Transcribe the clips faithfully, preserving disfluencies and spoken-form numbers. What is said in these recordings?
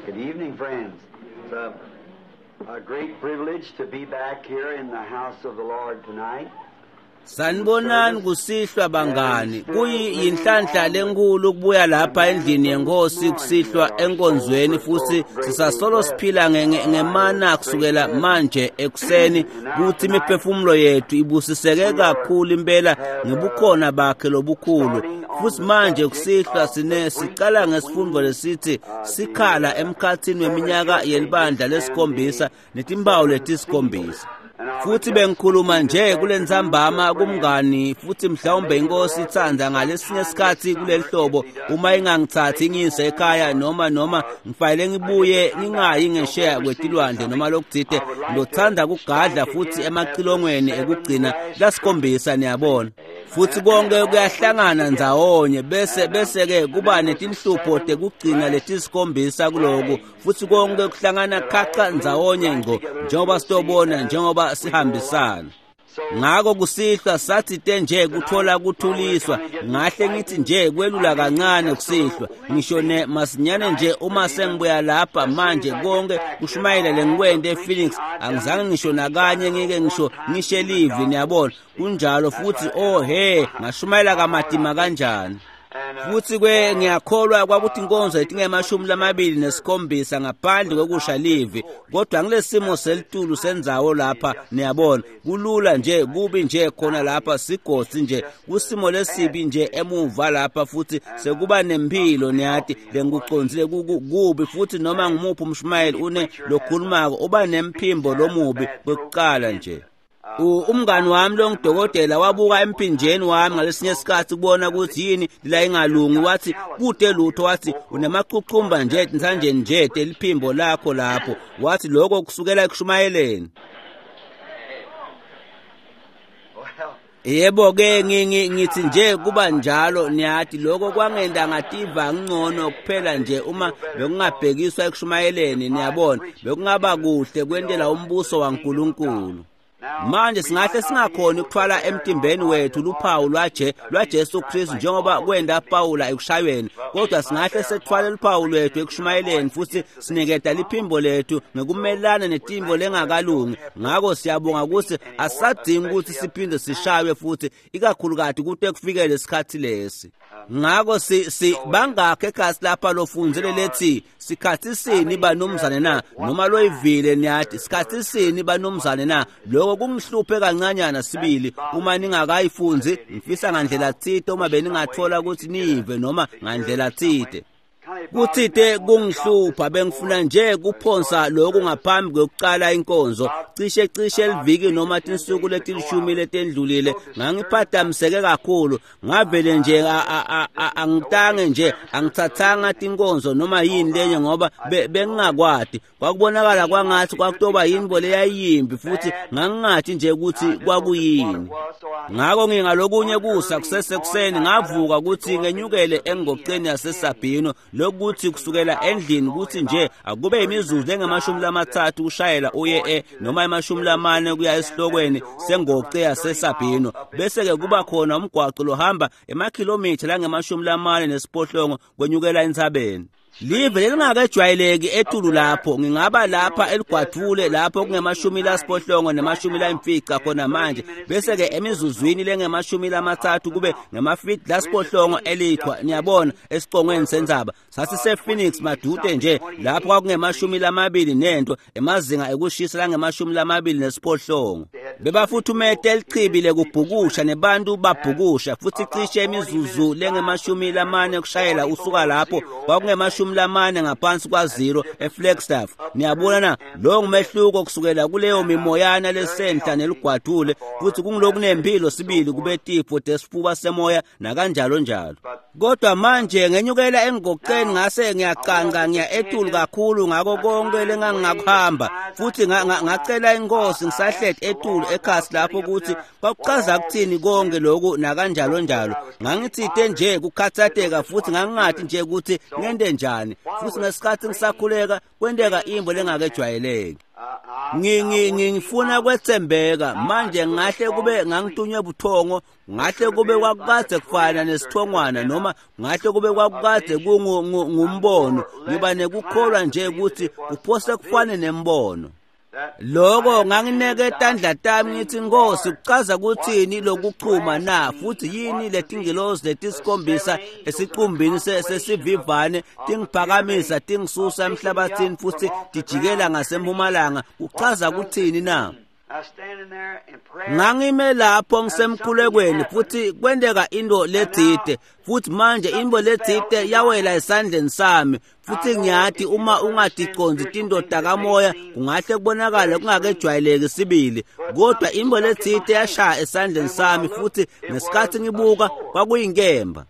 Good evening, friends. It's a, a great privilege to be back here in the house of the Lord tonight. Sanibonani kusihlwa bangani. Kuyinhlanhla lenkulu ukubuya lapha endlini yenkosi kusihlwa enkonzweni, futhi sisasolo siphila ngemana kusukela manje ekuseni kuthi imiphefumulo yethu ibusiseke kakhulu impela ngebukhona bakhe lobukhulu. Futhi manje kusihlwa sine sicala ngesifundo lesithi sikhala emkhathini weminyaka yelibandla lesikhombisa netimpawu letisikhombisa. Futhi bengikhuluma nje kulentsambama kumngani, futhi mhlawumbe inkosi itsandza ngalesinye isikhathi kuleli hlobo uma ingangithathi ngiyise ekhaya noma noma ngifanele ngibuye ngingayi ngesheya kwetilwandle noma lokutsite, ngizothanda kugadla futhi emacilongweni ekugcina lasikhombisa, niyabona. Futhi konke kuyahlangana ndzawonye bese bese ke kuba netinhlupho tekugcina letisikhombisa kuloku, futhi konke kuhlangana khaca ndzawonye ngco njengoba sitobona njengoba sihambisana. Ngako kusihlwa sathi nje kuthola kuthuliswa, ngahle ngithi nje kwelula kancane kusihlwa, ngisho ne masinyane nje uma sengibuya lapha manje konke kushumayela lengikwente ePhoenix angizange ngisho nakanye ngike ngisho ngishe live, niyabona kunjalo. Futhi oh he ngashumayela kamatima kanjani. Futhi kwe ngiyakholwa kwakuthi inkonzo letingemashumi lamabili nesikhombisa ngaphandle kwekusha live, kodwa ngilesimo selitulu sendzawo lapha, niyabona kulula nje kubi nje khona lapha sigodzi nje kusimo lesibi nje emuva lapha, futhi sekuba nempilo niyati lengikucondzile kubi. Futhi noma ngimuphi umshumayeli une lokhulumako uba nemphimbo lomubi kwekucala nje. Umngani wami lo ngidokotela wabuka emphinjeni wami ngalesinye isikhathi kubona ukuthi yini la ingalungi, wathi kude lutho, wathi unemacucumba nje nsanjeni nje teliphimbo lakho lapho, wathi lokho kusukela ekushumayeleni. Yebo ke ngithi nje kuba njalo niyati lokho kwangenda ngativa ngcono kuphela nje uma bekungabhekiswa ekushumayeleni, niyabona bekungaba kuhle kwentela umbuso waNkulunkulu. Manje singahle singakhoni ukuthwala emtimbeni wethu luphawu lwaje lwaJesu Kristu njengoba kwenda Pawula ekushayweni, kodwa singahle sethwale luphawu lwethu ekushumayeleni futhi siniketa liphimbo lethu ngekumelana netimbo lengakalungi. Ngako siyabonga ukuthi asadingi ukuthi siphinde sishaywe futhi, ikakhulukati kute kufikele isikhathi lesi. Ngako si si bangakhe ekhasi lapha lofundzele lethi sikhathi sini banumzane na, noma loyivile niyati sikhathi sini banumzane na. Lokho kungihluphe kancanyana sibili uma ningakayifunzi, ngifisa ngandlela tsite uma beningathola ukuthi nive noma ngandlela tsite. Kuthite kungihlupha bengifuna nje kuphonsa lokhu ngaphambi kwekucala inkonzo cishe cishe eliviki noma tinsuku letilishumi letendlulile ngangiphathamiseke kakhulu, ngavele nje angitange nje angithathanga tinkonzo noma yini lenye ngoba bengingakwati, kwakubonakala kwangathi kwakutoba yinto leyayimbi futhi ngangingathi nje ukuthi kwakuyini. Ngako ngingalokunye kusa kusesekuseni ngavuka ukuthi ngenyukele engoceni yaseSabino, lokuthi kusukela endlini kuthi nje akube imizuzu engamashumi lamathathu kushayela uye e noma emashumi lamane kuya esihlokweni sengoce yaseSabino, bese ke kuba khona umgwaqo lohamba emakhilomitha langemashumi lamane nesiphohlongo kwenyukela entsabeni. Live lelingakejwayeleki etulu lapho, ngingaba lapha eligwadvule lapho kungemashumi lasiphohlongo nemashumi layimfica khona manje, bese ke emizuzwini lengemashumi lamathathu kube ngemafiti lasiphohlongo elichwa, niyabona esicongweni sendzaba. Sasise Phoenix madude nje lapho kwakungemashumi lamabili nento emazinga ekushisa langemashumi lamabili nesiphohlongo. Bebafuthumete elichibi lekubhukusha nebantu babhukusha, futhi cishe imizuzu lengemashumi lamane kushayela usuka lapho kwakungemashumi lamane ngaphansi kwa zero eFlagstaff. Niyabona na lo ngumehluko kusukela kuleyo mimoyana lesenhla neligwadule, futhi kungilokunempilo sibili kube tifo tesifuba semoya nakanjalo njalo. Kodwa manje ngenyukela engoceni ngase ngiyacanca ngiya etulu kakhulu ngako konke lengangingakuhamba, futhi ngacela inkosi ngisahleti etulu ekhasi lapho ukuthi kwakuchaza kuthini konke lokhu nakanjalo njalo. Ngangithite nje kukhathateka futhi ngangingathi nje ukuthi ngente njani, futhi ngesikhathi ngisakhuleka kwenteka imbo lengakejwayeleki. Ngifuna kwetsembeka manje ngahle kube ngangitunywe buthongo ngahle kube kwakukade kufana nesithongwana noma ngahle kube kwakukade kungumbono ngiba nekukholwa nje ukuthi kuphose kufane nembono. Lokho ngangineke tandla tami ngithi Nkosi kuchaza kuthini lokuchuma na futhi yini letingilozi letisikhombisa esiqumbini sesivivane tingiphakamisa tingisusa emhlabathini futhi tijikela ngasempumalanga kuchaza kuthini na? Ngangime lapho ngisemkhulekweni futhi kwenteka into letsite futhi manje into letsite yawela esandleni sami futhi ngiyathi uma ungaticonzi tinto takamoya kungahle kubonakale kungakejwayeleki sibili kodwa into letsite yashaya esandleni sami futhi ngesikhathi ngibuka kwakuyinkemba.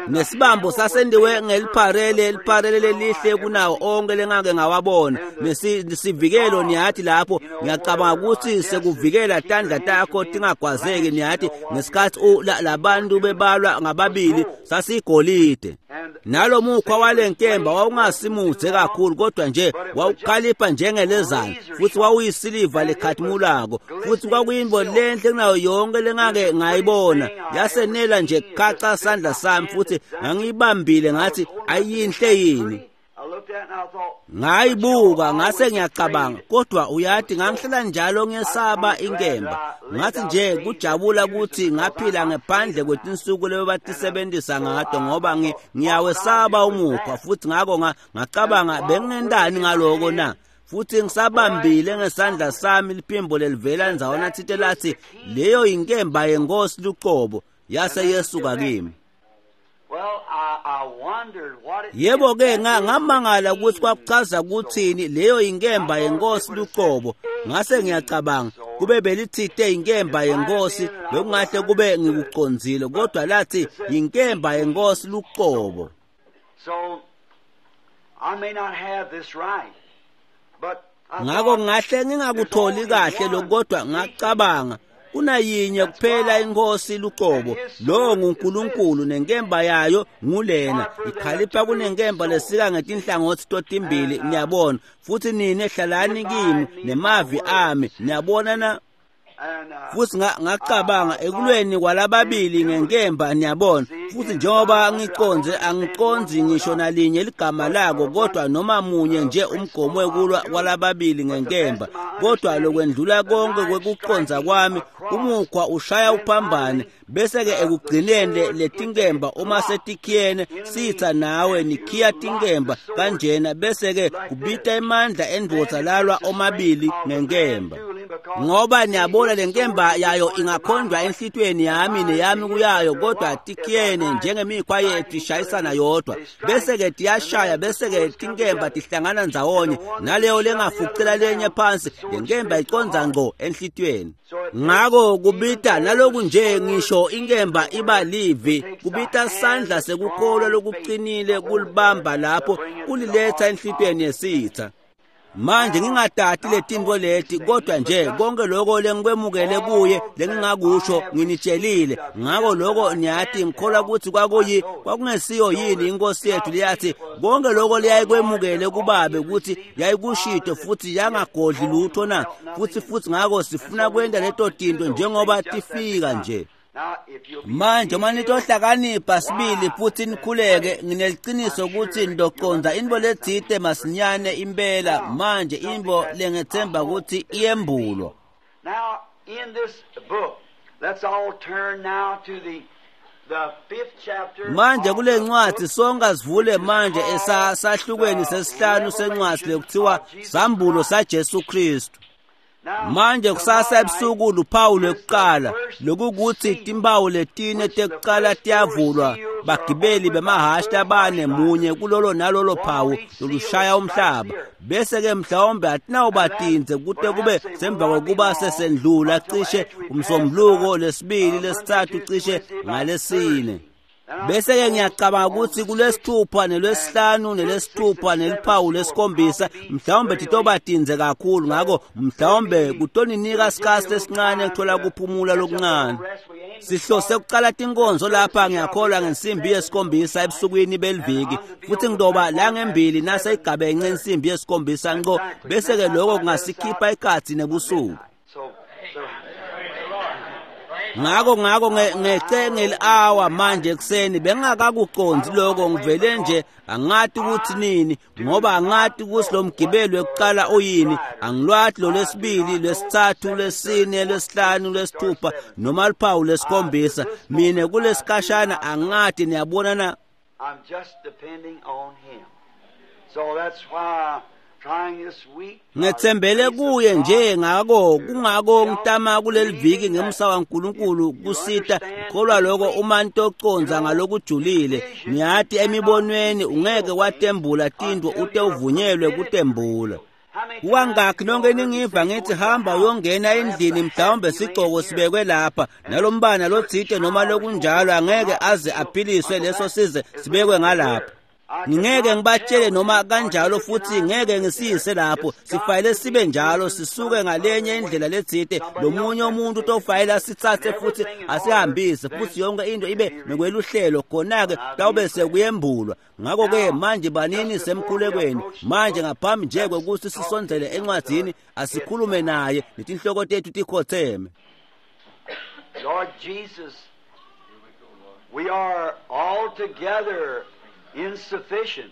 Nesibambo sasendiwe ngelipharele elipharele lelihle kunawo onke lengake ngawabona nesivikelo niyathi lapho ngiyacabanga ukuthi sekuvikela tandla takho tingagwazeki niyathi ngesikhathi labantu bebalwa ngababili sasigolide. Nalomukhwa walenkemba wawungasimudze kakhulu kodwa nje wawukhalipha njengelezana futhi wawuyisiliva lekhathimulako futhi kwakuyimbo lenhle kunayo yonke lengake ngayibona yasenela nje khaca sandla sami futhi ngangiyibambile ngathi ayinhle yini. Ngayibuka ngase ngiyacabanga kodwa uyathi ngangihlala njalo ngesaba inkemba ngathi nje kujabula ukuthi ngaphila ngephandle kwetinsuku lebebatisebenzisa ngato ngoba ngiyawesaba umukhwa futhi ngako ngacabanga bengingendani ngaloko na futhi ngisabambile ngesandla sami liphimbo lelivela ndzawana thite lathi leyo inkemba yenkosi luqobo yase yesuka kimi. Yebo ke ngamangala ukuthi kwakuchaza kuthini leyo inkemba yenkosi luqobo ngase ngiyacabanga kube belithite inkemba yenkosi bekungahle kube ngikuconzile kodwa lathi inkemba yenkosi luqobo. Ngako ngahle ngingakutholi kahle lokodwa ngacabanga kunayinye kuphela inkosi luqobo lo nguNkulunkulu nenkemba yayo ngulena ikhalipha kunenkemba lesika ngetinhlangothi totimbili niyabona futhi nine hlalani kimi nemavi ami niyabona na. Futhi ngacabanga ekulweni kwalababili ngenkemba niyabona futhi njengoba ngiconze angiconzi ngisho nalinye ligama lako kodwa noma munye nje umgomo wekulwa kwalababili ngenkemba kodwa lokwendlula konke kwekuconza kwami umukhwa ushaya uphambane bese ke ekugcineni letinkemba uma setikhiyene sitha nawe nikhiya tinkemba kanjena bese ke kubita emandla endvodza lalwa omabili ngenkemba ngoba niyabona lenkemba yayo ingakhonjwa enhlitweni yami neyami kuyayo kodwa tikhiyene njengemikhwa yethu ishayisana yodwa bese ke tiyashaya bese ke tinkemba tihlangana ndzawonye naleyo lengafucela lenye phansi lenkemba iconza ngqo enhlitweni. Ngako kubita naloku nje ngisho inkemba iba livi kubita sandla sekukholwa lokuqinile kulibamba lapho kuliletha enhlitweni yesitha. Manje ngingatati letinto leti kodwa nje konke lokho lengikwemukele kuye lengingakusho nginitshelile ngako lokho niyathi ngikholwa ukuthi kwakuyi kwakungesiyo yini inkosi yethu liyathi konke lokho liyayikwemukele kubabe ukuthi yayikushito futhi yangagodli lutho na futhi futhi ngako sifuna kwenta leto tinto njengoba tifika nje. Manje uma nitohlakanipha sibili futhi nikhuleke ngineliciniso ukuthi ndoconza into letsite masinyane impela manje into lengethemba ukuthi iyembulwa. Now in this book let's all turn now to the the fifth chapter. Manje kule ncwadi sonke sivule manje esahlukweni sesihlanu sencwadi lekuthiwa Sambulo saJesu Kristu. Manje kusasa ebusuku luphawu lwekuqala lokukuthi timpawu letine tekuqala tiyavulwa bagibeli bemahhashi labane munye kulolo nalolo phawu lolushaya umhlaba bese ke mhlawumbe atinawubatinze kute kube semva kokuba sesendlula cishe umsombuluko lesibili lesithathu cishe ngalesine. Bese-ke ngiyacabanga ukuthi kulwesithupha nelwesihlanu nelwesithupha neluphawu lwesikhombisa mhlawumbe titobatinze kakhulu, ngako mhlawumbe kutoninika isikhathi lesincane kuthola kuphumula lokuncane. Sihlose kucala tinkonzo lapha ngiyakholwa ngensimbi yesikhombisa ebusukwini beliviki, futhi ngitoba la ngembili naseyigabenxe insimbi yesikhombisa ngqo, bese-ke lokho kungasikhipha ikhathi nebusuku. Ngako ngako ngece ngeli-hour manje ekuseni bengingakakucondzi lokho, ngivele nje angati ukuthi nini, ngoba angati ukuthi lo mgibelo wekuqala uyini, angilwati lo lwesibili, lwesithathu, lwesine, lwesihlanu, lwesithupha noma luphawu lwesikhombisa. Mina kulesikhashana angati, niyabona na? I'm just depending on him. So that's why Ngethembele kuye nje, ngako kungako ngitama kuleli viki ngemsa waNkulunkulu kusita ngikholwa lokho uma ntoconza ngalokujulile. Ngiyati emibonweni ungeke watembula tintfo ute uvunyelwe kutembula. Kukangakhi nonke ningiva ngithi hamba uyongena endlini, mhlawumbe sigcoko sibekwe lapha nalombana lotsite noma lokunjalo, angeke aze aphiliswe leso size sibekwe ngalapha. Ngingeke ngibatshele noma kanjalo, futhi ngeke ngisiyise lapho. Sifayele sibe njalo, sisuke ngalenye indlela letsite, lomunye umuntu utofayela sitsatse futhi asihambise, futhi yonke into ibe ngekweluhlelo, khona-ke tawube sekuyembulwa. Ngakho-ke manje banini semkhulekweni manje, ngaphambi nje kwekuthi sisondzele encwadzini, asikhulume naye netinhloko tethu tikhotseme. Lord Jesus, we are all together insufficient.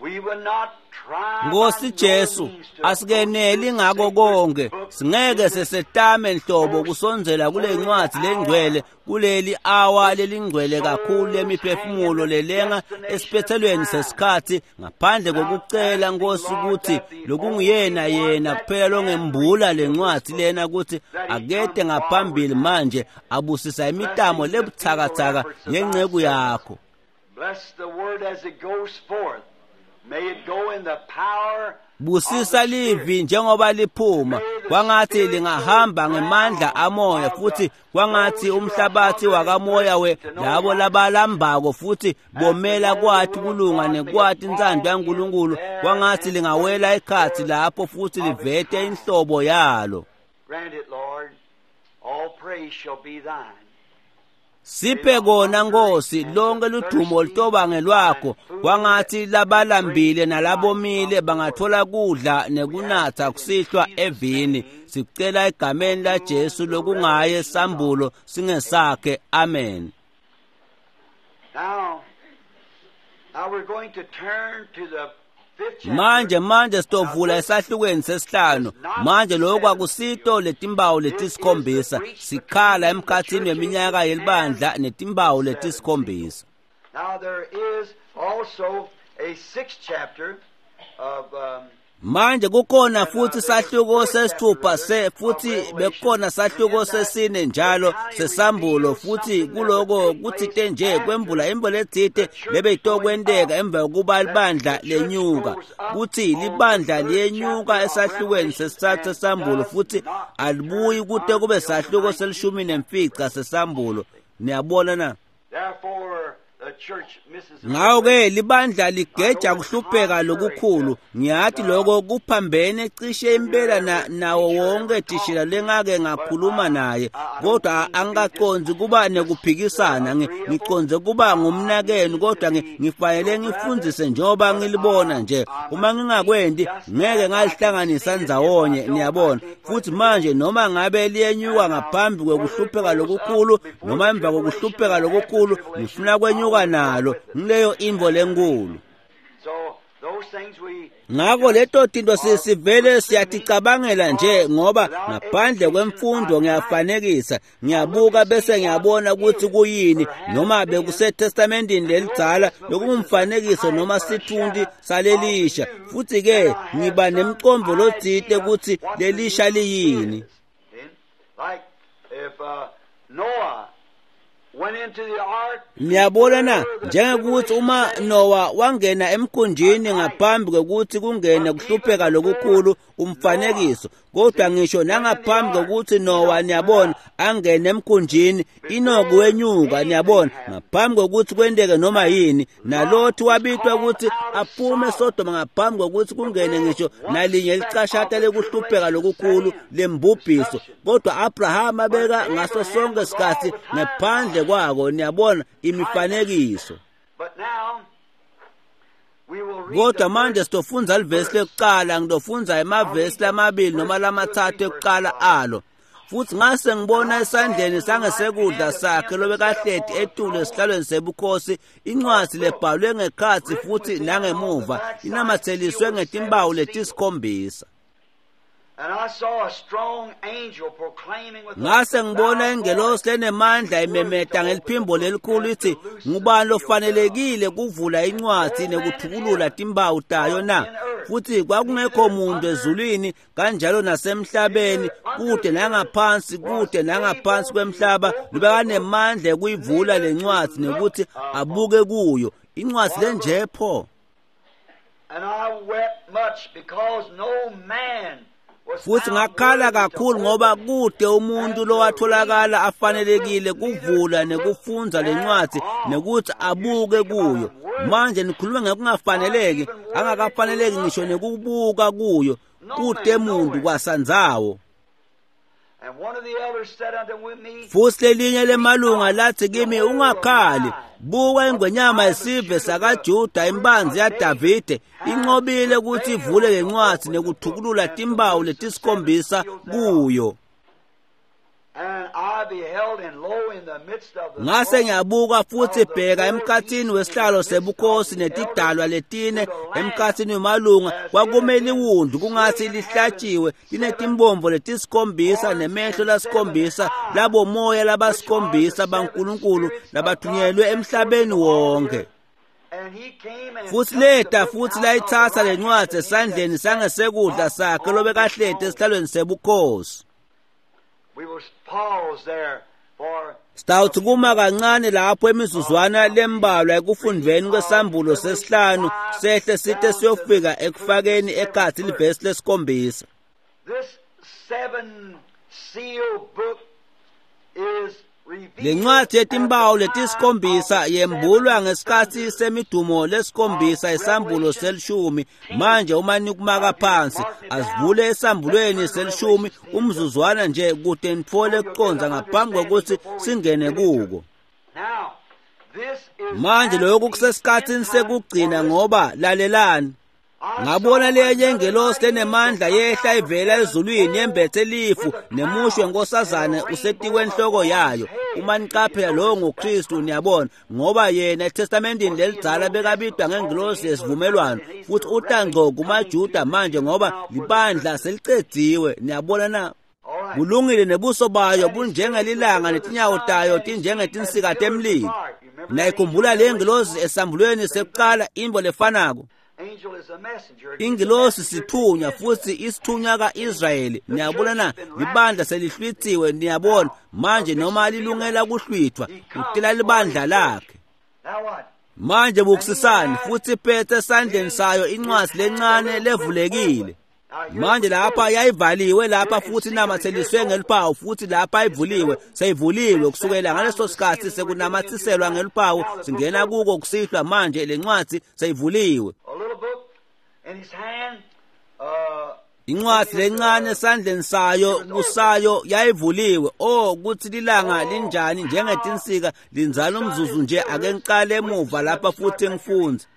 We will not try. Nkosi Jesu, asikeneli ngako konke, singeke sesetame nhlobo kusondzela kule ncwadzi lengcwele, kuleli awa lelingcwele kakhulu lemiphefumulo lelenga esiphethelweni sesikhathi, ngaphandle kokucela Nkosi ukuthi lokunguyena yena kuphela longembula lencwadzi lena ukuthi akete ngaphambili manje abusisa imitamo lebutsakatsaka yenceku yakho. Bless the word as it goes forth. May it go in the power. Busisa livi njengoba liphuma, kwangathi lingahamba ngemandla amoya, futhi kwangathi umhlabathi wakamoya we labo labalambako futhi bomela kwathi kulunga nekwati intsando yaNkulunkulu, kwangathi lingawela ikhathi lapho futhi livete inhlobo yalo. Grant it, Lord. All praise shall be thine. Siphe kona Nkosi, lonke ludumo lutoba ngelwakho, kwangathi labalambile nalabomile bangathola kudla nekunatha kusihlwa evini. Sicela egameni la Jesu lokungaye sambulo singesakhe. Amen. Now, now we're going to turn to the fifth chapter. Manje manje sitovula esahlukweni sesihlanu. Manje lokhu akusito letimbawu letisikhombisa, sikhala emkhathini weminyaka yelibandla netimbawu letisikhombisa. Now there is also a sixth chapter of um, Manje kukhona futhi sahluko sesithupha se futhi bekukhona sahluko sesine njalo sesambulo, futhi kuloko kutsite nje kwembula imbo letsite lebeyitokwenteka emva kokuba libandla lenyuka, kuthi libandla liyenyuka esahlukweni sesithathu sesambulo futhi alibuyi kute kube sahluko selishumi nemfica sesambulo. Niyabona na? Therefore the church misses Ngako-ke libandla ligeja kuhlupheka lokukhulu. Ngiyathi lokho kuphambene cishe impela na, nawo wonke thishela lengake ngakhuluma naye, kodwa angikacondzi kuba nekuphikisana. Ngicondze kuba ngumnakenu, kodwa ngifanele ngifundzise njengoba ngilibona nje. Uma ngingakwendi ngeke ngalihlanganisa ndzawonye, niyabona. Futhi manje noma ngabe liyenyuka ngaphambi kwekuhlupheka lokukhulu noma emva kokuhlupheka lokukhulu, ngifuna kwenyuka nalo ngileyo imvo lenkulu. So those things we Ngako leto tinto sivele siyaticabangela nje, ngoba ngaphandle kwemfundo ngiyafanekisa, ngiyabuka bese ngiyabona ukuthi kuyini, noma bekuseTestamentini lelidzala lokungumfanekiso noma sithunti salelisha, futhi ke ngiba nemcondvo lotsite ukuthi lelisha liyini. Like if uh, Noah went into the ark, Niyabona na, njengekuthi uma Noah wangena emkhunjini ngaphambi kwekuthi kungene kuhlupheka lokukhulu, umfanekiso, Kodwa ngisho nangaphambi kokuthi Noah, niyabona, angene emkhunjini, Enoch wenyuka, niyabona, ngaphambi kokuthi kwenteke noma yini. NaLothi wabitwa ukuthi aphume eSodoma ngaphambi kokuthi kungene ngisho nalinye licashata lekuhlupheka lokukhulu lembubhiso. Kodwa Abraham abeka ngaso sonke isikhathi ngaphandle kwako, niyabona, imifanekiso. Kodwa manje sitofundza livesi lekucala, ngitofundza emavesi lamabili noma lamathathu ekucala alo. Futhi ngase ngibona esandleni sangesekudla sakhe lobekahleti etulu esihlalweni sebukhosi incwadi lebhalwe ngekhatsi futhi nangemuva, inamatheliswe ngetimpawu letisikhombisa. Ngase ngibona ingelosi lenemandla imemeta ngeliphimbo lelikhulu ithi, ngubani lofanelekile kuvula incwadi nekuthukulula timpawu tayo na? Futhi kwakungekho muntu ezulwini kanjalo nasemhlabeni, kude nangaphansi, kude nangaphansi kwemhlaba, lobekanemandla ekuyivula lencwadi nekuthi abuke kuyo. Incwadi lenje pho. Futhi ngakhala kakhulu ngoba kude umuntu lowatholakala afanelekile kuvula nekufundza lencwadi nekuthi abuke kuyo. Manje nikhuluma ngokungafaneleki, angakafaneleki ngisho nekubuka kuyo, kude muntu kwasandzawo. Futhi lelinye lemalunga lathi kimi, ungakhali, buka ingwenyama yesive sakaJuda, imbanzi yaDavide, inqobile ukuthi ivule lencwadi nekuthukulula timpawu letisikhombisa kuyo. Ngase ngiyabuka futhi bheka emkhathini wesihlalo sebukhosi netidalwa letine emkhathini wemalunga kwakumele iwundlu kungathi lihlatshiwe linetimbombo letisikhombisa nemehlo lasikhombisa labomoya labasikhombisa baNkulunkulu labathunyelwe emhlabeni wonke. Futhi leta futhi layitsatsa lencwadzi esandleni sangesekudla sakhe lobekahleti esihlalweni sebukhosi. Sitawuthi kuma kancane lapho emizuzwana lembalwa ekufundveni kwesambulo sesihlanu sehle site siyofika ekufakeni ekhatsi livesi lesikhombisa. Lencwadi yetimpawu letisikhombisa yembulwa ngesikhatsi semidumo lesikhombisa esambulo selishumi. Manje uma nikumaka phansi, asivule esambulweni selishumi umzuzwana nje kute nitfole kucondza ngaphambi kokuthi singene kuko. Manje lokhu kusesikhatsini sekugcina ngoba lalelani. Ngabona lenye ingelosi lenemandla yehla ivela ezulwini yembethe lifu nemushwe nkosazane usetikwe enhloko yayo. Uma niqaphela lowo nguKristu, niyabona, ngoba yena eTestamentini lelidzala bekabidwa ngengelosi yesivumelwano, futhi utangco kumaJuda manje ngoba libandla selicedziwe, niyabona na? Kulungile, nebuso bayo bunjengelilanga netinyawo tayo tinjengetinsika temlilo. Nayikhumbula le ngelosi esambulweni sekuqala imbo lefanako. Ingilosi sithunywa futhi isithunywa kaIsrayeli, niyabona na? Libandla selihlwithiwe, niyabona manje, noma lilungela kuhlwithwa, utela libandla lakhe. Manje bukusisani, futhi iphethe esandleni sayo incwadi lencane levulekile. Manje lapha yayivaliwe lapha futhi inamatheliswe ngeluphawu, futhi lapha ivuliwe, seyivuliwe kusukela ngaleso sikhathi sekunamathiselwa ngeluphawu, singena kuko kusihlwa. Manje lencwadi seyivuliwe. Incwadi lencane esandleni sayo kusayo yayivuliwe. Oh, kuthi lilanga linjani njengetinsika linzala umzuzu nje. Ake ngiqale emuva lapha futhi ngifundze.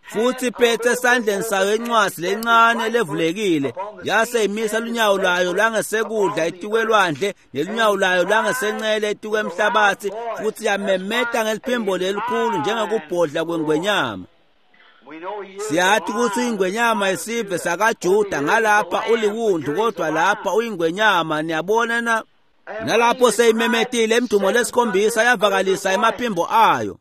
Futhi iphethe esandleni sayo incwadi lencane levulekile, yase imisa lunyawo lwayo lwangesekudla etikwelwandle nelunyawo lwayo lwangesencele etikwemhlabathi, futhi yamemeta ngeliphimbo lelikhulu njengekubhodla kwengwenyama. Siyathi ukuthi ingwenyama yesive sakaJuda, ngalapha uliwundlu kodwa lapha uyingwenyama, niyabona na? Nalapho seyimemetile emdumo lesikhombisa yavakalisa emaphimbo ayo.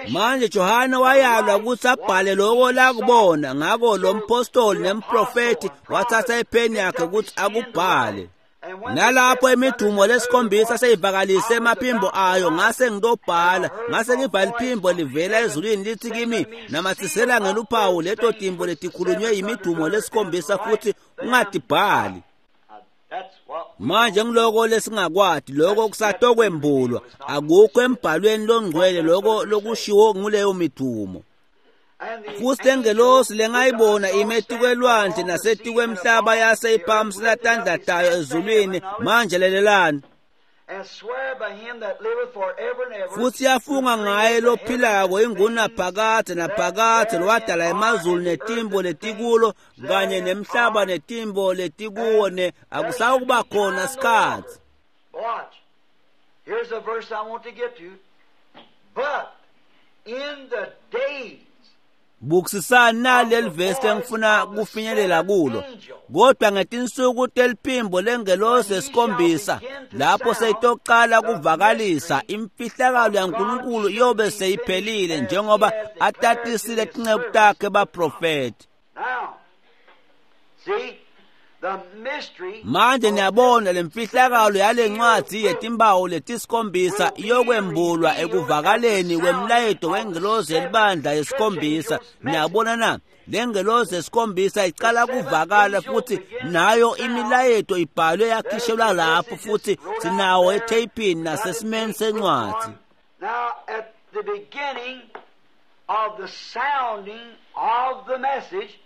Manje Johane wayalwa ukuthi abhale lokho lakubona, ngakho lo mpostoli nemprofeti wathatha ipheni yakhe ukuthi akubhale. Nalapho imidumo lesikhombisa seyivakalise emaphimbo ayo, ngase ngitobhala, ngase ngiva liphimbo livela ezulwini lithi kimi, namathisela ngeluphawu leto timbo letikhulunywe yimidumo lesikhombisa futhi ungatibhali. Manje ngiloko lesingakwati, lokho kusatokwembulwa, akukho embhalweni longcwele lokho lokushiwo nguleyo midumo. Futhi lengelosi lengayibona ime etikwelwandle nasetikwemhlaba yase iphakamisela tandla tayo ezulwini. Manje lalelani. Futhi yafunga ngaye lophilako ingunaphakadze naphakadze lowadala emazulu netimbo letikulo kanye nemhlaba netimbo letikuwo ne akusawukuba khona sikhatsi. Watch. Here's a verse I want to get to. But in the days Bukisisani naleli vesi engifuna kufinyelela kulo. Kodwa ngetinsuku teliphimbo lengelosi yesikhombisa, lapho seyitoqala kuvakalisa imfihlakalo yaNkulunkulu iyobe seyiphelile njengoba atatisile tinceku takhe baprofeti. Now, see, the mystery Manje niyabona lemfihlakalo yalencwadzi yetimpawu letisikhombisa iyokwembulwa ekuvakaleni kwemlayeto wengelosi yelibandla yesikhombisa. Niyabona na? Lengelosi yesikhombisa icala kuvakala futhi nayo imilayeto ibhalwe yakhishelwa lapho futhi sinawo etheyipini nasesimeni sencwadzi. Now, at the beginning of the sounding of the message,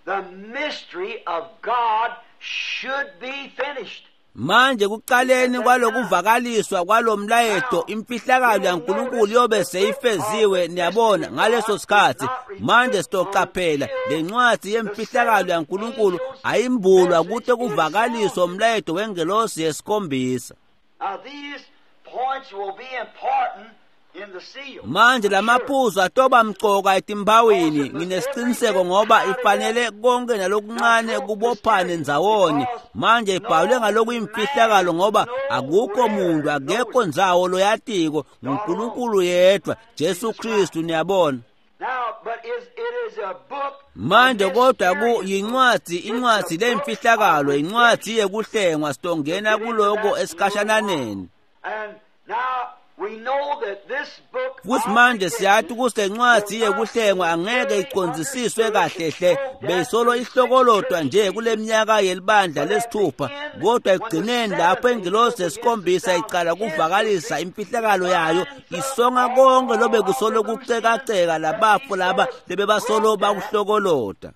the mystery of God should be finished. Manje kuqaleni kwalokuvakaliswa kwalomlayeto imfihlakalo yaNkulunkulu yobe seyifeziwe, niyabona, ngaleso sikhathi. Manje sitoqaphela lencwadi yemfihlakalo yaNkulunkulu ayimbulwa kute kuvakaliswa umlayeto wengelosi yesikhombisa. Now, these points will be important in the seal. Manje lamaphuzu atoba mcoka etimbawini, nginesiqiniseko ngoba ifanele konke nalokuncane kubophane ndzawonye. Manje ibhalwe ngalokuyimfihlakalo ngoba akukho muntu, akekho ndzawo loyatiko, nguNkulunkulu yedwa, Jesu Kristu, niyabona. Now, but is, it is a book Manje kodwa ku yincwadi, incwadi lemfihlakalo, incwadi yekuhlengwa, sitongena kuloko esikhashananeni. And now we know that this book Futhi manje siyathi ukuthi lencwadi yekuhlengwa angeke icondzisiswe kahle hle, beyisolo ihlokolodwa nje kule minyaka yelibandla lesithupha, kodwa ekugcineni lapho ingilosi yesikhombisa icala kuvakalisa imfihlakalo yayo, isonga konke lobe kusolo kucekaceka labafo laba lebebasolo bakuhlokoloda.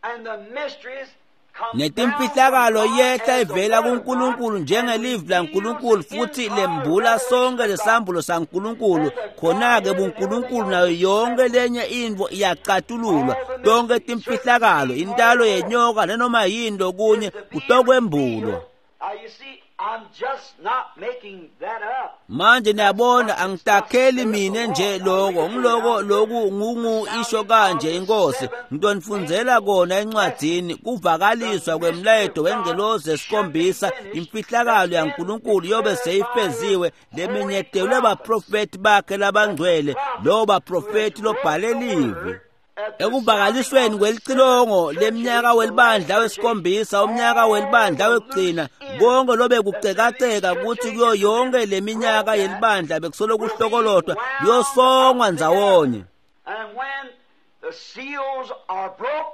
and the mysteries come Netimfihlakalo down from yehla God as the ivela word of kuNkulunkulu God njengelivi laNkulunkulu futhi lembula sonke lesambulo saNkulunkulu. Khona-ke buNkulunkulu nayo yonke lenye intfo iyacatululwa, tonke timfihlakalo, intalo yenyoka nanoma yini lokunye kutokwembulwa. Now you see, I'm just not making that up. Manje niyabona angitakheli mine nje lokho, ngiloko loku ngungu isho kanje inkosi, ngitonifundzela kona encwadzini kuvakaliswa kwemlayeto wengelosi yesikhombisa, imfihlakalo yaNkulunkulu yobe seyifeziwe lemenyetelwe baprofeti bakhe labangcwele, lowo baprofeti lobhale livi. Ekuvakalisweni kwelicilongo leminyaka welibandla wesikhombisa, umnyaka welibandla wekugcina, konke lobe kucekaceka kuthi kuyo yonke leminyaka yelibandla bekusolo kuhlokolodwa kuyosongwa ndzawonye. And when the seals are broke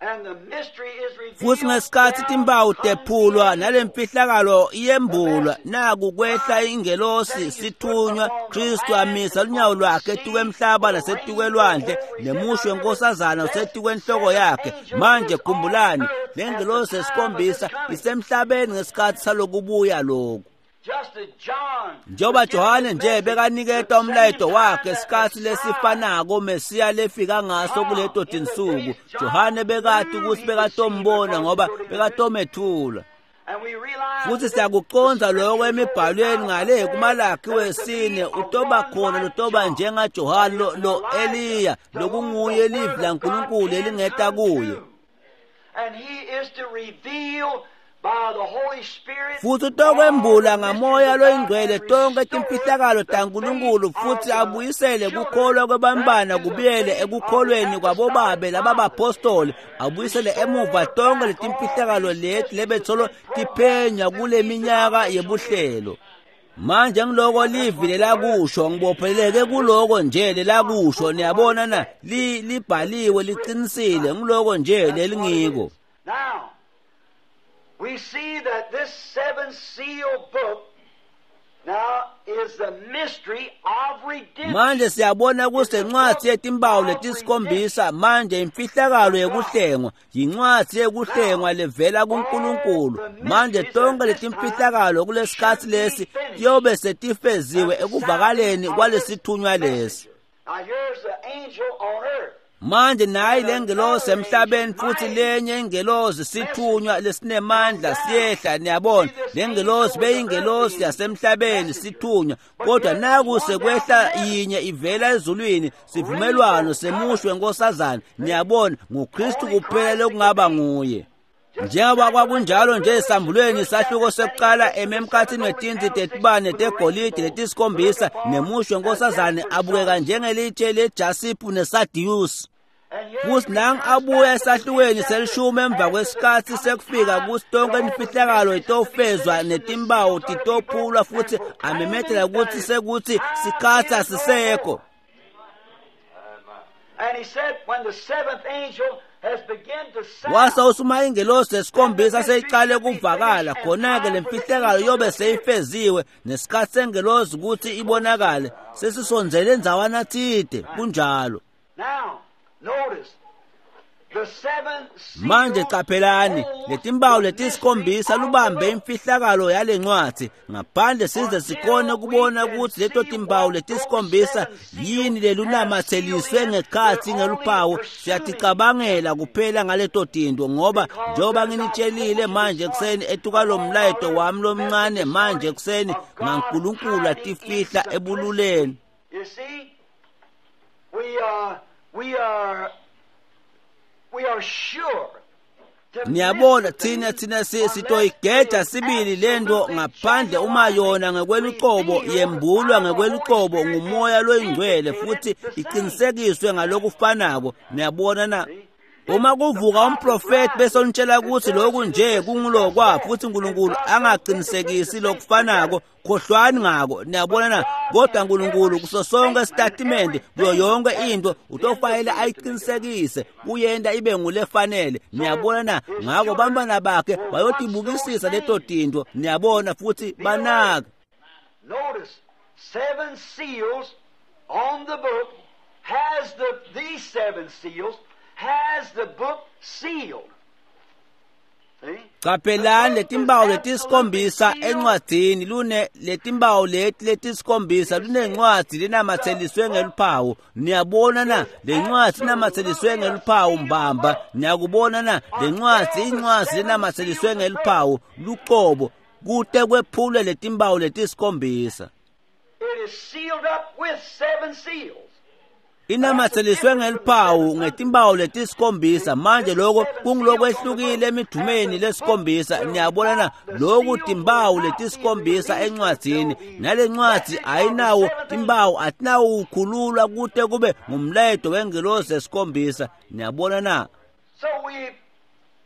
and the mystery is revealed, Futhi ngesikhathi timpawu tephulwa nalemfihlakalo iyembulwa, naku kwehla ingelosi sithunywa, Kristu amisa lunyawo lwakhe etukwemhlaba nasetikwelwandle, nemusho wenkosazana usetikwenhloko yakhe. Manje khumbulani, lengelosi yesikhombisa isemhlabeni ngesikhathi salokubuya lokhu. just as John Njengoba Johane nje bekaniketa umlayeto wakhe isikhathi lesifanako Mesiya lefika ngaso kuleto tinsuku, Johane bekati ukuthi bekatombona ngoba bekatomethula. and we realize Futhi siyakuconza lokho emibhalweni ngale kuMalaki wesine, utoba khona lotoba njengaJohane lo, lo Eliya lokunguye livi laNkulunkulu elingeta kuye. And he is to reveal Futhi utokwembula ngamoya loyingcwele tonke timfihlakalo taNkulunkulu futhi abuyisele kukholwa kwebantwana kubuyele ekukholweni kwabobabe lababapostoli, abuyisele emuva tonke letimfihlakalo leti lebetsolo tiphenywa kule minyaka yebuhlelo. Manje ngiloko livi lelakusho, ngibopheleke kuloko nje lelakusho, niyabona na, li libhaliwe liqinisile, ngiloko nje lelingiko. Now we see that this seven seal book now is the mystery of redemption. Manje siyabona kusencwadi yetimpawu letisikhombisa, manje imfihlakalo yekuhlengwa, yincwadi yekuhlengwa levela kuNkulunkulu. Manje tonke letimfihlakalo kulesikhatsi lesi tiyobe setifeziwe ekuvakaleni kwalesithunywa lesi. Now here's the angel on earth. Manje nayi lengelosi emhlabeni futhi lenye ingelosi sithunywa lesinemandla siyehla, niyabona lengelosi beyingelosi yasemhlabeni sithunywa, kodwa naku sekwehla yinye ivela ezulwini, sivumelwano semushwe nkosazana, niyabona nguKristu kuphela lokungaba nguye. Njengoba kwakunjalo nje esambulweni sahluko sekuqala ememkhathini wetinti tetibane tegolide letisikhombisa nemushwe nkosazane abukeka njengelitshe lejasiphu nesadiyusi. Futhi nangu abuya esahlukweni selishumi emva kwesikhathi sekufika kuthi tonke imfihlakalo itofezwa netimpawu titophulwa futhi amemethela ukuthi sekuthi sikhathi asisekho. And he said when the seventh angel has begun to sound, Wase usuma ingelosi yesikhombisa seyiqale kuvakala, khona-ke le mfihlakalo yobe seyifeziwe nesikhathi sengelosi ukuthi ibonakale sesisondzele endzawana thide, kunjalo. Now notice the seven seals Manje qaphelani letimpawu letisikhombisa lubambe imfihlakalo yalencwadi ngaphandle size sikhone ukubona ukuthi leto timpawu letisikhombisa yini lelunamatseliswe ngekhatsi ngeluphawu. Siyaticabangela kuphela ngaleto tinto, ngoba njengoba nginitshelile manje ekuseni etukalomlayeto wami lomncane manje ekuseni ngaNkulunkulu atifihla ebululeni. You see, we are we are we are sure to Niyabona thina thina sitoyigeja sibili lento ngaphandle uma yona ngekwelucobo yembulwa ngekwelucobo ngumoya loyingcwele futhi iqinisekiswe ngalokufanako. Niyabona na, uma kuvuka umprofeti bese onitshela ukuthi lokhu nje kungulokwa futhi uNkulunkulu angaqinisekisi lokufanako, khohlwani ngako. Niyabona na, kodwa uNkulunkulu kuso sonke isitatimende kuyo yonke into utofanele ayiqinisekise kuyenta ibe ngulefanele. Niyabona na, ngako bantwana bakhe bayotibukisisa leto tinto, niyabona, futhi banaka. Notice seven seals on the book has the these seven seals has the book sealed. See? Qaphelani letimpawu letisikhombisa encwadzini lune letimpawu leti letisikhombisa lunencwadzi lenamatseliswe ngeluphawu. Niyabona na, lencwadzi inamatseliswe ngeluphawu mbamba. Niyakubona na, lencwadzi incwadzi lenamatseliswe ngeluphawu lucobo kute kwephulwe letimpawu letisikhombisa. It is sealed up with seven seals. Inamatseliswe ngeluphawu ngetimpawu letisikhombisa. Manje lokho kungilokwehlukile emidumeni lesikhombisa. Niyabona na, lokhu timpawu letisikhombisa encwadzini, nalencwadzi ayinawo timpawu, atinawo ukukhululwa kute kube ngumlayeto wengelosi yesikhombisa. Niyabona na. So we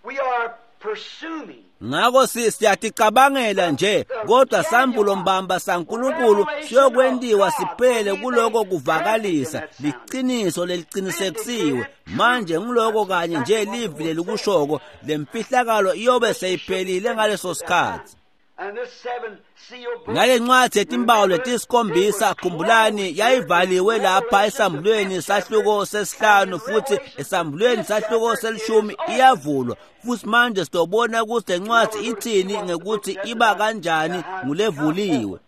we are pursuing. Ngako siyaticabangela nje, kodwa sambulo mbamba saNkulunkulu siyokwentiwa siphele kuloko kuvakalisa liqiniso leliqinisekisiwe. Manje ngiloko kanye nje livi lelikushoko, lemfihlakalo iyobe seyiphelile ngaleso sikhathi. Ngale ncwadzi yetimpawu letisikhombisa, khumbulani, yayivaliwe lapha esambulweni sahluko sesihlanu futhi esambulweni sahluko selishumi iyavulwa. Futhi manje sitobona ukuthi lencwadzi ithini ngekuthi iba kanjani ngulevuliwe.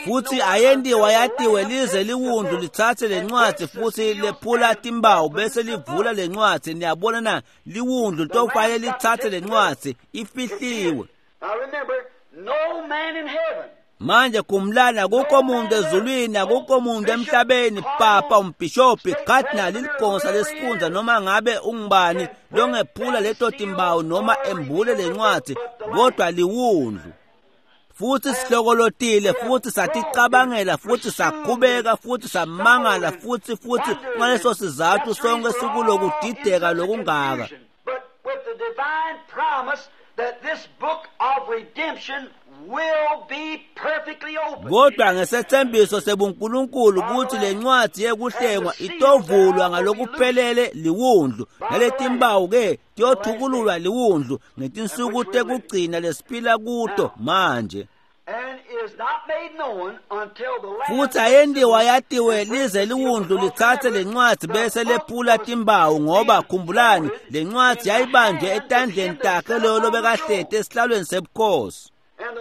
Futhi ayendiwa yatiwe lize liwundlu lithathe lencwadzi futhi lephula timpawu bese livula lencwadzi. Niyabona na, liwundlu litofanele lithathe lencwadzi, ifihliwe. Now remember, no man in heaven Manje khumbulani, akukho muntu ezulwini, akukho muntu emhlabeni, papa, umbhishobhi, cardinal, iligonsa lesifundza, noma ngabe ungubani longephula leto timbawu noma embule lencwadzi, kodwa liwundlu. Futhi sihlokolotile, futhi saticabangela, futhi sakhubeka, futhi samangala, futhi futhi ngaleso sizathu sonke sikulokudideka lokungaka. But with the divine promise that this book of redemption will be perfectly open. Kodwa ngesethembiso sebuNkulunkulu ukuthi lencwadi yekuhlengwa itovulwa ngalokuphelele liwundlu, naletimpawu ke tiyothukululwa liwundlu ngetinsuku tekugcina lesiphila kuto manje. And is not made known until the Lamb Futhi ayendiwa yatiwe lize liwundlu lithathe lencwadi bese lephula timpawu, ngoba khumbulani lencwadi yayibanjwe etandleni takhe loyo lobekahleti esihlalweni sebukhosi.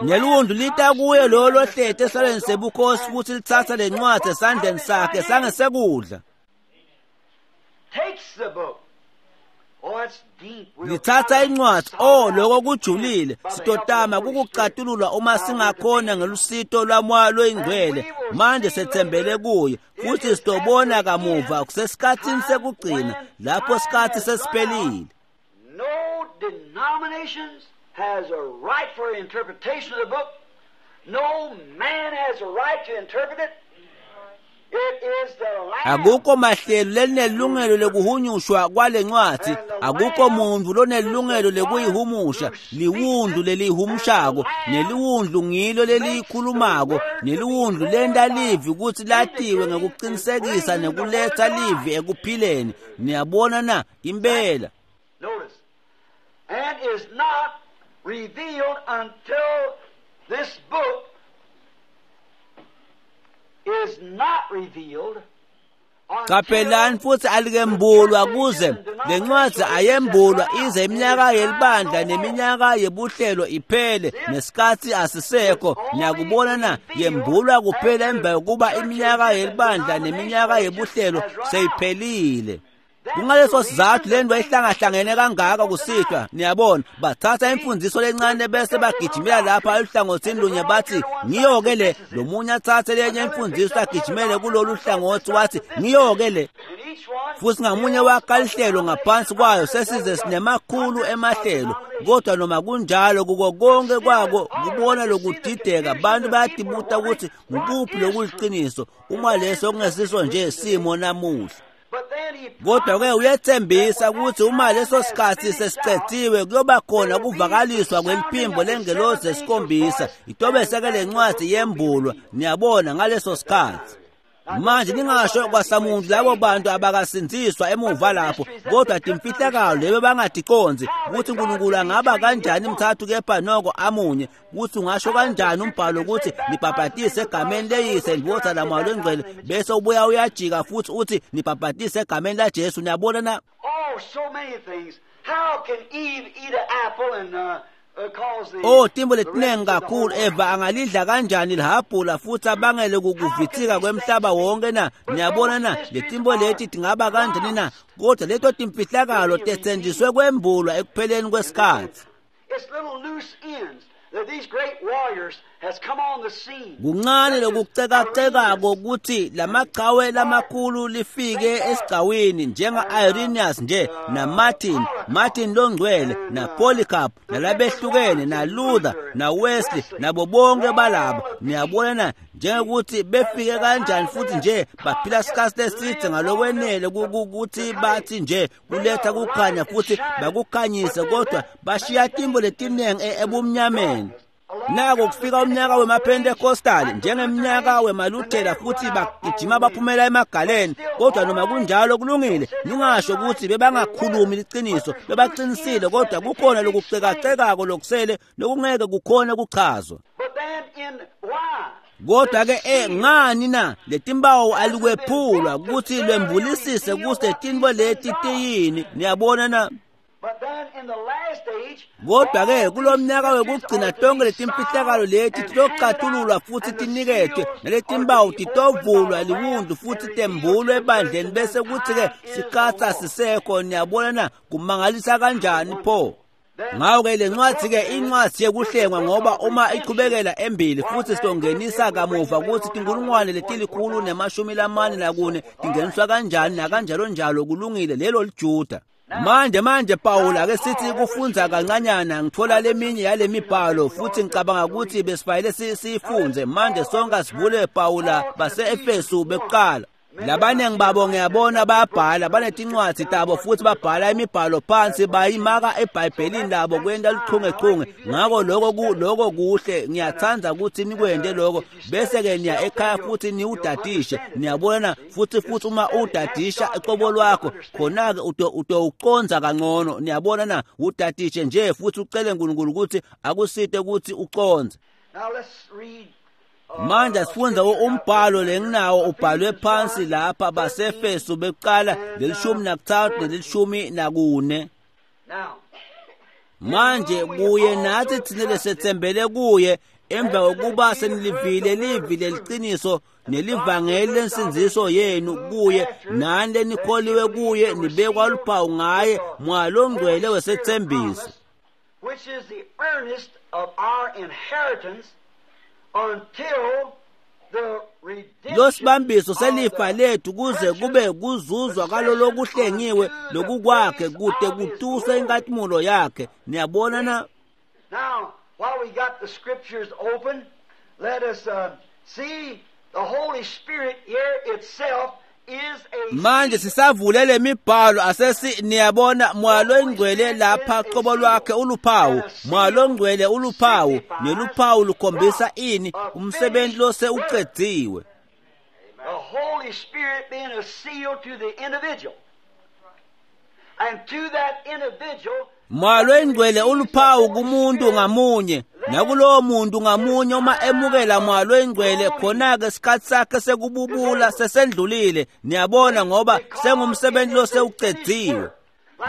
Neliwundlu lita kuye loyo lohleti esihlalweni sebukhosi futhi lithatha lencwadi esandleni sakhe sangesekudla. takes the book. Oh, it's deep. We'll Lithatha try to incwadi, solve oh that lokho kujulile, by the help of sitotama the Holy Spirit. kukucatululwa uma singakhona ngelusito lwamoya loyingcwele. Manje sethembele kuye futhi sitobona kamuva kusesikhatsini sekugcina lapho sikhathi sesiphelile. No denominations has a right for interpretation of the book. No man has a right to interpret it. It is the Lamb. Akukho mahlelo lelinelungelo lekuhunyushwa kwalencwadi, akukho muntu lonelungelo lekuyihumusha. Liwundlu lelihumushako, neliwundlu ngilo leliyikhulumako, neliwundlu lenta livi ukuthi latiwe ngekuqinisekisa nekuletha livi ekuphileni. Niyabona na? Impela. Notice. And is not revealed until this book is not revealed. Qaphelani futhi alikembulwa kuze lencwadi ayembulwa ize iminyaka yelibandla neminyaka yebuhlelo iphele, nesikhathi asisekho. Niyakubona na? Yembulwa kuphela emva kokuba iminyaka yelibandla neminyaka yebuhlelo seyiphelile. Kungaleso sizathu le nto ihlangahlangene kangaka kusihlwa. Niyabona, bathatha imfundiso lencane bese bagijimela lapha eluhlangothini lunye bathi ngiyo-ke le, lomunye athathe lenye imfundiso agijimele kulolu hlangothi wathi ngiyo-ke le. And each one Futhi ngamunye wakha lihlelo ngaphansi kwayo, sesize sinemakhulu emahlelo. Kodwa noma kunjalo, kuko konke kwako kubona lokudideka, abantu bayadibuta ukuthi ngukuphi lokuliqiniso, uma leso kungesiso nje simo namuhla. But then he Kodwa ke uyethembisa ukuthi uma leso sikhathi sesicethiwe kuyoba khona kuvakaliswa kweliphimbo lengelosi esikhombisa, itobese-ke le ncwadi yembulwa. Niyabona, ngaleso sikhathi. Manje ningasho kwasamuntu labo bantu abakasindziswa emuva lapho, kodwa timfihlakalo lebe bangaticonzi ukuthi uNkulunkulu angaba kanjani mthathu kepha noko amunye, ukuthi ungasho kanjani umbhalo ukuthi nibhabhatise egameni leyise ndvodza namoya longcwele, bese ubuya uyajika futhi uthi nibhabhatise egameni laJesu. Niyabona na? Oh, so many things. How can Eve eat an apple and uh, uh, cause the Oh, timbo the letinengi rest of the kakhulu. whole Eva angalidla kanjani lihhabhula futhi abangele kukuvithika kwemhlaba wonke na? Niyabona na? Letimbo leti tingaba kanjani na? Kodwa leto timfihlakalo tetsenjiswe kwembulwa ekupheleni kwesikhathi. It's little loose ends that these great warriors has come on the scene. Kuncane lokucekacekako ukuthi lamachawe lamakhulu lifike esigcawini njenga-Irenaeus nje naMartin, Martin longcwele naPolycarp nalabehlukene naLuther naWesley nabo bonke balabo. Niyabona na? Njengokuthi befike kanjani futhi nje baphila isikhathi eside ngalokwenele ukuthi bathi nje kuletha kukhanya futhi bakukhanyise, kodwa bashiya timbo letinengi ebumnyameni. Nako kufika umnyaka wemaPentecostal njengeminyaka wemaLuthela futhi bagijima baphumela emagaleni, kodwa noma kunjalo kulungile. Ningasho ukuthi bebangakhulumi liqiniso, bebaqinisile, kodwa kukhona lokucekacekako lokusele lokungeke kukhona kuchazwa. But then in why? Kodwa ke eh ngani na letimbawu alikwephulwa ukuthi lwembulisise ukuthi letinto leti tiyini? Niyabona na? But then in the last age, Kodwa ke kulomnyaka wekugcina tonke letimfihlakalo leti titocathululwa futhi tiniketwe, naletimbawu titovulwa liwundlu futhi tembulwe ebandleni, bese kuthi ke sikhathi asisekho. Niyabona na? Kumangalisa kanjani pho? Ngako-ke le ncwadzi-ke incwadzi yekuhlengwa, ngoba uma ichubekela embili futhi sitongenisa kamuva kutsi tinkulungwane letilikhulu nemashumi lamane nakune tingeniswa kanjani nakanjalo njalo. Kulungile, lelo liJuda. Manje manje Pawula ake sithi kufundza kancanyana, ngithola leminye yale mibhalo futhi ngicabanga ukuthi besifanele siyifunze. Manje sonke sivule Pawula base-Efesu bekuqala. Labaningi babo ngiyabona bayabhala, banetincwadzi tabo futhi babhala imibhalo phansi, bayimaka eBhayibhelini labo kwenta luchungechunge. Ngako lokho lokho kuhle, ngiyathanda ukuthi nikwente lokho, bese-ke niya ekhaya futhi niwudadishe. Niyabona, futhi futhi uma udadisha ecobo lwakho, khona-ke utowucondza kangcono. Niyabona na, udadishe nje futhi ucele uNkulunkulu ukuthi akusite ukuthi ucondze. Manje sifundza umbhalo lenginawo ubhalwe phansi lapha, baseEfesu bekuqala lelishumi nakuthathu nelishumi nakune. Manje kuye nathi thina lesethembele kuye, emva kokuba senilivile livi leliciniso nelivangeli lensindziso yenu, kuye nani lenikholiwe kuye nibekwa luphawu ngaye Moya Longcwele wesethembiso, which is the earnest of our inheritance until the redemption losibambiso selifa lethu kuze kube kuzuzwa kalolokuhlengiwe lokukwakhe kude kutuswe inkatimulo yakhe. Niyabona na? Now, while we got the scriptures open, let us uh, see the Holy Spirit here itself is a Manje sisavule lemibhalo asesi niyabona Moya Longcwele lapha qobo lwakhe uluphawu. Moya Longcwele uluphawu, neluphawu lukhombisa ini? Umsebenzi lose uqediwe. The Holy Spirit being a seal to the individual. And to that individual, Moya Longcwele uluphawu kumuntu ngamunye, nakulowo muntu ngamunye uma emukela Moya Longcwele, khona-ke isikhathi sakhe sekububula sesendlulile. Niyabona, ngoba sengumsebenzi losewucediwe.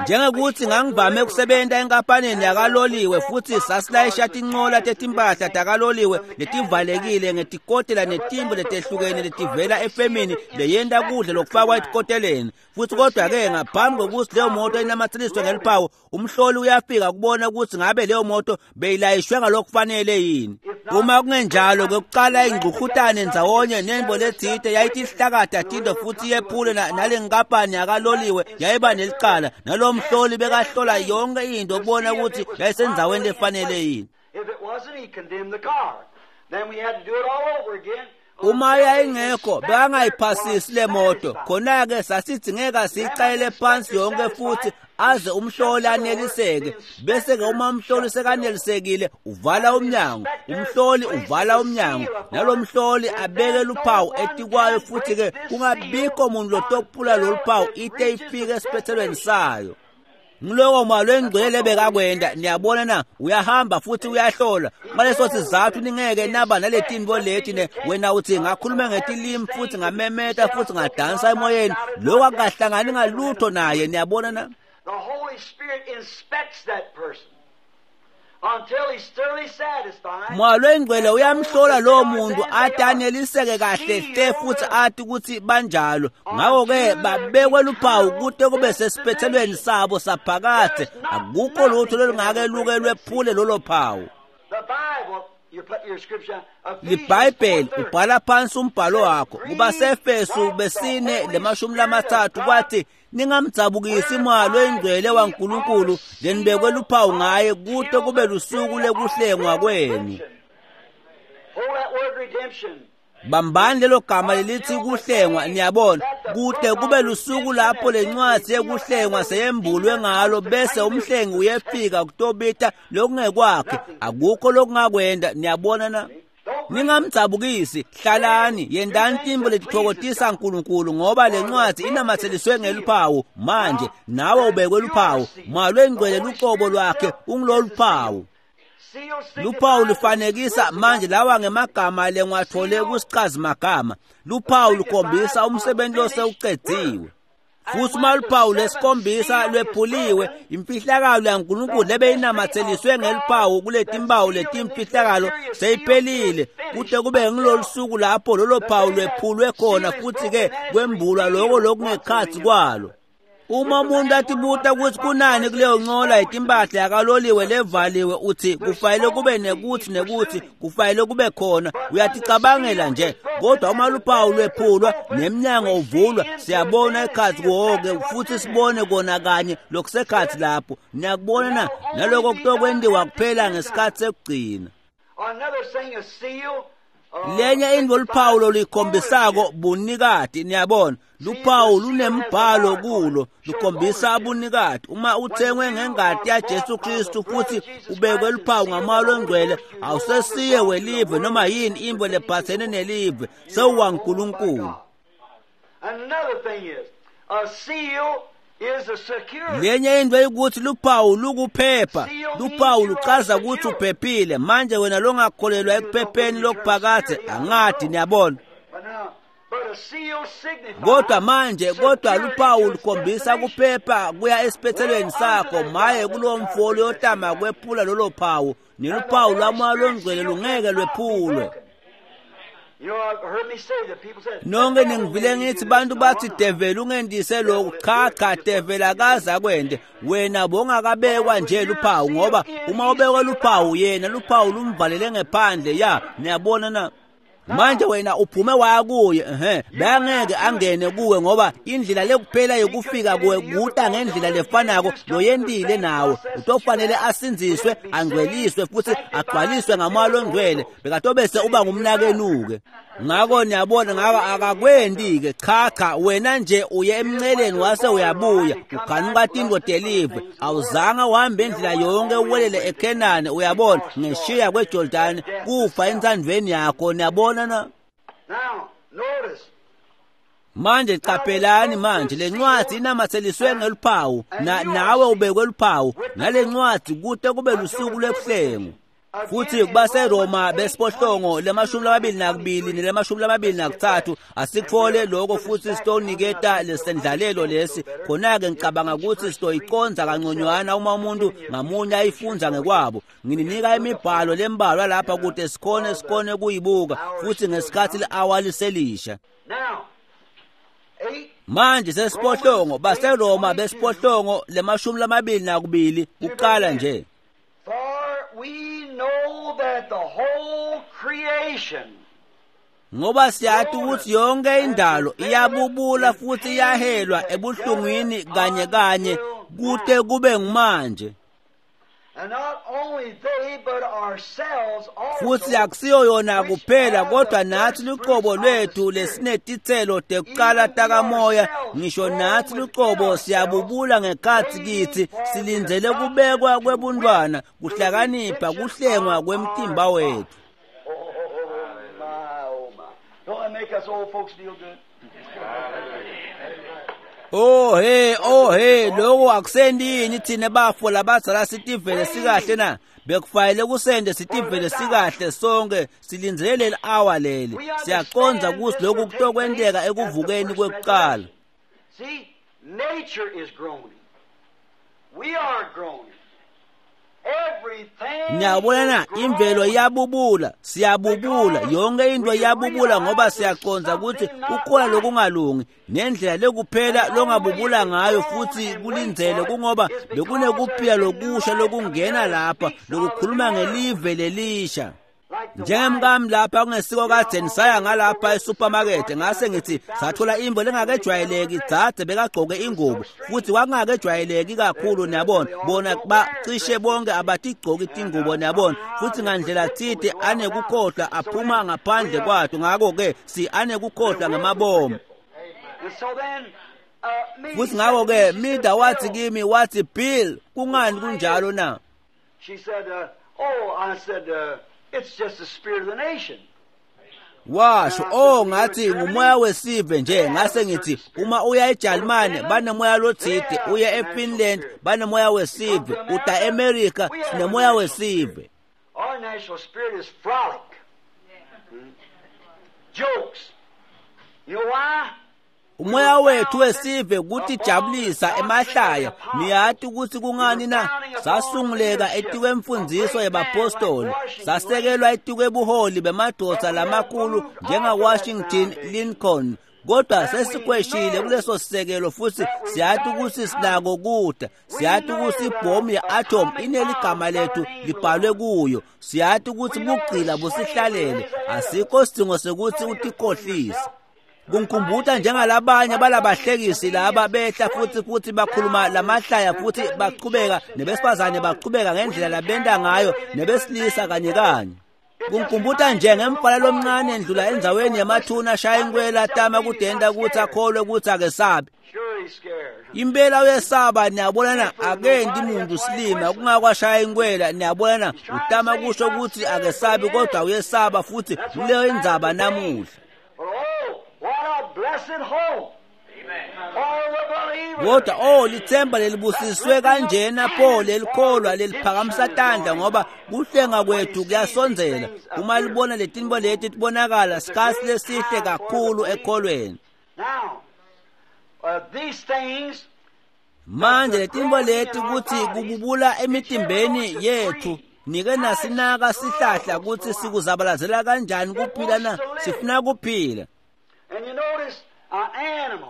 Njengokuthi ngangivame ukusebenta enkampanini yakaloliwe futhi sasilayisha tincola tetimpahla takaloliwe letivalekile ngetikotela netimbo letehlukene letivela efemini leyenta kudla lokufakwa etikoteleni. Futhi kodwa-ke ngaphambi kokuthi leyo moto inamathiliswe ngeliphawu, umhloli uyafika kubona ukuthi ngabe leyo moto beyilayishwe ngalokufanele yini. Uma kungenjalo, kwekuqala ingqukhutane ndzawonye nembo letsite yayitihlakada tinto futhi yephule nale nkampani yakaloliwe yayiba nelicala. Nalo mhloli bekahlola yonke into ukubona ukuthi yayisendzaweni lefanele yini. If it wasn't, he condemned the car. Then we had to do it all over again. Uma yayingekho bekangayiphasisi le moto, khona-ke sasidzingeka siyicayele phansi yonke futhi aze umhloli aneliseke. Bese-ke uma umhloli sekanelisekile, uvala umnyango. Umhloli uvala umnyango, nalo mhloli abeke luphawu etikwayo, futhi-ke kungabikho muntu lotophula lolu phawu ite ifike esiphethelweni sayo. Ngiloko Moya Longcwele bekakwenta. Niyabona na, uyahamba futhi uyahlola. Ngaleso sizathu ningeke naba naletinto leti ne wena uthi ngakhuluma ngetilimi futhi ngamemeta futhi ngadansa emoyeni, lokho akukahlangani ngalutho naye. Niyabona na? The Holy Spirit inspects that person until he's thoroughly satisfied. Moya Longcwele uyamhlola lowo muntu ade aneliseke kahle hle futhi athi ukuthi banjalo. Ngakho-ke babekwe luphawu kude kube sesiphethelweni sabo saphakade. Akukho lutho lolungake luke lwephule lolo phawu. The Bible, you put your scripture, LiBhayibheli ubhala phansi umbhalo wakho. KubaseEfesu besine lemashumi lamathathu kwathi ningamdzabukisi Moya Longcwele waNkulunkulu lenibekwe luphawu ngaye kude kube lusuku lekuhlengwa kwenu. Hold that word redemption. Bambani lelo gama lelithi kuhlengwa. Niyabona, kude kube lusuku lapho lencwadi yekuhlengwa seyembulwe ngalo, bese umhlengi uyefika kutobita lokungekwakhe. Akukho lokungakwenda. Niyabona na? Ningamdzabukisi, hlalani yendani timbo letitfokotisa uNkulunkulu, ngoba lencwadi inamatheliswe ngeluphawu. Manje nawe ubekwe luphawu. Moya Longcwele luqobo lwakhe ungilolu phawu. Luphawu lufanekisa manje lawa ngemagama lengiwathole kusichazimagama. Luphawu lukhombisa umsebenzi losewucediwe. Futhi uma luphawu lwesikhombisa lwephuliwe, imfihlakalo yaNkulunkulu lebeyinamatheliswe ngeluphawu kuletimpawu letimfihlakalo seyiphelile, kude kube ngilolu suku lapho lolo phawu lwephulwe khona futhi-ke kwembulwa loko lokungekhatsi kwalo. Uma umuntu atibuta ukuthi kunani kuleyo ncola yetimpahla yakaloliwe levaliwe, uthi kufanele kube nekuthi nekuthi kufanele kube khona, uyaticabangela nje. Kodwa uma luphawu lwephulwa nemnyango uvulwa, siyabona ekhatsi wonke futhi sibone kona kanye lokusekhatsi lapho. Niyakubona na? Naloko kutokwentiwa kuphela ngesikhathi sekugcina. Lenye intfo luphawu loluyikhombisako bunikati. Niyabona, luphawu lunembhalo kulo lukhombisa bunikati. Uma uthengwe ngengati yaJesu Kristu futhi ubekwe luphawu ngamoya longcwele, awusesiye welive noma yini intfo lephatsene nelive, sewuwaNkulunkulu. Lenye intfo ukuthi luphawu lukuphepha. Luphawu luchaza ukuthi uphephile. Manje wena longakholelwa ekuphepheni lokuphakadze angadi, niyabona. Kodwa manje kodwa luphawu lukhombisa kuphepha kuya esiphethelweni sakho. Maye kulowo mfo loyotama kwephula lolo phawu, neluphawu lwamoya longcwele lungeke lwephulwe. Nonke ningivile ngithi bantu bathi develi ungendise lokhu. Cha cha, develi akaze akwente. Wena bongakabekwa nje luphawu, ngoba uma ubekwe luphawu yena luphawu lumvalele ngephandle. Ya, niyabona na? Manje wena uphume waya kuye, ehe, bangeke angene kuwe, ngoba indlela lekuphela yokufika kuwe kuta ngendlela lefanako loyentile nawe. Utofanele asindziswe, angcweliswe futhi agcwaliswe ngamoya longcwele, bekatobese uba ngumnakenuke. Ngako niyabona, ngako akakwendi-ke. Cha cha, wena nje uye emnceleni wase uyabuya uganuka tintfo telive, awuzange uhambe indlela yonke uwelele eKhenani, uyabona, ngeshiya kweJordani, kufa entsandvweni yakho. Niyabona na? Manje qaphelani manje, le ncwadi inamatseliswe ngeluphawu, na nawe ubekwe luphawu nale ncwadi kute kube lusuku lwekuhlengu. Futhi kubaseRoma besiphohlongo lemashumi lamabili nakubili nelemashumi lamabili nakutsatfu, asikutfole lokho futhi sitoniketa lesendlalelo lesi. Khona-ke ngicabanga ukuthi sitoyiconza kanconywana uma umuntu ngamunye ayifundza ngekwabo. Ngininika imibhalo lembalwa lapha kute sikhone sikhone kuyibuka futhi ngesikhathi li-awa liselisha. Manje sesiphohlongo baseRoma besiphohlongo lemashumi lamabili nakubili kuqala nje. We know that the whole creation, ngoba siyati ukuthi yonke indalo iyabubula futhi iyahelwa ebuhlungwini kanye kanye kute kube ngumanje. And not only they but ourselves also, futhi akusiyo yona kuphela kodwa nathi luqobo lwethu lesinetitselo tekuqala takamoya, ngisho nathi luqobo siyabubula ngekhatsi kitsi, silindzele kubekwa kwebuntwana, kuhlakanipha, kuhlengwa kwemtimba wethu. Oh, my, oh my. Don't that make us old folks feel good? Oh hey, oh hey, lokho akusendi yini thina bafo labadzala sitivele sikahle na? Bekufanele kusende sitivele sikahle sonke, silindzele leli hour leli. Siyaqondza ukuthi lokhu kutokwenteka ekuvukeni kwekuqala. See, nature is groaning. We are groaning. Everything Niyabona na, imvelo iyabubula, siyabubula, yonke into iyabubula ngoba siyaqondza ukuthi kukhona lokungalungi, nendlela lekuphela longabubula ngayo futhi kulindzele kungoba bekunekuphila lokusha lokungena lapha lokukhuluma ngelive lelisha. Njengemkami lapha kungesiko kadzeni saya ngalapha esupermarket, ngase ngithi sathola imbo lengakejwayeleki, dzadze bekagcoke ingubo futhi kwakungakejwayeleki kakhulu, niyabona, bona bacishe bonke abatigcoki tingubo, niyabona, futhi ngandlela tsite anekukhohlwa aphuma ngaphandle kwato, ngako-ke si anekukhohlwa ngamabomu. And so then, uh, me, Futhi ngako-ke Mida wathi kimi, wathi Bill, kungani kunjalo na? She said, uh, oh, I said, uh, it's just the spirit of the nation. Washo, oh ngathi ngumoya wesive nje. Ngase ngithi uma uya eJalimane banemoya lotsite, uye eFinland banemoya wesive, uta eAmerica sinemoya wesive. Our national spirit is frolic. Hmm? Jokes. You know why? Umoya wethu wesive kutijabulisa emahlaya. Niyati ukuthi kungani na? Sasunguleka etikwemfundziso yebapostoli, sasekelwa etikwebuholi bemadoda lamakhulu njenga Washington, Lincoln, Kodwa sesikweshile kuleso sisekelo futhi siyathi ukuthi sinako kuda. Siyathi ukuthi ibhomu ye-atom ineligama lethu libhalwe kuyo. Siyathi ukuthi bugcila busihlalele. Asikho sidingo sekuthi utikhohlise. Kungikhumbuta njengalabanye balabahlekisi laba behla futhi futhi bakhuluma lamahlaya futhi baqhubeka nebesifazane baqhubeka ngendlela labenda ngayo nebesilisa kanye kanye. Kungikhumbuta nje ngemfana lomncane endlula endzaweni yemathuna ashaya inkwela tama kudenda ukuthi akholwe ukuthi akesabi. Impela uyesaba, niyabonana, akendi muntu silima kungakwashaya inkwela, niyabonana, utama kusho ukuthi akesabi kodwa uyesaba futhi kuleyo indzaba namuhla. Kodwa oh lithemba lelibusiswe kanjena pho lelikholwa leliphakamisa tandla ngoba kuhlenga kwethu kuyasondzela. Uma libona letinto leti tibonakala sikhatsi lesihle kakhulu ekholweni. Manje letinto leti kutsi kububula emitimbeni yethu nike nasinaka sihlahla kutsi sikuzabalazela kanjani kuphila na sifuna kuphila.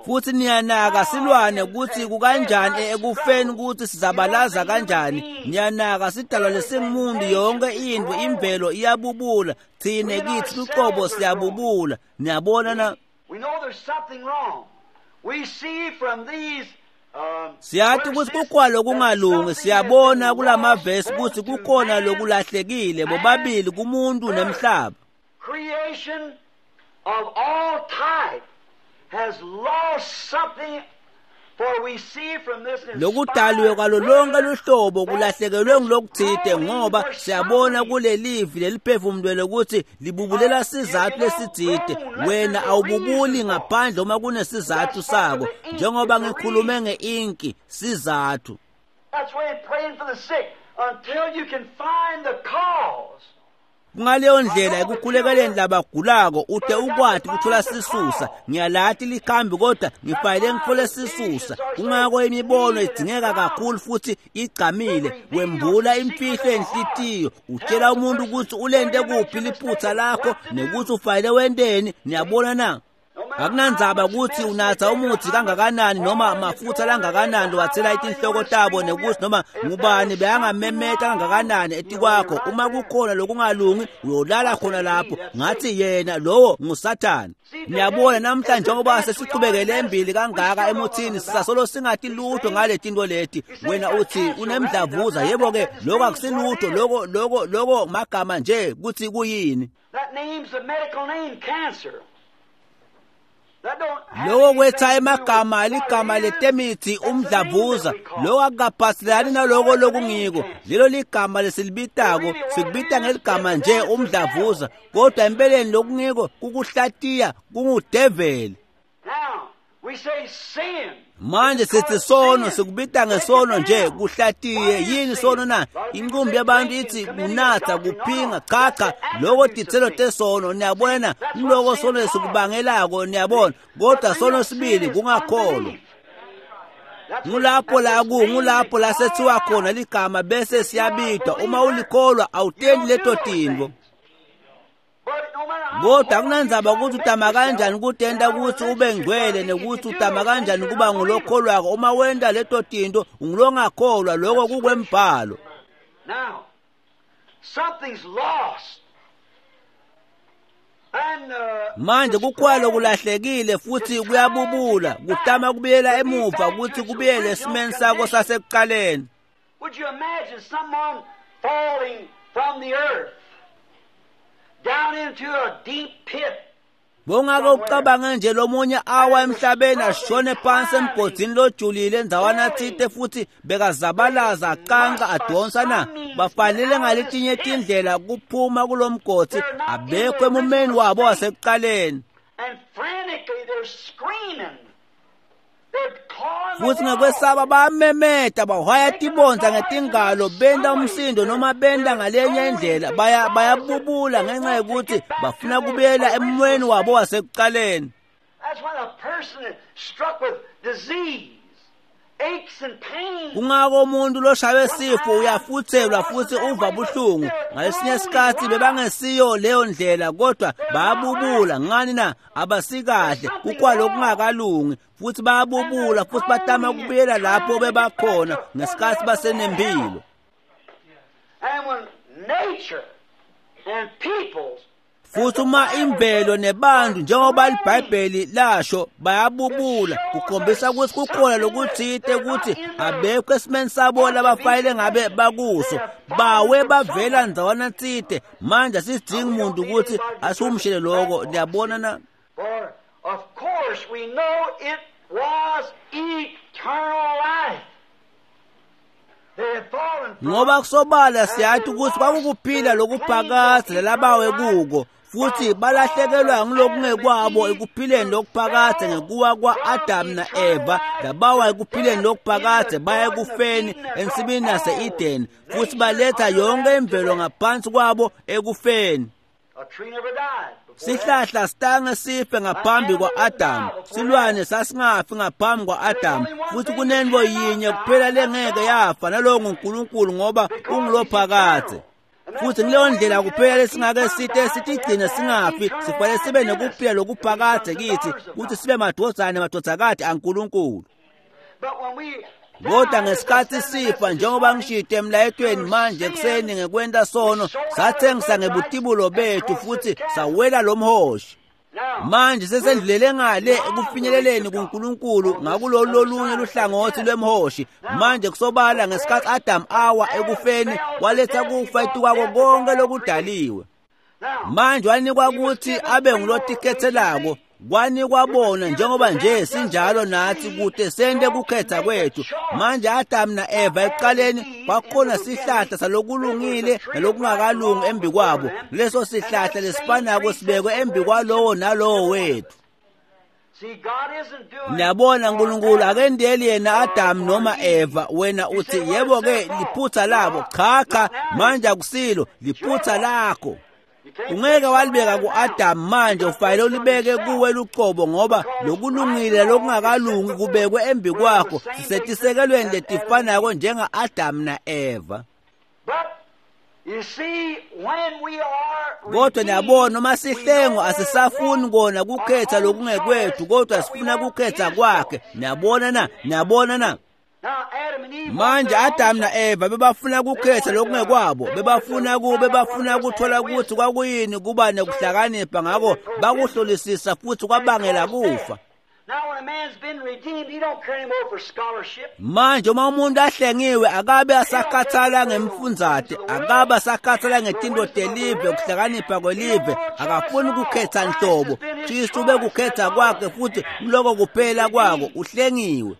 Futhi niyanaka silwane kutsi kukanjani ekufeni kutsi sizabalaza kanjani. Niyanaka sidalwa lesingumuntu yonke into imvelo iyabubula, thine kithi luqobo siyabubula. Niyabona na? Siyathi ukuthi kukhona lokungalungi, siyabona kulamavesi kutsi kukhona lokulahlekile bobabili kumuntu nemhlaba. Of all type has lost something, for we see from this lokudaliwe kwalo lonke luhlobo kulahlekelwe ngulokuthide ngoba siyabona kulelivi leliphefumulelwe ukuthi libubulela sizathu lesitsite. Wena awububuli ngaphandle uma kunesizathu sako, njengoba ngikhulume ngeinki sizathu. That's why praying for the sick until you can find the cause. Kungaleyo ndlela ekukhulekeleni labagulako ude ukwati kuthola sisusa. Ngiyalati likhambi kodwa ngifanele ngithole sisusa. Kungako imibono idingeka kakhulu futhi igcamile. Wembula imfihlo enhlitiyo, utshela umuntu ukuthi ulente kuphi liphutha lakho nekuthi ufanele wenteni. Niyabona na? Akunandzaba ukuthi unatha umuthi kangakanani noma amafutha langakanani wathela itinhloko tabo nekuthi noma ngubani beyangamemeta kangakanani etikwakho, uma kukhona lokungalungi uyolala khona lapho. Ngathi yena lowo nguSathane. Niyabona namhlanje njengoba sesichubekele embili kangaka emuthini sisasolo singathi lutho ngale tinto leti. Wena uthi unemdlavuza, yebo ke lokho akusilutho, lokho lokho lokho magama nje kuthi kuyini. That name's the medical name, cancer. Lokho kwetha emagama ligama letemithi umdlavuza, lokho akukaphathelani naloko lokungiko. Lelo ligama lesilibitako, sikubita ngeligama nje umdlavuza, kodwa empeleni lokungiko kukuhlatiya kungudeveli. Manje sithi sono, sikubita ngesono nje kuhlatiye. Yini sono na? Inqumbi yabantu ithi kunatha, kuphinga, cha cha, lokho titselo tesono. Niyabona kuloko sono lesikubangelako, niyabona. Kodwa sono sibili kungakholwa. Ngulapho la ku ngulapho la sethiwa khona ligama bese siyabidwa. Uma ulikholwa awutendi leto tintfo. Kodwa akunandzaba ukuthi utama kanjani kutenta ukuthi ube ngcwele nekuthi utama kanjani kuba ngulokholwako. Uma wenta leto tinto ungulongakholwa, lokho kukwembhalo. Now something's lost. And uh, manje kukhona lokulahlekile futhi kuyabubula, kutama kubuyela emuva ukuthi kubuyele esimeni sakho sasekuqaleni. Would you imagine someone falling from the earth down into a deep pit? Bongake ucabange nje lomunye awa emhlabeni ashone phansi emgodini lojulile endzawana thite futhi bekazabalaza acanca adonsa na? Bafanele ngaletinye tindlela kuphuma kulomgodi, abekho emumeni wabo wasekuqaleni. And frantically they're screaming. They're clawing the Futhi wall. ngekwesaba bayamemeta, bahwaya tibondza ngetingalo, benta umsindo noma benta ngalenye indlela, baya bayabubula ngenxa yokuthi bafuna kubuyela emumeni wabo wasekuqaleni. That's when a person is struck with disease aches and pains. Kungako umuntu loshaywe sifo uyafuthelwa futhi uva buhlungu. Ngalesinye isikhathi bebangesiyo leyo ndlela kodwa bayabubula. Ngani na? Abasikahle, kukwalokungakalungi futhi bayabubula futhi batama ukubuyela lapho bebakhona ngesikhathi basenempilo. And when nature and peoples Futhi uma imvelo nebantu njengoba iBhayibheli lasho bayabubula, kukhombisa ukuthi kukhona lokuthite ukuthi abekho esimeni sabo labafayile ngabe bakuso, bawe bavela ndzawana tsite. Manje asidingi umuntu ukuthi asumshele lokho, niyabona na? For of course we know it was eternal life. They had fallen from Ngoba kusobala siyathi ukuthi kwakukuphila lokuphakadze labawe kuko, futhi balahlekelwa ngilokungekwabo ekuphileni lokuphakadze ngekuwa kwa-Adamu na-Eva. Labawa ekuphileni lokuphakadze baya ekufeni ensimini yase-Edeni, futhi baletha yonke imvelo ngaphansi kwabo ekufeni. A tree never died before that. Sihlahla sitange sife ngaphambi kwa-Adamu, silwane sasingafi ngaphambi kwa-Adamu, futhi kunento yinye kuphela lengeke yafa, nalowo nguNkulunkulu, ngoba ungulophakadze. Futhi kuleyo ndlela kuphela lesingake site sitigcine singafi, sifanele sibe nekuphila lokuphakadze kithi, ukuthi sibe madvodzana nemadvodzakati aNkulunkulu. But when we Kodwa ngesikhathi sifa, njengoba ngishito emlayetweni manje ekuseni ngekwenta sono, sathengisa ngebutibulo bethu futhi sawela lo mhoshi. now Manje sesendlulele ngale ekufinyeleleni kuNkulunkulu ngakulolu lolunye luhlangothi lwemhoshi. Manje kusobala ngesikhathi Adam awa ekufeni, waletha kufa etukwako konke lokudaliwe. now Manje wanikwa ukuthi abe ngulotikhethelako, kwanikwa bona njengoba nje sinjalo nathi kute sente kukhetha kwethu. Manje Adam na-Eva ekuqaleni kwakukhona sihlahla salokulungile nalokungakalungi embi kwabo. Leso sihlahla lesifanako sibekwe embi kwalowo nalowo wethu. see God isn't doing Niyabona uNkulunkulu akendeli yena Adam noma Eva. Wena uthi yebo ke liphutha labo. Cha cha, manje akusilo liphutha lakho. You can't Ungeke walibeka ku-Adam manje, ufanele ulibeke kuwe luqobo, ngoba lokulungile lokungakalungi kubekwe embi kwakho. Sisetisekelweni letifanako njenga-Adam na-Eva. But you see when we are Kodwa niyabona noma redeemed, sihlengwa we asisafuni no kona kukhetha lokungekwethu, kodwa sifuna kukhetha kwakhe. Niyabona na? Niyabona na? Now Adam and Eve Manje wanted their Adam own na-Eva bebafuna kukhetha lokungekwabo, bebafuna ku bebafuna kuthola ukuthi kwakuyini kuba nekuhlakanipha, ngako bakuhlolisisa futhi kwabangela kufa. Now when a man's been redeemed, he don't care anymore for scholarship. Manje uma umuntu ahlengiwe akabe asakhathala ngemfundzate, akabe asakhathala ngetinto telive, kuhlakanipha kwelive, akafuni kukhetha nhlobo. Kristu bekukhetha kwakhe futhi kuloko kuphela kwako, uhlengiwe.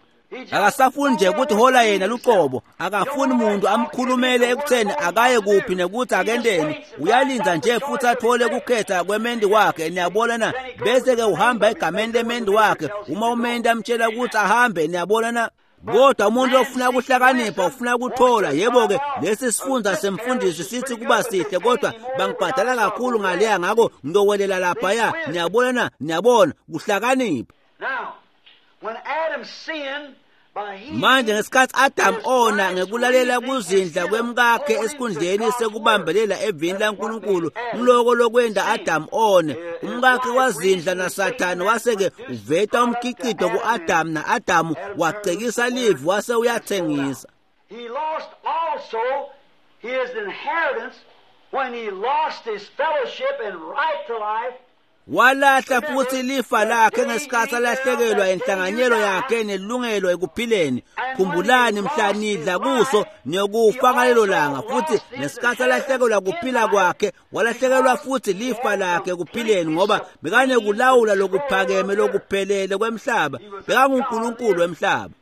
Akasafuni nje ukuthi hola yena luqobo, akafuni umuntu amkhulumele ekutheni akaye kuphi nekuthi akendeni. Uyalinda nje futhi athole kukhetha kwemendi wakhe, niyabona na? Bese ke uhamba egameni lemendi wakhe, uma umendi amtshela ukuthi ahambe, niyabona na? Kodwa umuntu ofuna ukuhlakanipha ufuna ukuthola, yebo ke lesi sifunda semfundisi sithi kuba sihle, kodwa bangibhadala kakhulu ngaleya, ngako ngiyowelela laphaya, niyabona na? Niyabona, kuhlakanipha. Now, when Adam sinned by he Manje ngesikhathi Adam ona ngekulalela kuzindla kwemkakhe esikhundleni sekubambelela evini laNkulunkulu, kuloko lokwenda Adam one, umkakhe wazindla naSathane wase-ke uveta umkhicito ku-Adam, na-Adamu wacekisa livi wase uyathengisa. He lost also his inheritance when he lost his fellowship and right to life. Walahla futhi lifa lakhe ngesikhathi alahlekelwa inhlanganyelo yakhe nelungelo ekuphileni. Khumbulani mhla nidla kuso niyokufa ngalelo langa. Futhi ngesikhathi alahlekelwa kuphila kwakhe, walahlekelwa futhi lifa lakhe ekuphileni, ngoba bekanekulawula lokuphakeme lokuphelele kwemhlaba. BekanguNkulunkulu wemhlaba.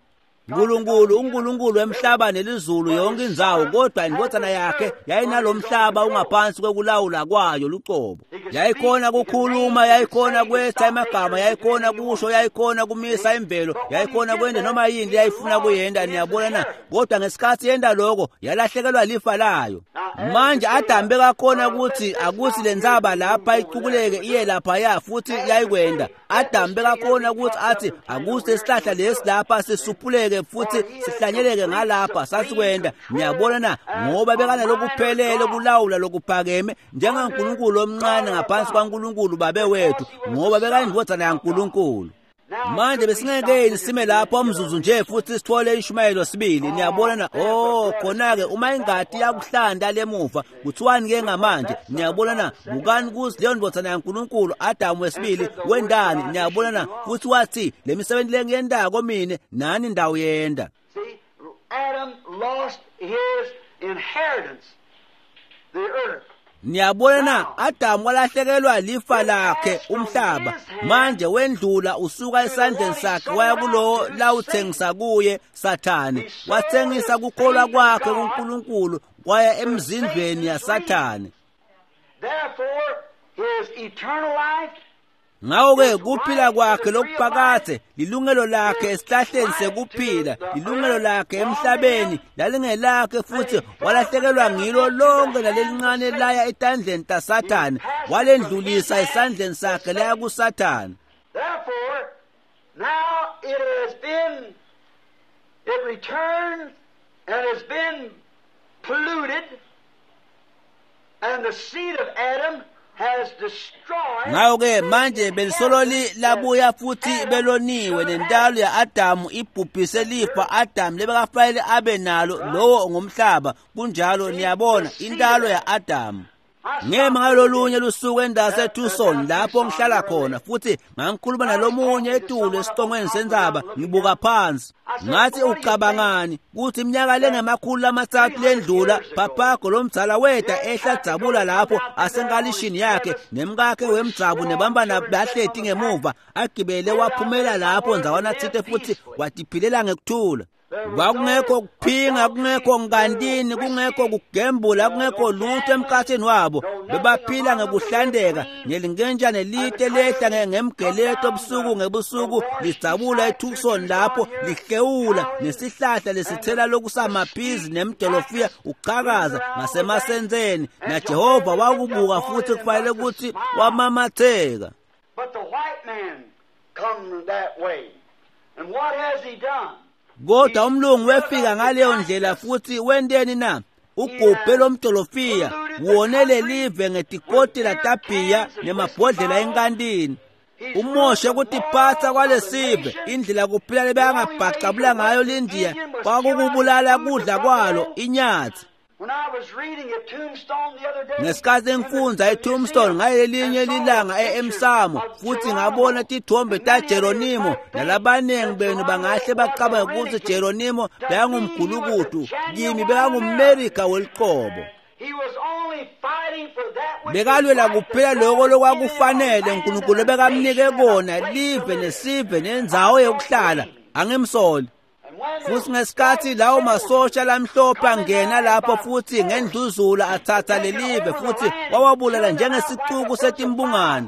Nkulunkulu uNkulunkulu wemhlaba nelizulu yonke indzawo, kodwa indvodzana yakhe yayinalomhlaba ungaphansi kwekulawula kwayo luqobo. Yayikhona kukhuluma, yayikhona kwetha emagama, yayikhona kusho, yayikhona kumisa imvelo, yayikhona kwenda noma yini leyayifuna kuyenda, niyabona na? Kodwa ngesikhathi yenda lokho, yalahlekelwa lifa layo. Manje Adam bekakhona ukuthi akuthi le ntsaba lapha icukuleke iye laphaya, futhi yayikwenda. Adam bekakhona ukuthi athi akuthi lesihlahla lesi lapha sisuphuleke sihlanyeleke futhi sihlanyeleke ngalapha sasikwenda. Niyabona na? Ngoba bekanalokuphelele kulawula lokuphakeme njengaNkulunkulu omncane ngaphansi kwaNkulunkulu babe wethu, ngoba bekayindvodzana yaNkulunkulu. Manje besingeke sime lapho umzuzu nje futhi sithole ishumayelo sibili. Niyabona na? Oh, khona ke uma ingadi yakuhlanda lemuva kuthiwani ke ngamanje? Niyabona na? Bukani kuthi leyo ndvodzana yaNkulunkulu Adamu wesibili wendani. Niyabona na? Futhi wathi le misebenzi lengiyendako mine nani ndawo yenda. See, Adam lost his inheritance, the earth. Niyabona na? Adamu walahlekelwa lifa lakhe umhlaba. Manje wendlula usuka esandleni sakhe waya kulowo lawuthengisa kuye Sathane. Wathengisa kukholwa kwakhe kuNkulunkulu kwaya emzindlweni yaSathane. Therefore, his eternal life, Ngakho-ke kuphila kwakhe lokuphakathe, lilungelo lakhe esihlahleni sekuphila, lilungelo lakhe emhlabeni lalingelakhe, futhi walahlekelwa ngilo lonke nalelincane laya etandleni taSathane, walendlulisa esandleni sakhe laya kuSathane. Therefore, now it has been, it returns and has been polluted, and the seed of Adam has destroyed. Ngakho-ke manje belisololi labuya futhi beloniwe, nentalo ya-Adamu ibhubhise lifa Adamu lebekafanele abe nalo, lowo ngumhlaba. Kunjalo, niyabona, intalo ya-Adamu. Ngema ngalolunye lusuku endaseTucson lapho ngihlala khona, futhi ngangikhuluma nalomunye etulu esicongweni sendzaba, ngibuka phansi. Ngathi, ucabangani kuthi iminyaka lengemakhulu amathathu lendlula papago lomdzala weta ehla dzabula lapho asenkalishini yakhe nemkakhe wemdzabu nebambana bahleti ngemuva, agibele waphumela lapho ndzawana tsite futhi watiphilela ngekuthula. Kwakungekho kuphinga, kungekho ngantini, kungekho kugembula, kungekho lutho emkhathini wabo. Bebaphila ngekuhlandeka ngelinkenjane lite lehla ngemgeleto busuku ngebusuku lidzabula eTucson lapho lihlewula nesihlahla lesithela lokusamaphizi nemdolofiya uchakaza ngasemasenzeni, naJehova wakubuka futhi kufanele ukuthi wamamatheka. But the white man come that way. And what has he done? Kodwa umlungu wefika ngaleyo ndlela futhi wenteni na? Ugubhe lomdolofiya wone lelive ngetikotela tabhiya nemabhodlela enkantini. Umoshe kutiphatsa kwalesive, indlela kuphila lebeyangabhacabula ngayo lindiya kwakukubulala kudla kwalo inyathi. When I was reading a tombstone the other day, Ngesikhathi ngifundza etombstone ngalelinye lilanga e-Emsamo futhi ngabona tithombe taJeronimo, nalabaningi benu bangahle bacabange ukuthi Jeronimo bekangumgulukudu, kimi bekangumMerika weliqobo. he was only fighting for that which Bekalwela was right kuphela that loko God lokwakufanele given him, uNkulunkulu bekamnike kona, live nesive nendzawo yokuhlala. Angimsoli. And when the Futhi ngesikhathi lawo masosha lamhlophe angena lapho futhi ngendluzula athatha lelive futhi wawabulala njengesixuku setimbungane.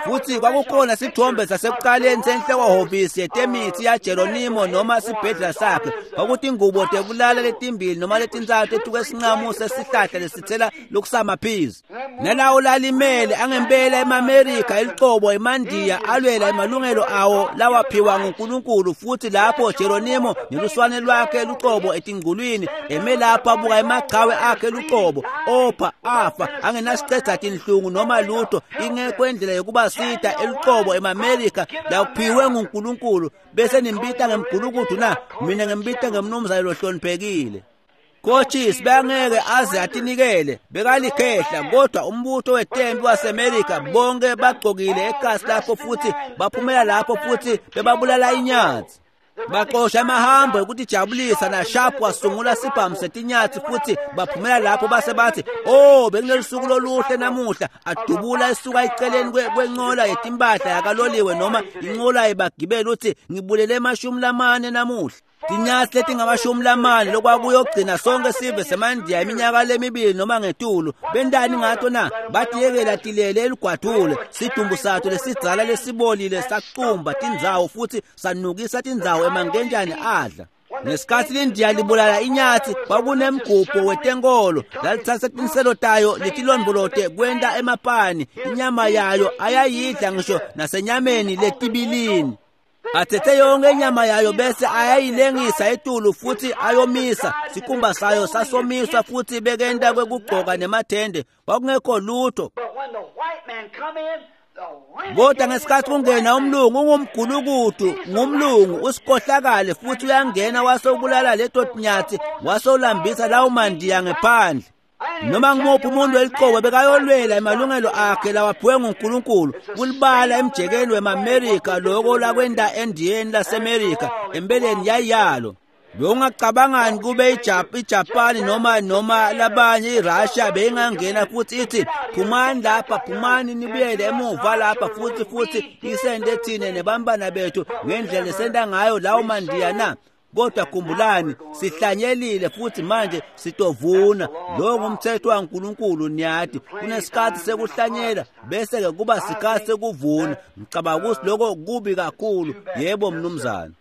Futhi kwakukhona sithombe sasekuqaleni senhloko-hhovisi yetemithi yaJeronimo noma sibhedlela sakhe. Kwakuthi ingubo tekulala letimbili noma letintsatfu etuke esinqamu sesihlahla lesithela lokusamaphizi. Nalawo lalimele angempela emaMerika elicobo emandiya alwela emalungelo awo lawaphiwa nguNkulunkulu. Futhi lapho Jeronimo neluswane lwakhe lucobo etingulwini eme lapho abuka emachawe akhe lucobo opha afa angenasicedza tinhlungu noma lutho, ingekho indlela yokubasita elucobo emaMerika laphiwe nguNkulunkulu. Bese nimbita ngemgulukudu na? Mina ngimbita ngemnumzane lohloniphekile. Cochise bangeke aze atinikele, bekalikhehla, kodwa umbutho wetempi waseMerika bonke bagcokile ekasi lapho futhi baphumela lapho futhi bebabulala inyathi. Baxosha amahambo ekutijabulisa naSharp wasungula sibhamu setinyathi futhi baphumela lapho base bathi, "Oh, bekunelusuku loluhle namuhla." Adubula esuka eceleni kwencola yetimpahla yakaloliwe noma incola yebagibeli uthi, "Ngibulele emashumi lamane namuhla." Tinyathi letingamashumi lamane lokwakuyogcina sonke sive semandiya iminyaka lemibili noma ngetulu. Bentani ngato na? Batiyekela tilele elugwadule. Sidumbu sathu lesidzala lesibolile sacumba tindzawo futhi sanukisa tindzawo emankenjane adla. Ngesikhathi lindiya libulala inyathi kwakunemgubho wetenkolo lalithatha tinselo tayo letilondvolote kwenta emapani. Inyama yayo ayayidla ngisho nasenyameni letibilini. Athethe yonke inyama yayo bese ayayilengisa etulu futhi ayomisa sikhumba sayo sasomiswa futhi bekenta kwekugcoka nemathende kwakungekho lutho. Kodwa ngesikhathi kungena umlungu ungumgulukudu ngumlungu usikhohlakale futhi uyangena wasewubulala leto tinyathi wasewulambisa lawo mandiya ngephandle. Noma ngumuphi umuntu weliqobo bekayolwela emalungelo akhe lawaphiwe nguNkulunkulu kulibala emjekeni wemaMerika loko lakwenda endiyeni laseMerika empeleni yayalo. Bewungacabangani kube iJapani noma noma labanye iRussia beyingangena futhi ithi phumani lapha phumani nibuyele emuva lapha futhi futhi isende thine nebambana bethu ngendlela esenda ngayo lawo mandiya na? Kodwa khumbulani sihlanyelile futhi manje sitovuna. Lo ngumthetho waNkulunkulu niyathi kunesikhathi sekuhlanyela bese ke kuba sikhathi sekuvuna. Ngicabanga ukuthi lokho kubi kakhulu. Yebo mnumzane.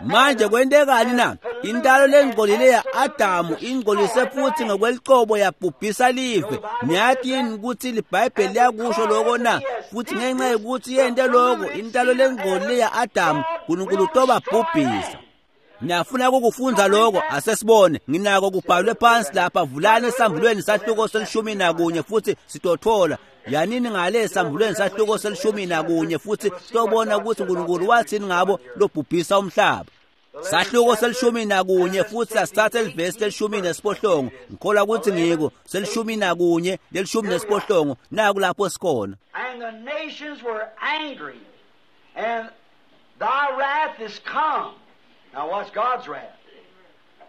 Manje kwentekani na? Intalo lengcolile ya-Adamu ingcolise futhi ngokwelicobo yabhubhisa live. Niyathi yini ukuthi liBhayibheli liyakusho lokho na? Futhi ngenxa yokuthi yente lokho intalo lengcolile ya-Adamu uNkulunkulu utobabhubhisa. Niyafuna ukufunda lokho? Asesibone. Nginako kubhalwe phansi lapha. Vulani esambulweni sahluko selishumi nakunye futhi sitothola. Yanini ngale esambulweni sahluko selishumi nakunye futhi sitobona ukuthi uNkulunkulu wathini ngabo lobhubhisa umhlaba. Sahluko selishumi nakunye futhi asithathe livesi lelishumi nesiphohlongo. Ngikholwa ukuthi ngiko selishumi nakunye lelishumi nesiphohlongo naku lapho sikhona. And the nations were angry and thy wrath is come. Now what's God's wrath?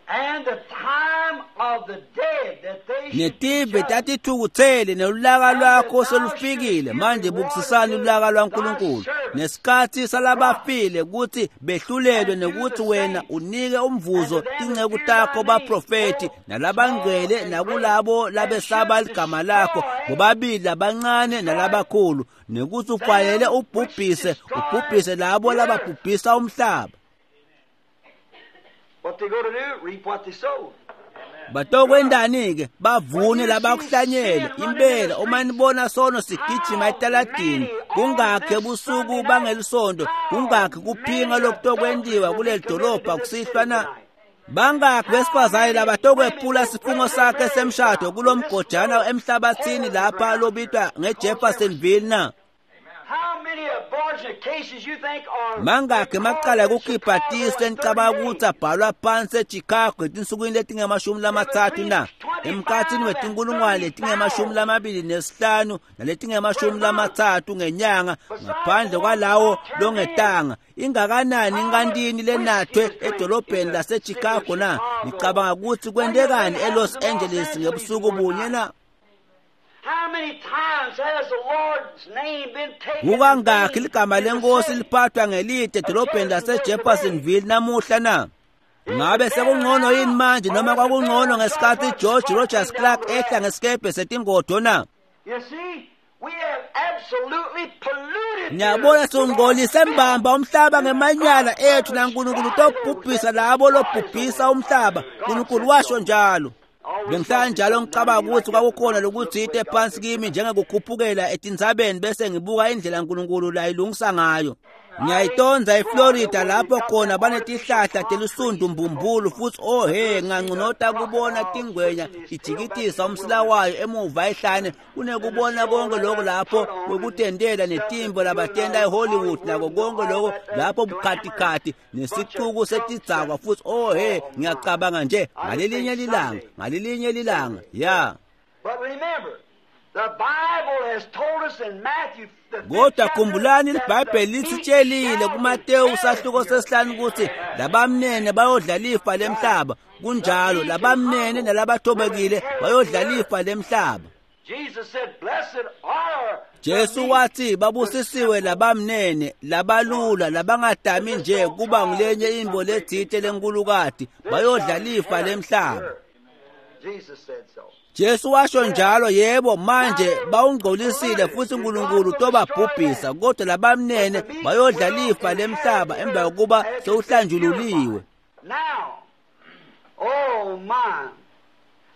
And the time of the dead that they should be Netive judged. tatithukuthele nelulaka lwakho selufikile. Manje bukisisani ulaka lwaNkulunkulu nesikhathi salabafile ukuthi behlulelwe nekuthi wena unike umvuzo tinceku takho baprofeti nalabangcwele nakulabo labesaba ligama lakho bobabili labancane nalabakhulu nekuthi ufanele ubhubhise ubhubhise labo lababhubhisa umhlaba. What they go to do? Reap what they sow. Batokwendani ke bavune labakuhlanyele. Impela uma nibona sono sigijima etaladini kungakhe busuku bangelisonto kungakhe kuphinga lokutokwentiwa kuleli dolobha kusihlwa na? Bangakhi besifazane labatokwephula sifungo sakhe semshado kulomgojana emhlabathini lapha lobitwa ngeJeffersonville na? How many abortion cases you think are Mangakhi emacala ekukhipha tisu enicabanga ukuthi abhalwa phansi eChicago etinsukwini letingemashumi lamathathu na? Emkhathini wetinkulungwane letingemashumi lamabili nesihlanu naletingemashumi lamathathu ngenyanga ngaphandle kwalawo longetanga. Ingakanani inkantini lenathwe edolobheni laseChicago na? Nicabanga ukuthi kwentekani eLos Angeles ngebusuku bunye na? How many times has the Lord's name been taken? Kukangakhi ligama lenkosi liphathwa ngelide edolobheni laseJeffersonville namuhla na? Ngabe sekungcono yini manje noma kwakungcono ngesikhathi George Rogers Clark ehla ngesikebhe setingodo na? You see, we have absolutely polluted. Niyabona singcolise mbamba umhlaba ngemanyala ethu naNkulunkulu utobhubhisa labo lobhubhisa umhlaba. uNkulunkulu washo njalo. Bengihlala njalo ngicabanga ukuthi kwakukhona lokuthite phansi kimi njengekukhuphukela etintsabeni bese ngibuka indlela uNkulunkulu layilungisa ngayo. Ngiyayitonza eFlorida lapho khona banetihlahla telusundu mbumbulu futhi oh he nganconota kubona tingwenya ijikitisa umsila wayo emuva ehlane kunekubona konke lokho lapho kwekutendela netimbo labatenda eHollywood nako konke lokho lapho bukhatikhathi nesicuku setidzakwa futhi oh he ngiyacabanga nje ngalelinye lilanga ngalelinye lilanga ya. But remember, the Bible has told us in Matthew the fifth Kodwa chapter khumbulani that iBhayibheli the lisitshelile meek kuMateyu shall sahluko inherit the sesihlanu ukuthi labamnene bayodla lifa lemhlaba. Kunjalo labamnene nalabathobekile bayodla lifa lemhlaba. Jesus said, "Blessed are the Jesu meek, wathi babusisiwe labamnene labalula labangadami nje kuba ngulenye imbo lethite lenkulukati bayodla lifa lemhlaba. Jesus said so. Jesu washo njalo. Yebo manje bawungcolisile futhi uNkulunkulu utobabhubhisa kodwa labamnene bayodla lifa lemhlaba emva kokuba sewuhlanjululiwe. Now, oh my,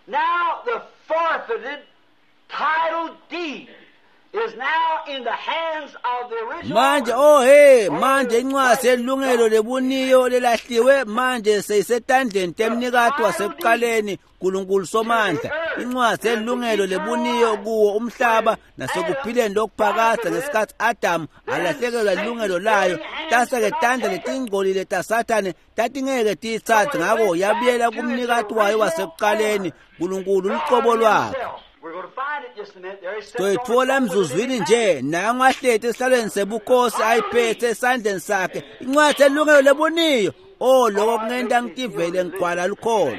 now the forfeited title deed is now in the hands of the original Manje oh hey manje incwadi yelungelo lebuniyo lelahliwe manje seyisetandleni temnikati wasekuqaleni uNkulunkulu Somandla. Incwadi yelungelo lebuniyo kuwo umhlaba nasekuphileni lokuphakadze ngesikhathi Adam alahlekelwa ilungelo layo tase-ke tandla letingcolile taSathane tatingeke tiyitsatse, ngako yabuyela kumnikati wayo wasekuqaleni uNkulunkulu lucobo lwakhe. Toyitfola emzuzwini nje nangu ahleti esihlalweni sebukhosi ayiphethe esandleni sakhe incwadi yelungelo lebuniyo. Oh lokho kungenta ngitivele ngigcwala lukholo.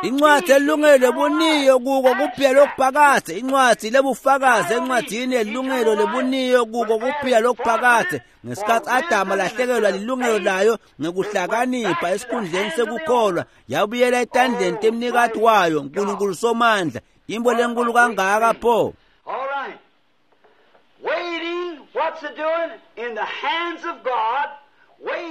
Incwadi yelungelo lebuniyo kuko kuphila lokuphakadze, incwadi lebufakazi encwadini yelungelo lebuniyo kuko kuphila lokuphakadze. Ngesikhathi Adam alahlekelwa lilungelo layo ngekuhlakanipha esikhundleni sekukholwa, yabuyela etandleni temnikati wayo uNkulunkulu Somandla. Imbo lenkulu kangaka pho. All right. Waiting, what's it doing? In the hands of God.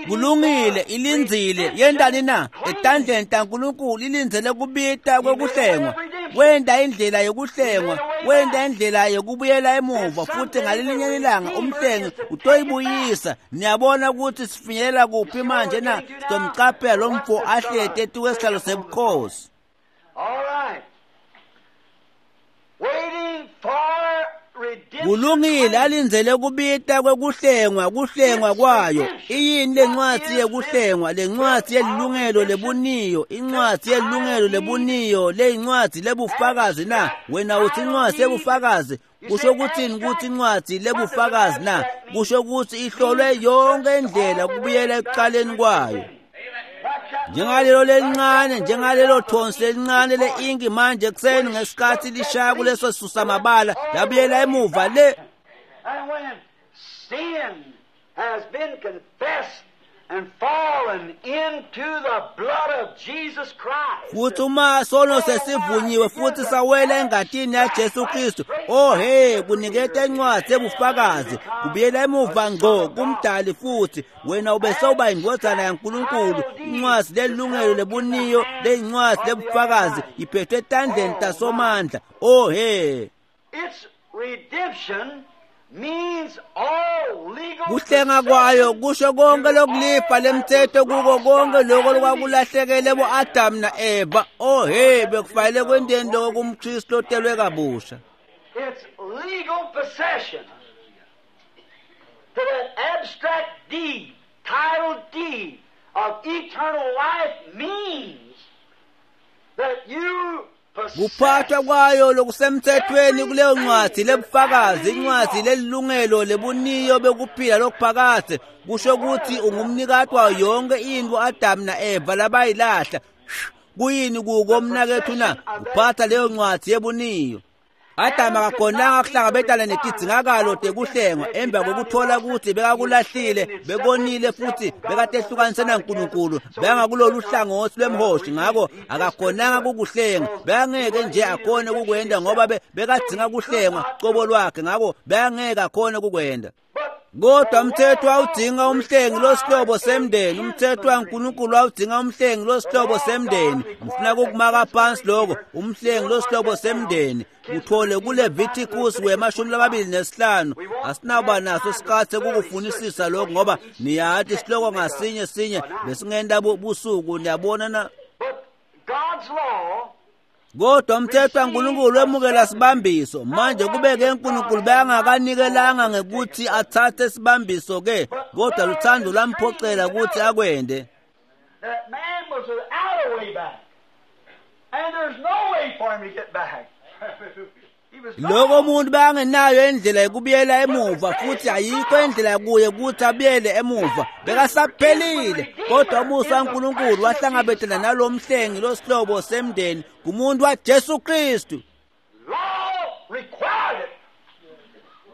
Kulungile, ilindzile yentani na? Etandleni taNkulunkulu ilindzele kubita kwekuhlengwa. Wenta indlela yokuhlengwa, wenta indlela yokubuyela emuva, futhi ngalelinye ilanga umhlengi utoyibuyisa. Niyabona ukuthi sifinyelela kuphi manje na? Sitomcaphela lo mfo ahleti etukwesihlalo sebukhosi. All right. Waiting for Kulungile, alindzele kubita kwekuhlengwa, kuhlengwa kwayo. Iyini lencwadi yekuhlengwa? Lencwadi yelungelo lebuniyo, incwadi yelungelo lebuniyo, leyincwadi lebufakazi na? Wena uthi incwadi yebufakazi, kusho ukuthini ukuthi incwadi lebufakazi na? Kusho ukuthi ihlolwe yonke indlela kubuyela ekuqaleni kwayo. Njengalelo lelincane, njengalelo thonsi lelincane le-inki manje ekuseni ngesikhathi lishaya kuleso susamabala labuyela emuva le. And when sin has been confessed and fallen into the blood of Jesus Christ. Futhi uma sono sesivunyiwe futhi sawela engatini yaJesu Kristu, oh hey, kuniketa incwadi ebufakazi, kubuyela emuva ngqo kumdali futhi wena ubesewuba indvodzana yaNkulunkulu. Incwadi lelungelo lebuniyo leyincwadi lebufakazi iphethwe etandleni taSomandla. Oh hey. Its redemption means all legal Kuhlenga kwayo kusho konke lokulifa lemthetho kuko konke lokho lokwakulahlekele bo-Adam na-Eva. Oh hey, bekufanele kwenteni lokho kumKristu otelwe kabusha. Its legal possession to that abstract deed, title deed of eternal life means that you Kuphathwa kwayo lokusemthethweni kuleyo ncwadi lebufakazi, incwadi lelungelo lebuniyo bekuphila lokuphakadze, kusho ukuthi ungumnikati wayo yonke into Adam na-Eva labayilahla. Kuyini kuko mnakethu na? Uphatha leyo ncwadi yebuniyo. Adam akakhonanga kuhlangabetana netidzingakalo tekuhlengwa emva kokuthola ukuthi bekakulahlile, bekonile futhi bekatehlukanise naNkulunkulu, bekangakulolu hlangothi lwemhoshi, ngako akakhonanga kukuhlenga. Bekangeke nje akhone kukwenda ngoba bekadzinga kuhlengwa cobo lwakhe, ngako bekangeke akhone kukwenda. Kodwa umthetho wawudzinga umhlengi losihlobo semndeni, umthetho waNkulunkulu wawudzinga umhlengi losihlobo semndeni. Ngifuna ukukumaka phansi lokho, umhlengi losihlobo semndeni. Uthole kuLeviticus wemashumi lamabili nesihlanu. Asinawuba naso isikhathi sekukufunisisa lokho ngoba niyathi isihloko ngasinye sinye besingenta busuku, niyabona na? God's law Kodwa umthetho waNkulunkulu wemukela sibambiso. Manje kube-ke uNkulunkulu bekangakanikelanga ngekuthi athathe sibambiso ke, kodwa luthando lwamphoqela ukuthi akwende. That man was without a way back. And there's no way for him to get back. Lokho umuntu bekangenayo indlela yokubuyela emuva, futhi ayikho indlela kuye ukuthi abuyele emuva, bekasaphelile. Kodwa umusa waNkulunkulu wahlangabetana nalo mhlengi losihlobo semndeni kumuntu waJesu Kristu. Law required it.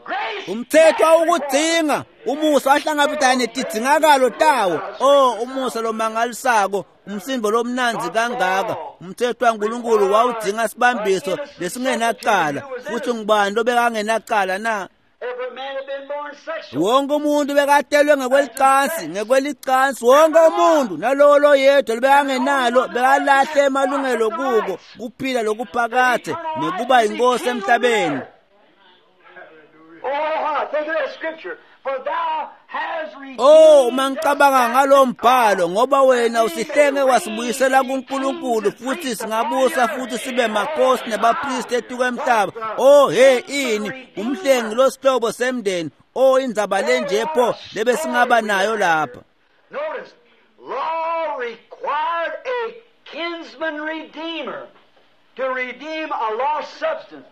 Grace Umthetho awukudzinga, umusa wahlangabetana netidzingakalo tawo. Oh, umusa lomangalisako, umsindo lomnandzi kangaka. Umthetho waNkulunkulu wawudzinga sibambiso lesingenacala, futhi ngubani lobekangenacala na? Every man had been born sexual. Wonke umuntu bekatelwe ngekwelicansi, ngekwelicansi wonke umuntu, nalowo loyedwa lobekangenalo bekalahle emalungelo kuko kuphila lokuphakadze nekuba yinkosi emhlabeni. Oh, uma ngicabanga ngalo mbhalo, ngoba wena usihlenge wasibuyisela kuNkulunkulu, futhi singabusa futhi sibe makhosi nebapristi etuka emhlaba. Oh hey, ini umhlengi losihlobo semndeni. Oh, indzaba lenje pho lebe singaba nayo lapha. Notice, law required a kinsman redeemer to redeem a lost substance.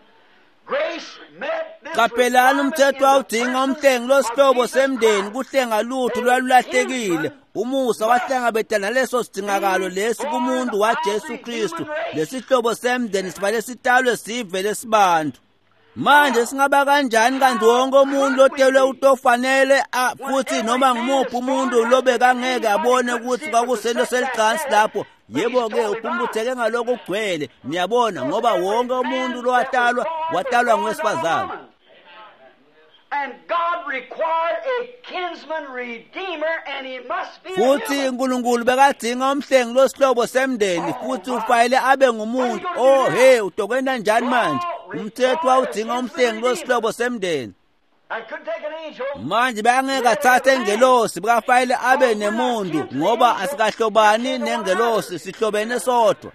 Qaphelani, umthetho wawudinga umhlengi losihlobo semndeni kuhlenga lutho lwalulahlekile. Umusa wahlangabetana naleso sidingakalo lesi kumuntu waJesu Kristu. Lesihlobo semndeni sibale sitalwe sive lesibantu. Manje singaba kanjani kanti wonke umuntu lotelwe utofanele futhi noma ngumuphi umuntu lobekangeke abone ukuthi kwakusento selicansi lapho. Yebo-ke uphumputheke ngalokho kugcwele, niyabona, ngoba wonke umuntu lowatalwa watalwa ngowesifazane. Futhi uNkulunkulu bekadinga umhlengi losihlobo semndeni, futhi ufanele abe ngumuntu. Oh hey, utokwenta njani manje? Umthetho wawudinga umhlengi losihlobo semndeni. Manje bangeke athathe ingelosi, bekafanele abe nemuntu, ngoba asikahlobani nengelosi, sihlobene sodwa.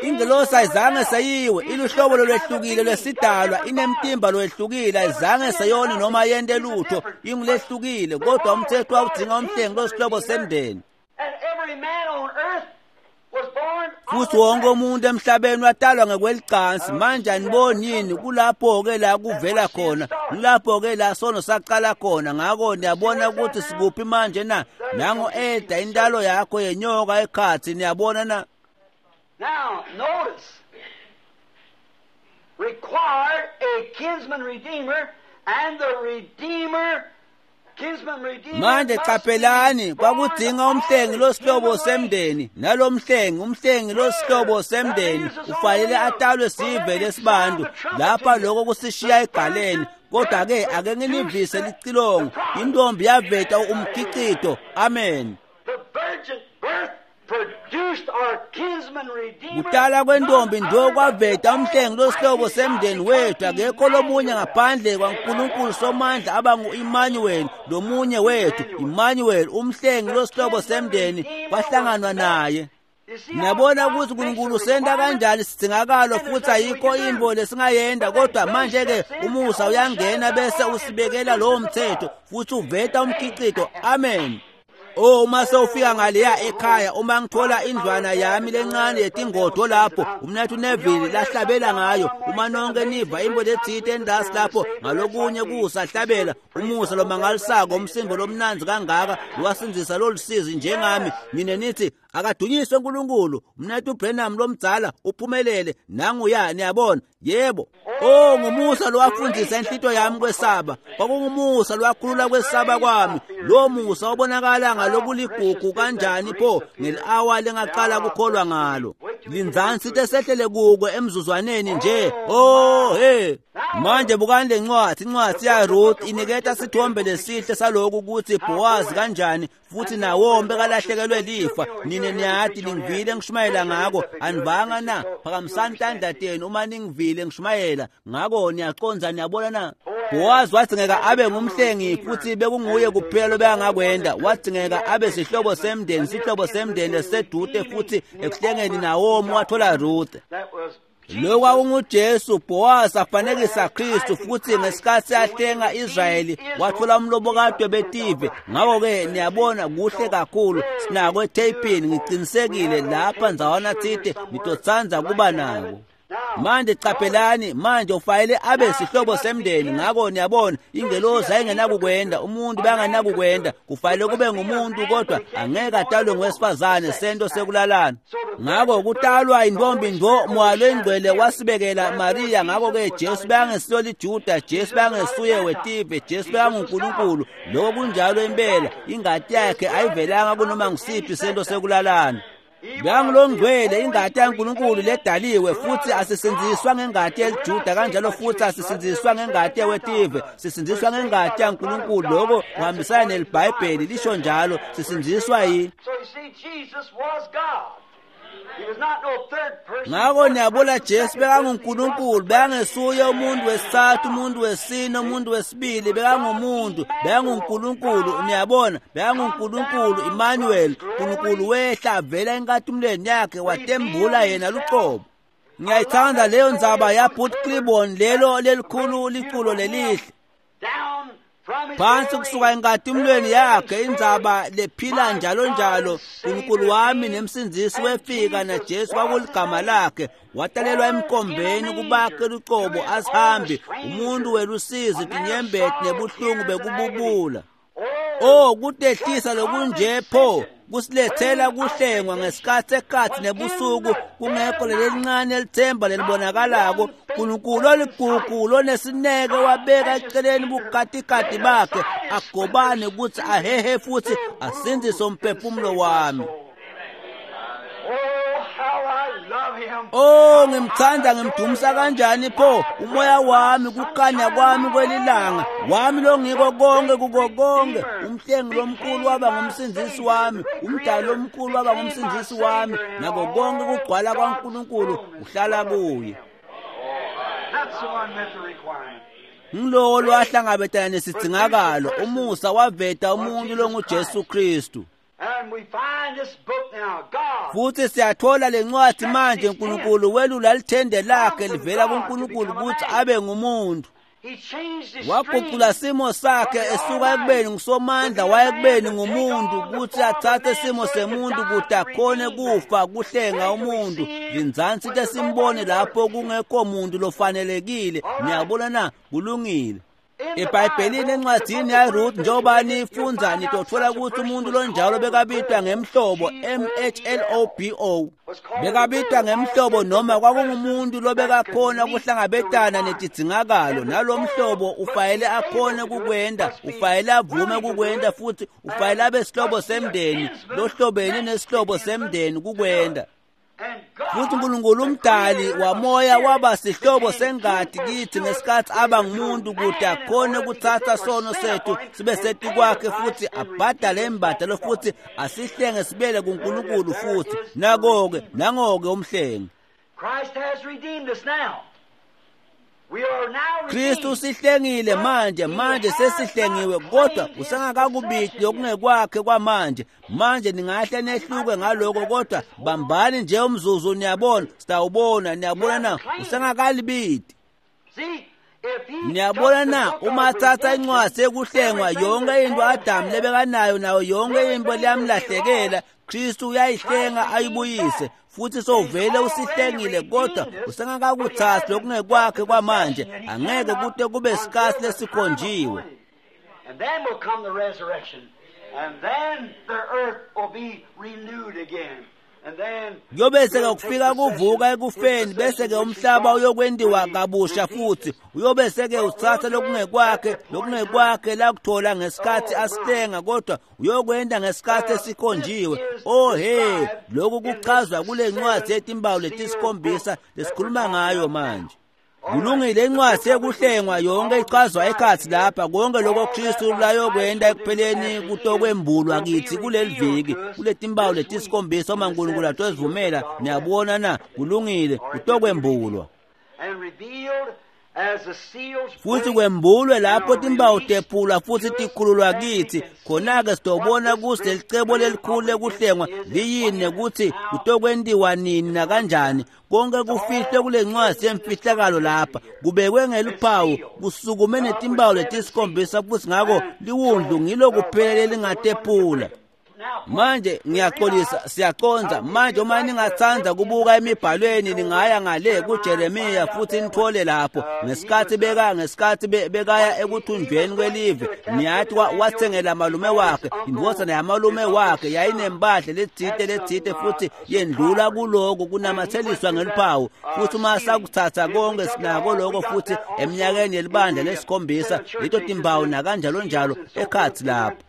Ingelosi ayizange seyiwe, iluhlobo lolwehlukile lwesidalwa, inemtimba lwehlukile, ayizange seyone noma yente lutho, ingulehlukile, kodwa umthetho wawudinga umhlengi losihlobo semndeni. Futhi wonke umuntu emhlabeni watalwa ngekwelicansi. Manje aniboni yini kulapho-ke la kuvela khona, kulapho-ke la sono saqala khona. Ngakho niyabona ukuthi sikuphi manje na? Nango eda intalo yakho yenyoka ekhathi, niyabona na? Now, notice, required a kinsman redeemer, and the redeemer, kinsman redeemer. Manje qaphelani, kwakudinga umhlengi losihlobo semndeni, nalomhlengi, umhlengi losihlobo semndeni ufanele atalwe sive lesibantu. Lapha lokho kusishiya egaleni. Kodwa ke ake nginivise licilongo, intombi yaveta umkhicito. Amen. The virgin birth Kutala kwentombi ndo kwaveta umhlengi losihlobo semndeni wethu. Akekho lomunye ngaphandle kwaNkulunkulu Somandla abangu-Emmanuel, lomunye wethu Emmanuel, umhlengi losihlobo semndeni kwahlanganwa naye. Niyabona ukuthi uNkulunkulu senta kanjani sidingakalo, futhi ayikho into lesingayenda. Kodwa manje-ke umusa uyangena bese usibekela lowo mthetho futhi uveta umkhicito. Amen. Oh, uma sewufika ngaleya ekhaya, uma ngithola indlwana yami lencane yetingodo lapho umnathu Neville lahlabela ngayo, uma nonke niva imbo lethite endasi lapho ngalokunye kusahlabela umusa lomangalisako, umsimbo lomnanzi kangaka lwasindzisa lolusizi njengami, nine nithi akadunyiswe uNkulunkulu, umnathu Branham lomdzala uphumelele nanguya. Niyabona? Yebo. Oh, ngumusa lowafundisa inhlito yami kwesaba, kwakungumusa lowakhulula kwesaba kwami. Lo musa obonakala ngalokuligugu kanjani pho ngeli-awa lengaqala kukholwa ngalo. Lindzani sithe sehlele kuko emzuzwaneni nje. Oh hey, manje bukani le ncwadi, incwadi yaRuth iniketa sithombe lesihle saloku ukuthi Boaz kanjani futhi Nawomi bekalahlekelwe lifa. Nine niyati ningivile ngishumayela ngako, anivanga na? Phakamisani tandla tenu uma ningivile ngishumayela ngako. Niyaqonza, niyabona na? Boaz wadzingeka abe ngumhlengi futhi bekunguye kuphela lobekangakwenda. Wadzingeka abe sihlobo semndeni, sihlobo semndeni lesedude, futhi ekuhlengeni Nawomi wathola Ruth. Lokhu kwakunguJesu. Boaz afanekisa Kristu, futhi ngesikhathi ahlenga Israyeli wathola umlobokati webetive. Ngakho-ke niyabona kuhle kakhulu, sinako etheyipini, ngiqinisekile lapha ndzawana tsite nitotsandza kuba nako. Manje qaphelani, manje ufanele abe sihlobo semndeni. Ngakho niyabona ingelosi ayingenakukwenda, umuntu bangenakukwenda, kufanele kube ngumuntu, kodwa angeke atalwe ngowesifazane, sento sekulalana. Ngakho kutalwa intombi ndo, Moya loyiNgcwele wasibekela Maria. Ngakho-ke Jesu bekangesilo liJuda, Jesu bekangesuye wetive, Jesu bekanguNkulunkulu. Lokho kunjalo impela, ingati yakhe ayivelanga kunoma ngusiphi sento sekulalana. Bekangulongcwele, ingati yaNkulunkulu ledaliwe, futhi asisindziswa ngengati yeliJuda, kanjalo futhi asisindziswa ngengati yewetive, sisindziswa ngengati yaNkulunkulu. Lokho kuhambisana neliBhayibheli lisho njalo, sisindziswa yi. So you see, Jesus was God. Ngako niyabona Jesu bekanguNkulunkulu, bekangesuye umuntu wesithathu, umuntu wesine, umuntu wesibili, bekangumuntu, bekanguNkulunkulu, niyabona, bekanguNkulunkulu Emmanuel, uNkulunkulu wehla avela enkatimulweni yakhe watembula yena luqobo. Ngiyayithanda leyo ndzaba yaBooth Clibborn, lelo lelikhulu liculo lelihle. Phansi kusuka enkatimulweni yakhe, indzaba lephila njalo njalo, uNkulunkulu wami nemsindzisi wefika na Jesu kwakuligama lakhe, watalelwa emkhombeni kubakhe lucobo asihambi, umuntu welusizi, tinyembeti nebuhlungu bekububula. Oh, kutehlisa lokunje pho kusilethela kuhlengwa ngesikhathi ekhathi nebusuku, kungekho lelincane elithemba lelibonakalako. uNkulunkulu oligugu lonesineke wabeka eceleni bukatikati bakhe agobane ukuthi ahehe futhi asindzise umphefumulo wami. Oh, ngimthanda ngimdumisa kanjani pho umoya wami, kukhanya kwami kwelilanga wami longiko konke kuko konke. Umhlengi lomkhulu waba ngumsindzisi wami, umdali lomkhulu waba ngumsindzisi wami, nako konke kugcwala kwaNkulunkulu uhlala kuye. Ngilowo lwahlangabetana nesidzingakalo, umusa waveta umuntu longuJesu Kristu. Futhi siyathola lencwadi manje, uNkulunkulu welula lithende lakhe livela kuNkulunkulu ukuthi abe ngumuntu. Waguqula simo sakhe esuka ekubeni ngusomandla waya ekubeni ngumuntu, ukuthi athathe simo semuntu ukuthi akhone kufa kuhlenga umuntu. Linzansi into simbone lapho kungekho muntu lofanelekile. Niyabona na? Kulungile. eBhayibhelini encwadini yaRuth, njengoba nifundza nitothola ukuthi umuntu lonjalo bekabitwa ngemhlobo M H L O B O, bekabitwa ngemhlobo noma kwakungumuntu lobekakhona kuhlangabetana netidzingakalo, nalomhlobo ufayele akhone kukwenda, ufayele avume kukwenda, futhi ufayele abe sihlobo semndeni lohlobene nesihlobo semndeni kukwenda. Futhi uNkulunkulu umdali wamoya waba sihlobo sengati kithi ngesikhathi aba ngumuntu, ukuthi akhone ukuthatha sono sethu sibe setikwakhe futhi abhadale imbadalo futhi asihlenge sibele kuNkulunkulu futhi. Nako-ke, nango-ke umhlengi. Kristu usihlengile manje, manje sesihlengiwe, kodwa usengakakubidi okungekwakhe kwamanje. Manje ningahle nehluke ngaloko, kodwa bambani nje umzuzu, niyabona, sitawubona, niyabona na, usengakalibidi. Niyabona na, uma athatha incwadi yekuhlengwa, yonke into Adamu lebekanayo nayo yonke into liyamlahlekela, Kristu uyayihlenga ayibuyise. Futhi sovele usihlengile, kodwa usengakakuthathi lokungekwakhe kwamanje, angeke kute kube sikhathi lesikhonjiwe. And then will come the resurrection, and then the earth will be renewed again. Kuyobese ke kufika kuvuka ekufeni, bese ke umhlaba uyokwentiwa kabusha futhi uyobese ke uthatha lokungekwakhe lokungekwakhe lakuthola ngesikhathi asihlenga, kodwa uyokwenda ngesikhathi esikhonjiwe. Oh he, lokhu kuchazwa kule ncwadi yetimpawu letisikhombisa lesikhuluma ngayo manje. Kulungile, incwadi yekuhlengwa yonke ichazwa ekhathi lapha, konke lokho Kristu layokwenda ekupheleni kutokwembulwa kithi kuleli viki, kuletimpawu letisikhombisa uma uNkulunkulu atozivumela. Niyabona na? Kulungile, kutokwembulwa. Futhi kwembulwe lapho timpawu tephulwa futhi tikhululwa kithi, khona-ke sitobona ukuthi lelicebo lelikhulu lekuhlengwa liyini nekuthi kutokwentiwa nini nakanjani. Konke kufihlwe kule ncwadi yemfihlakalo lapha, kubekwe ngeluphawu, kusukume netimpawu letisikhombisa, futhi ngako liwundlu ngilo kuphela lelingatephula. Manje ngiyaxolisa, siyaconza manje. Uma ningathanda kubuka emibhalweni, ningaya ngale kuJeremiya futhi nithole lapho ngesikhathi beka ngesikhathi bekaya ekuthunjweni kwelive, niyathi wathengela malume wakhe, indvodzana yamalume wakhe yayinempahla letsite letsite, futhi yendlula kuloko kunamatheliswa ngeluphawu. Futhi uma sakuthatha konke sinako lokho futhi eminyakeni yelibandla lesikhombisa, leto timpawu nakanjalo njalo ekhathi lapho.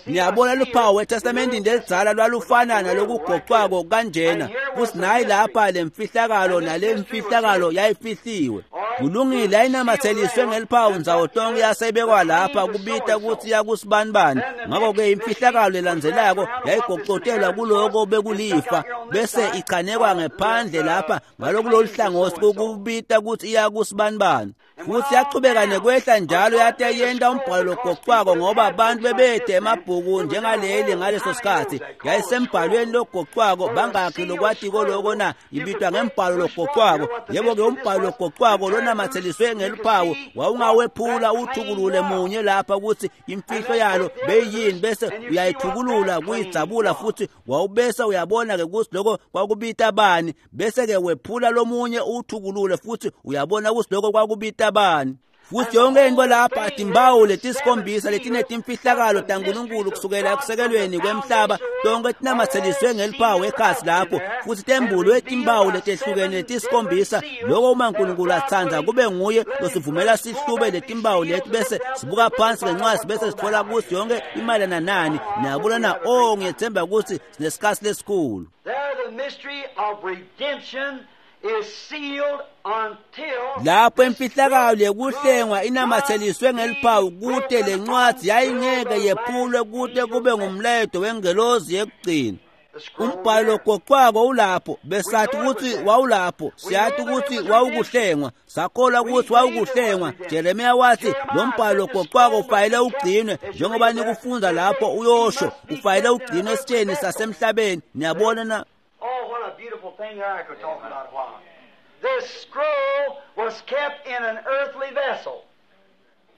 Niyabona luphawu eTestamentini lelidzala lwalufana nalokugocwako kanjena, futsi nayi lapha lemfihlakalo nalemfihlakalo yayifihliwe. Kulungile, yayinamatseliswe ngeliphawu ndzawo tonke yasebekwa lapha kubita kutsi yakusibanibani. Ngako-ke imfihlakalo lelandzelako yayigocotelwa kuloko bekulifa bese ichanekwa ngephandle lapha ngalokulolu hlangothi kubita kutsi iyakusibanibani. Futsi yachubeka nekwehla njalo yate yenta umbhalo logocwako ngoba abantu bebede emabhuku njengaleli ngaleso sikhatsi. Yayisembhalweni logocwako, bangakhi lokwatiko loko na? Ibitwa ngembhalo logocwako. Yebo-ke umbhalo logocwako lonamatseliswe ngeluphawu wawungawephula uthukulule munye lapha kutsi imfihlo yalo beyiyini, bese uyayithukulula kuyidzabula futsi wawubese uyabona-ke kutsi loko kwakubita bani, bese-ke wephula lomunye uthukulule futsi uyabona kutsi loko kwakubita bani. Futsi yonke into lapha timbawu letisikhombisa letinetimfihlakalo taNkulunkulu kusukela ekusekelweni kwemhlaba tonke tinamatseliswe ngeliphawu ekhatsi lapho, futsi tembulwe timbawu letehlukene letisikhombisa. Loko uma uNkulunkulu atsandza kube nguye losivumela sihlube letimbawu leti bese sibuka phansi ngencwadi bese sitfola kutsi yonke imayelana nani. Niyabona na? Oh, ngiyethemba kutsi sinesikhatsi lesikhulu. Lapho imfihlakalo yekuhlengwa inamatseliswe ngeliphawu kute lencwadzi yayingeke yephulwe kute kube ngumlayeto wengelozi yekugcina. Umbhalo logocwako ulapho, besathi kutsi wawulapho, siyathi kutsi wawukuhlengwa, sakholwa kutsi wawukuhlengwa. Jeremiya wathi lo mbhalo logocwako ufanele ugcinwe, njengoba nikufundza lapho uyosho, ufanele ugcinwe esitsheni sasemhlabeni. Niyabona na? Oh, what a beautiful thing there I could talk about a while. This scroll was kept in an earthly vessel.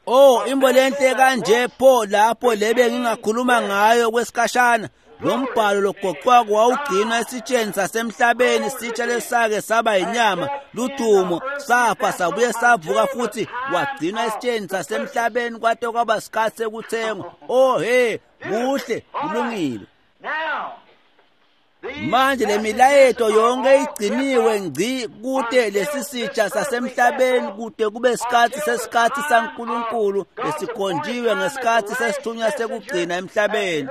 Oh, imbo lenhle kanje pho lapho lebe ngingakhuluma ngayo kwesikhashana. Lo mbhalo logocwako wawugcinwa esitsheni sasemhlabeni, sitsha lesake saba yinyama, ludumo, safa sabuye savuka futhi wagcinwa esitsheni sasemhlabeni kwate kwaba sikhatsi sekuthengwa. Oh he, kuhle, kulungile. Manje le milayeto yonke igciniwe ngci kute lesisitsha sasemhlabeni kute kube sikhatsi sesikhatsi saNkulunkulu lesikhonjiwe ngesikhatsi sesithunywa sekugcina emhlabeni.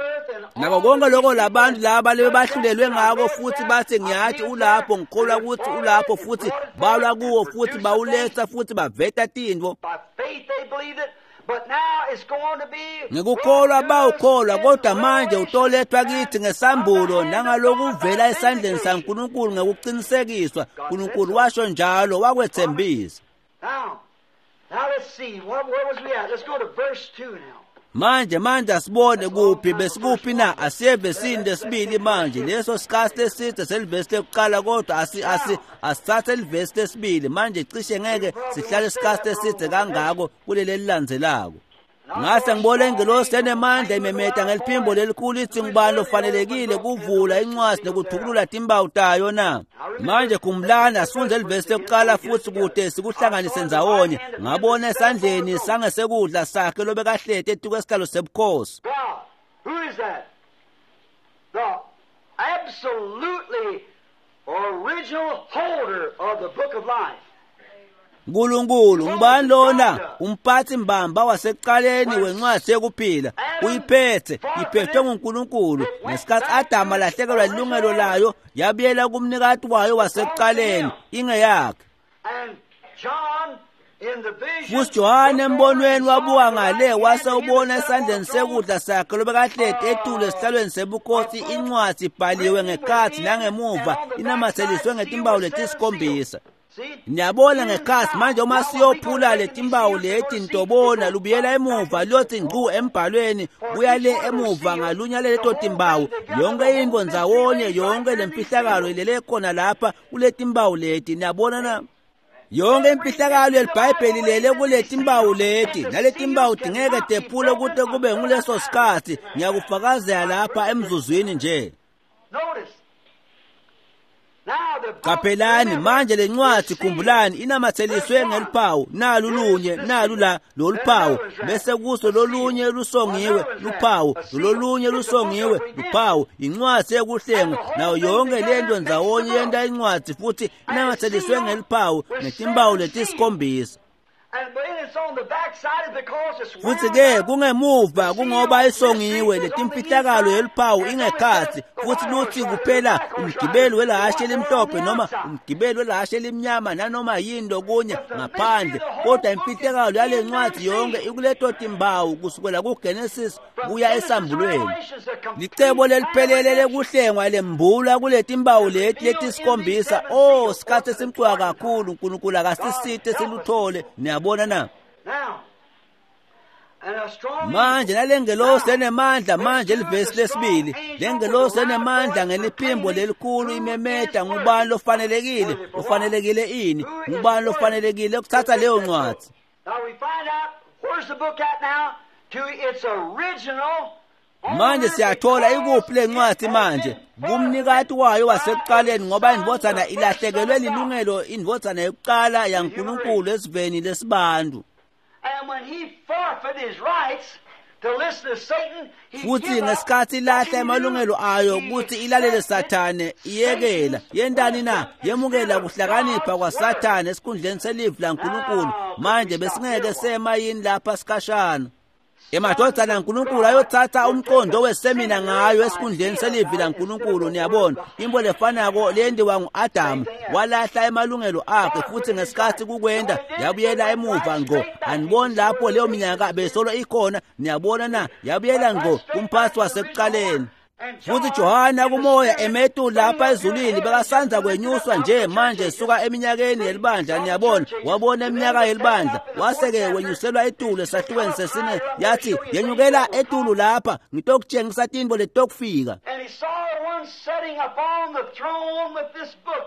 Nako konke lokho labantu laba lebebahlulelwe ngako futhi bathi ngiyathi ulapho, ngikholwa ukuthi ulapho, futhi balwa kuwo futhi bawuletha futhi baveta tintfo. Ngikukholwa bawukholwa, kodwa manje utolethwa kithi ngesambulo nangalokuvela esandleni saNkulunkulu ngekuqinisekiswa. uNkulunkulu washo njalo, wakwethembisa. Manje manje asibone kuphi besikuphi na? Asiye evesini lesibili manje. Leso sikhatsi leside selivesi lekuqala, kodwa asi asi asithathe livesi lesibili manje. Cishe ngeke sihlale isikhatsi leside kangako kuleli elilandzelako. Ngase ngibona ingelosi enemandla imemeta ngeliphimbo lelikhulu ithi, ngubani lofanelekile kuvula incwadi nekuthukulula timbawu tayo na? Manje khumbulani, asifunde livesi lekuqala futhi kude sikuhlanganise ndzawonye. Ngabona esandleni sangesekudla sakhe lobekahleti etikwesihlalo sebukhosi. Who is that? The absolutely original holder of the book of life. uNkulunkulu ngubani lona? Umphathi mbamba wasekuqaleni wencwadi yekuphila. Uyiphethe, iphethwe nguNkulunkulu. Ngesikhathi Adamu alahlekelwa ilungelo layo, yabuyela kumnikati wayo wasekuqaleni, ingeyakhe. Futhi Johane embonweni wabuka ngale wase ubona esandleni sekudla sakhe lobekahleti etulu esihlalweni sebukhosi incwadi ibhaliwe ngekhatsi nangemuva inamatseliswe ngetimbawu letisikhombisa. Niyabona ngekhatsi manje uma siyophula letimbawu leti ntobona lubuyela emuva luyothi ngcu embhalweni, buya le emuva ngalunya leto timbawu. Yonke into ndzawonye, yonke lemfihlakalo ilele khona lapha kuletimbawu leti. Niyabona na? Yonke imfihlakalo yeliBhayibheli lele kuletimbawu leti, naletimbawu tingeke tephule kute kube nguleso sikhatsi. Ngiyakufakazela lapha emzuzwini nje. Qaphelani manje lencwadi, khumbulani, inamatseliswe ngeluphawu, nalu lunye, nalu la loluphawu, bese kuso lolunye lusongiwe luphawu, lolunye lusongiwe luphawu. Incwadi yekuhlengwa nayo yonke lento ndzawonye yenta incwadi futhi inamatseliswe ngeluphawu netimbawu letisikhombisa. Futhi ke kungemuva kungoba isongiwe letimfihlakalo yeluphawu ingekhatsi futhi lutsi kuphela umgibeli welahashe elimhlophe noma umgibeli welahashe elimnyama nanoma yini lokunye ngaphandle, kodwa imfihlakalo yale ncwadi yonke ikuleto timbawu kusukela kuGenesis kuya esambulweni. Licebo leliphelele lekuhlengwa lembulwa kuletimbawu leti letisikhombisa. Oh, sikhatsi esimcoka kakhulu, uNkulunkulu akasisite siluthole. Niyabona na? Manje nalengelosi enemandla, manje livesi lesibili, lengelosi enemandla ngeliphimbo lelikhulu imemeta, ngubani lofanelekile? Ufanelekile ini? Ngubani lofanelekile ukuthatha leyo ncwadi? Manje siyathola ikuphi lencwadi manje kumnikati wayo wasekuqaleni, ngoba indvodzana ilahlekelwe lilungelo, indvodzana yokuqala yaNkulunkulu esiveni lesibantu. Futhi ngesikhathi ilahla amalungelo ayo ukuthi ilalele Sathane, iyekela yentani na? Yemukela kuhlakanipha kwaSathane esikhundleni selivi laNkulunkulu. Manje besingeke sema yini lapha sikhashana? Emadvodzana aNkulunkulu ayothatha umqondo wesemina ngayo esikhundleni selivi laNkulunkulu. Niyabona, into lefanako leyenziwa ngu-Adamu, walahla emalungelo akhe, futhi ngesikhathi kukwenda yabuyela emuva ngqo. Aniboni lapho leyo minyaka besolo ikhona? Niyabona na? Yabuyela ngqo kumphathi wasekuqaleni. Futhi Johana kumoya emetu lapha ezulwini bekasanza kwenyuswa nje manje suka eminyakeni yelibandla. Niyabona, wabona eminyaka yelibandla, wase-ke wenyuselwa etulu esahlukweni sesine. Yathi yenyukela etulu lapha, ngitokutshengisa tintfo letokufika.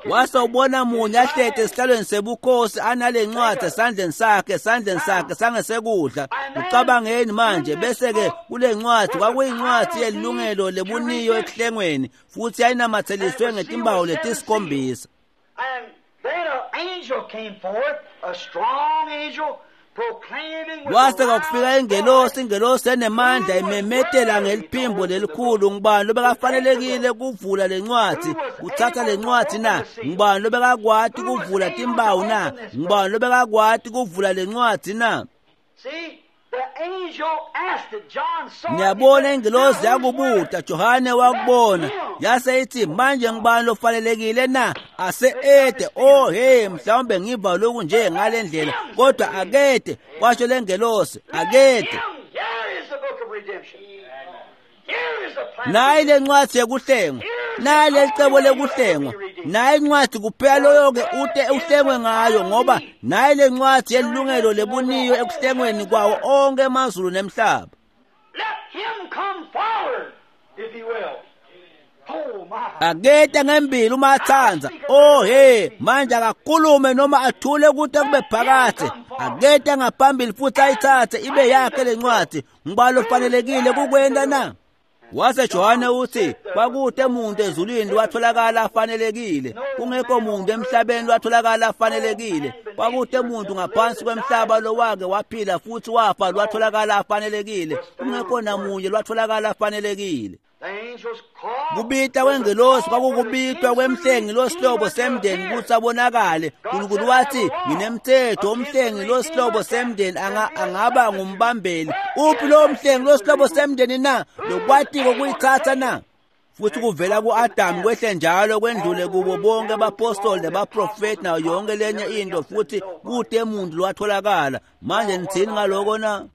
Wase ubona munye ahleti esihlalweni sebukhosi anale ncwadi esandleni sakhe, esandleni sakhe sangesekudla. Ucabangeni manje? Bese-ke kule ncwadi kwakuyincwadi yelilungelo lebuniyo ekuhlengweni, futhi yayinamatheliswe ngetimbawu letisikhombisa. Wase kwakufika ingelosi, ingelosi enemandla imemetela ngeliphimbo lelikhulu, ngubani lobekafanelekile kuvula lencwadi, kuthatha lencwadi na? Ngubani lobekakwati kuvula timbawu na? Ngubani lobekakwati kuvula lencwadi na? Niyabona, ingelosi yakubuta, Johane wakubona, yase ithi manje ngubani lofanelekile na? Ase ede, oh hey, mhlawumbe ngiva lokhu nje ngale ndlela, kodwa akede, kwasho lengelosi, akede. Nayi lencwadi yekuhlengwa, nayi lelicebo lekuhlengwa, nayi incwadi kuphela loyo-ke ute uhlengwe ngayo, ngoba nayi lencwadi yelilungelo lebuniyo ekuhlengweni kwawo onke emazulu nemhlaba. Aketa ngembili uma atsandza. Oh hey, manje akakhulume noma athule kude kube phakathe. Aketa ngaphambili futhi ayithathe ibe yakhe lencwadi. Ngubani lofanelekile kukwenta na? Wase Johane uthi kwakude umuntu ezulwini watholakala afanelekile, kungekho umuntu emhlabeni watholakala afanelekile, kwakude umuntu ngaphansi kwemhlaba lowake waphila futhi wafa lwatholakala afanelekile, kungekho namunye lwatholakala afanelekile. Kubita kwengelosi kwakukubitwa kwemhlengi losihlobo semndeni ukuthi abonakale. uNkulunkulu wathi nginemthetho, umhlengi losihlobo semndeni angaba ngumbambeli. Uphi lo mhlengi losihlobo semndeni na? Lokwatiko kuyithatha na? Futhi kuvela ku-Adamu kwehle njalo kwendlule kubo bonke abapostoli nabaprofeti nayo yonke lenye into, futhi kude umuntu lwatholakala. Manje nithini ngaloko na?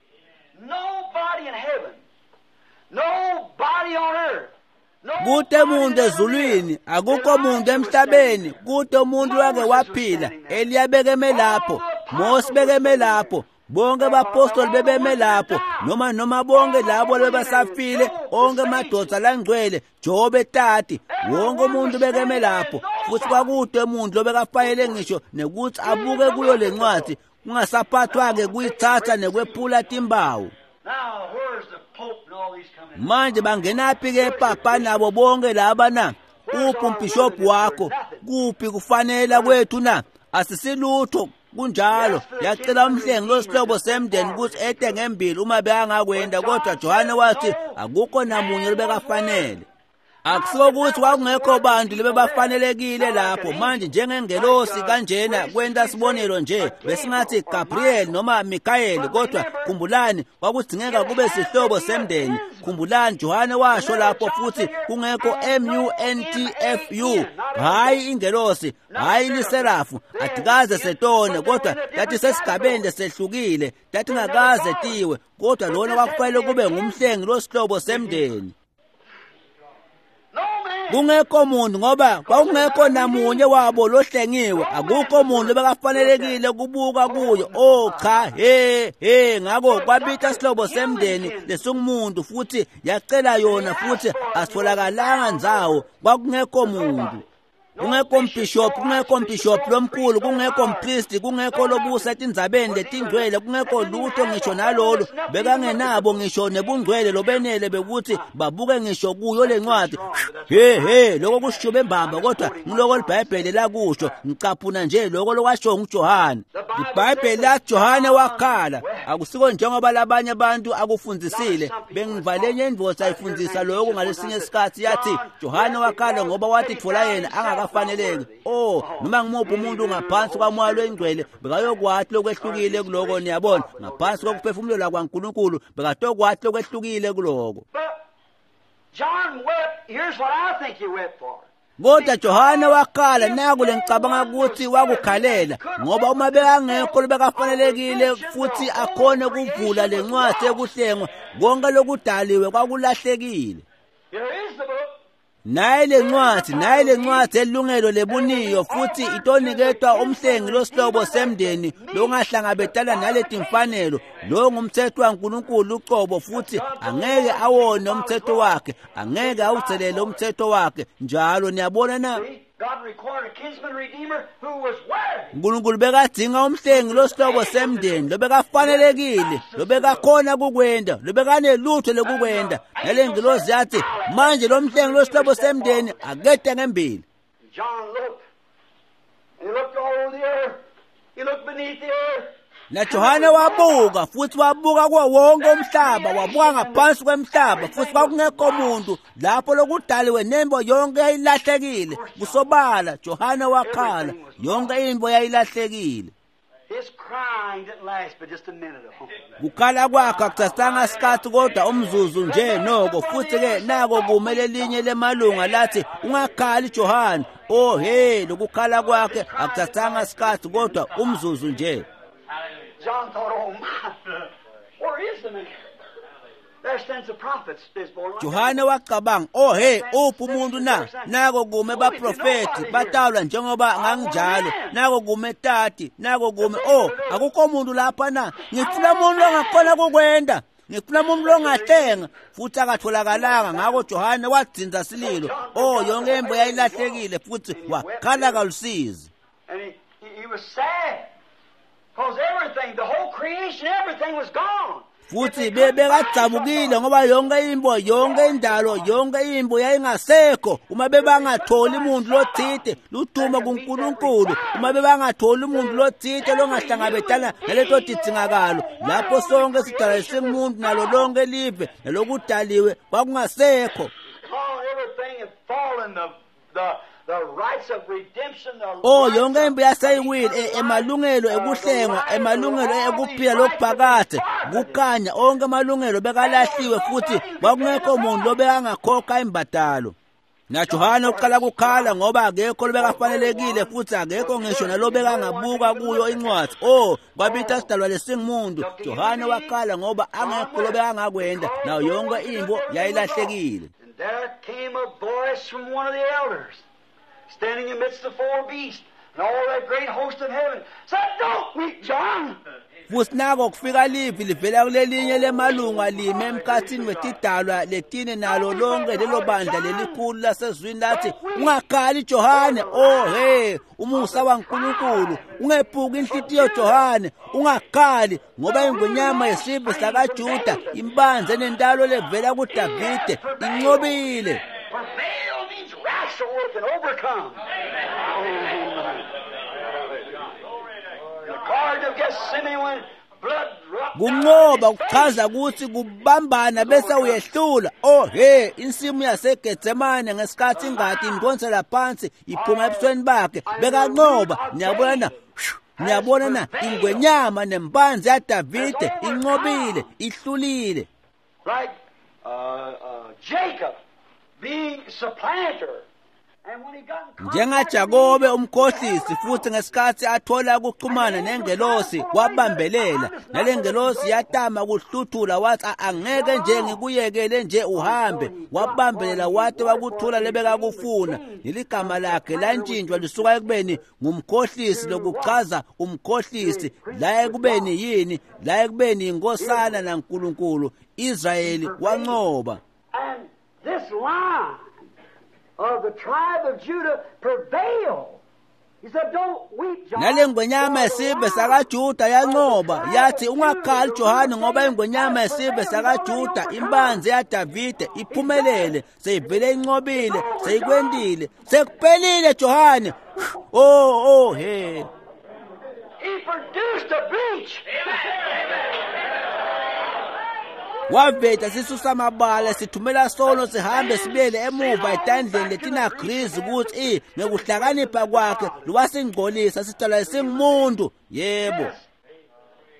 Kude umuntu ezulwini, akukho umuntu emhlabeni, kude umuntu wake waphila. Eliya bekeme lapho, Mose bekeme lapho, bonke abapostoli bebeme lapho, noma noma bonke labo bebasafile, onke amadoda langcwele, Jobe tati, wonke umuntu bekeme lapho. Futhi kwakude umuntu lobekafanele ngisho nekuthi abuke kuyo lencwadi, kungasaphathwa-ke kuyithatha nekwephula timbawu. Manje bangenaphi-ke papa nabo bonke laba na? Uphi umbhishobhi wakho? Kuphi kufanela kwethu na? Asisilutho kunjalo. Yacela umhlengi losihlobo semndeni ukuthi ete ngembili uma bekangakwenda, kodwa Johane wathi akukho namunye lobekafanele. Akusiko ukuthi kwakungekho bantu lebebafanelekile lapho. Manje njengengelosi kanjena kwenta sibonelo nje, besingathi Gabriel noma Michael, kodwa khumbulani kwakudzingeka kube sihlobo semndeni. Khumbulani Johane washo lapho futhi kungekho M U N T F U, hayi ingelosi, hayi liserafu, atikaze setone, kodwa tathi sesigabeni lesehlukile, tathi ngakaze tiwe, kodwa lona kwakufanele kube ngumhlengi losihlobo semndeni. Kungekho muntu, ngoba kwakungekho namunye wabo lohlengiwe, akukho muntu bekafanelekile kubuka kuyo. Oh cha, he he, ngakho kwabita sihlobo semndeni lesingumuntu futhi yacela yona, futhi asitholakalanga ndzawo, kwakungekho muntu. Kungekho mbishop, kungekho mbishop lomkhulu, kungekho mpristi, kungekho lobusa etindzabeni letingcwele, kungekho lutho ngisho nalolo bekangenabo ngisho nebungcwele lobenele bekuthi babuke ngisho kuyo lencwadi. He he, lokho kusho embamba, kodwa ngiloko iBhayibheli lakusho. Ngicaphuna nje lokho lokwasho nguJohane. iBhayibheli lathi Johane wakhala. Akusiko njengoba labanye abantu akufundzisile. Bengivalenye indvodza ayifundzisa lokho ngalesinye isikhathi, yathi Johane wakhala ngoba wathi thola yena angakafaneleki. Oh, noma ngimuphi umuntu ngaphansi kwamoya lwengcwele bekayokwathi lokwehlukile kuloko, niyabona, ngaphansi kokuphefumulelwa kwaNkulunkulu bekatokwathi lokwehlukile kuloko. John wept. Here's what I think he wept for. Kodwa Johane wakhala, naku lengicabanga ukuthi wakukhalela, ngoba uma bekangekho lobekafanelekile futhi akhone kuvula lencwadi ekuhlengwa, konke lokudaliwe kwakulahlekile. Naye lencwadi, naye lencwadi elungelo lebuniyo futhi itoniketwa umhlengi losihlobo semndeni longahlangabetana naletimfanelo. Lo ngumthetho waNkulunkulu ucobo, futhi angeke awone umthetho wakhe, angeke awuthelele umthetho wakhe njalo. Niyabona na? uNkulunkulu bekadinga umhlengi losihlobo semndeni lobekafanelekile, lobekakhona kukwenda, lobekanelutho lokukwenda. Nalengilosi yathi manje lo mhlengi losihlobo semndeni akede ngembili. Na Johane wabuka futhi wabuka kuwo wonke umhlaba, wabuka ngaphansi kwemhlaba, futhi kwakungekho muntu lapho lokudaliwe nembo yonke yayilahlekile. Kusobala Johane wakhala, yonke imbo yayilahlekile. Kukhala kwakhe akuthathanga isikhathi kodwa umzuzu nje noko. Futhi ke nako kumele linye lemalunga lathi ungakhali Johane. Oh hey, lokukhala kwakhe akuthathanga isikhathi kodwa umzuzu nje. John thought, oh my, where is the man? There stands the prophets. Johane wacabanga, oh hey, uphi umuntu na? Nako kume baprofeti batalwa njengoba nganginjalo, nako kume tati, nako kume, oh akukho umuntu lapha na? Ngifuna umuntu ongakhona kukwenda, ngifuna umuntu ongahlenga. Futhi akatholakalanga. Ngakho Johane wadzinza sililo. Oh, yonke imbo yayilahlekile, futhi wakhala kalusizi. And he, he, he was sad. Because everything, the whole creation, everything was gone. Futhi bebekadzabukile ngoba yonke imbo, yonke indalo, yonke imbo yayingasekho. Uma bebangatholi umuntu lothite ludumo kuNkulunkulu, uma bebangatholi umuntu lothite longahlangabetana naleto tidzingakalo, lapho sonke sidalwa singumuntu nalo lonke live nalokudaliwe kwakungasekho. Everything had fallen, the the Oh, yonke impi yaseyiwile, emalungelo ekuhlengwa, emalungelo ekuphila lokuphakade, kukhanya, onke amalungelo bekalahliwe, futhi kwakungekho umuntu lobekangakhokha imbadalo. NaJohane uqala kukhala ngoba akekho lobekafanelekile, futhi akekho ngisho nalobekangabuka kuyo incwadi. Oh, kwabita sidalwa lesingumuntu. Johane wakhala ngoba angekho lobekangakwenda, nayo yonke imbo yayilahlekile. There came a voice from one of the elders, standing amidst the four beasts and all that great host of heaven, said, "Don't weep, John." Futhi nako kufika livi livela kulelinye lemalunga lime emkhathini wetidalwa letine nalo lonke lelo bandla lelikhulu lasezwini lathi, ungakhali Johane. Oh hey, umusa waNkulunkulu, ungephuki inhlitiyo Johane, ungakhali, ngoba ingonyama yesive sakaJuda imbanze nentalo levela kuDavide inqobile. Prevail means wrestle with and overcome. The Garden of Gethsemane, when blood Kunqoba kuchaza ukuthi kubambana bese uyehlula. Oh he, insimu yaseGetsemane ngesikhathi ingati indonsela phansi iphuma ebusweni bakhe, bekanqoba. Niyabona na? Niyabona na? Ingwenyama nempanzi yaDavide inqobile, ihlulile. Like uh, uh, Jacob being supplanter. NjengaJakobe umkhohlisi, futhi ngesikhathi athola ukuxhumana nengelosi wabambelela, nalengelosi yatama kuhluthula, wathi angeke nje ngikuyekele nje uhambe. Wabambelela wathi wakuthola lebekakufuna. Neligama lakhe lantshintshwa lisuka ekubeni ngumkhohlisi, lokuchaza umkhohlisi, la ekubeni yini, la ekubeni inkosana naNkulunkulu. Israyeli wanqoba. And this line of the tribe of Judah prevailed. He said, don't weep, John. Nalengwenyama yesive sakaJuda yanqoba, yathi ungakhali Johane, ngoba ingwenyama yesive sakaJuda, imbanzi yaDavide, iphumelele, seyivele inqobile, seyikwendile, sekuphelile Johane. Oh oh he. He produced a breach. Waveta sisusa amabala sithumela sono sihambe sibuyele emuva etandleni letinagrizi ukuthi ngekuhlakanipha kwakhe lwasingcolisa sidalwa singumuntu. Yebo.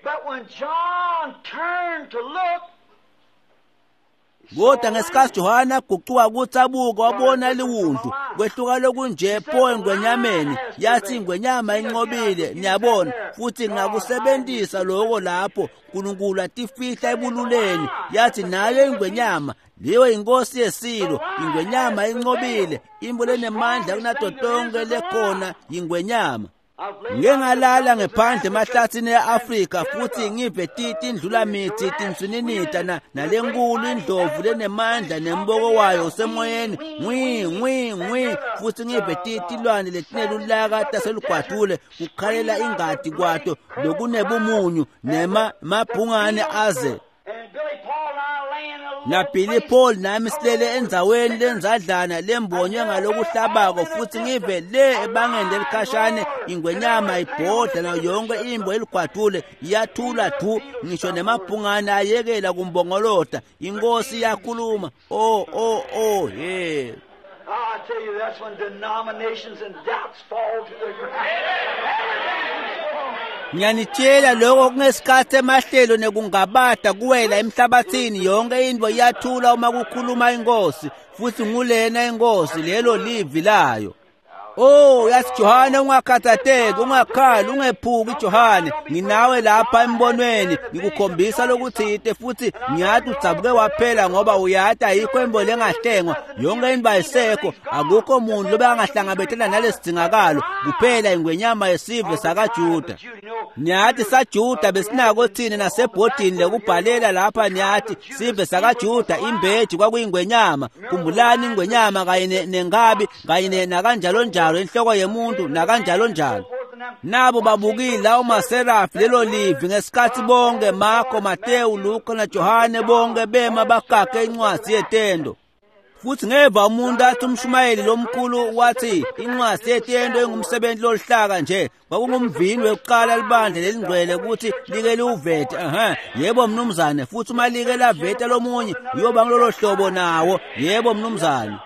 But when John turned to look, kodwa ngesikhathi Johane agucuka ukuthi abuke, wabona liwundlu kwehluka lokunje pho engwenyameni. Yathi ingwenyama inqobile. Niyabona, futhi ngakusebenzisa lokho lapho uNkulunkulu atifihla ebululeni. Yathi nayo ingwenyama leyo inkosi yesilo, ingwenyama inqobile, imbo lenemandla kunato tonke lekhona ingwenyama. Ngike ngalala ngephandle emahlathini e-Afrika futhi ngive tindlulamithi tinswininita na nalenkulu indlovu lenemandla nemboko wayo usemoyeni ngwi ngwi ngwi, futhi ngive tilwane letinelulaka taselugwadule kukhalela ingati kwato lokunebumunyu nema mabhungane aze. Na Billy Paul nami silele endzaweni lenzadlana lembonywe ngalokuhlabako, futhi ngive le ebangeni lelikhashane ingwenyama ibhodla nayo yonke imbo eligwadule iyathula du, ngisho nemabhungane ayekela kumbongolota. Inkosi iyakhuluma. Oh oh oh he. I tell you, that's when denominations and doubts fall to the ground. Ngiyanitshela lokho kungesikhathi emahlelo nekungabada kuwela emhlabathini, yonke into iyathula uma kukhuluma inkosi, futhi ngulena inkosi, lelo livi layo. Oh, yathi Johane, ungakhathatheki, ungakhali, ungephuki Johane, nginawe lapha embonweni, ngikukhombisa lokuthite, futhi ngiyathi udzabuke waphela ngoba uyati ayikho imbo lengahlengwa, yonke into ayisekho, akukho muntu lobekangahlangabetana nalesidingakalo, kuphela ingwenyama yesive sakaJuda. Niyathi saJuda besinako thina nasebhodini lekubhalela lapha, niyathi sive sakaJuda imbeji kwakuyingwenyama. Khumbulani ingwenyama kanye nenkabi kanye nakanjalo njalo, inhloko yemuntu nakanjalo njalo. Nabo babukile lawo maserafi lelo livi ngesikhathi bonke Marko, Mateyu, Luka naJohane bonke bema bagage incwadi yetendo. Futhi ngeva umuntu athi umshumayeli lomkhulu wathi incwadi yetendo ingumsebenzi loluhlaka nje, kwakungumvini wekuqala libandla lelingcwele ukuthi like liwuvete. Aha, yebo mnumzane, futhi uma like laveta lomunye uyoba ngilolo hlobo nawo. Yebo mnumzane.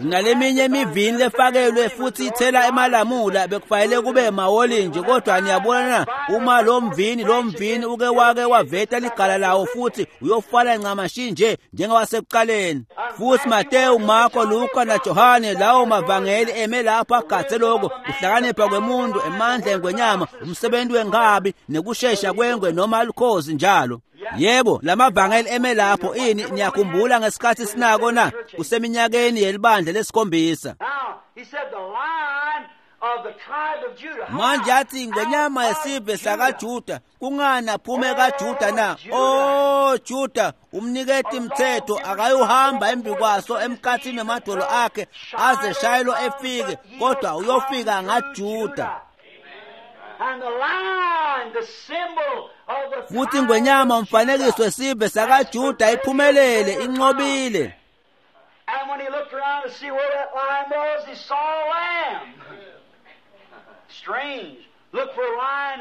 Naleminye imivini lefakelwe futhi ithela emalamula bekufanele kube mawolinje, kodwa niyabona na, uma lo mvini lo mvini uke wake waveta ligala lawo futhi uyofana ncamashi nje njengowasekuqaleni. Futhi Mateyu, Marko, Luka naJohane lawo mavangeli eme lapho agathe lokho kuhlakanipha kwemuntu, emandla engwenyama, umsebenzi wenkabi nekushesha kwengwe noma lukhozi njalo. Yebo, lamavangeli eme lapho. Ini niyakhumbula ngesikhathi sinako na kuseminyakeni yelibandla lesikhombisa. Manje athi ingwenyama yesive sakaJuda, kungani aphume kaJuda na? Oh Juda, umniketi mthetho akayuhamba embi kwaso emkhathini emadolo akhe aze shayelo efike, kodwa uyofika ngaJuda. Futhi ingwenyama umfanekiso wesive sakaJuda iphumelele, inqobile. And when he looked around to see where that lion was, he saw a lamb. Strange.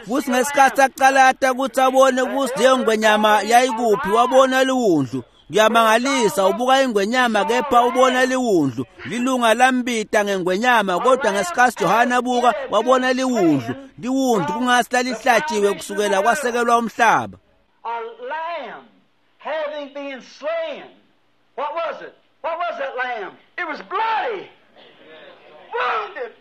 Futhi ngesikhathi aqalata ukuthi abone ukuthi leyo ngwenyama yayikuphi, wabona liwundlu. Kuyamangalisa, ubuka ingwenyama kepha ubona liwundlu. Lilunga lambita ngengwenyama, kodwa ngesikhathi Johane abuka wabona liwundlu. Liwundlu kungasi lalihlatshiwe kusukela kwasekelwa umhlaba. A lamb having been slain. What was it? What was that lamb? It was bloody, wounded.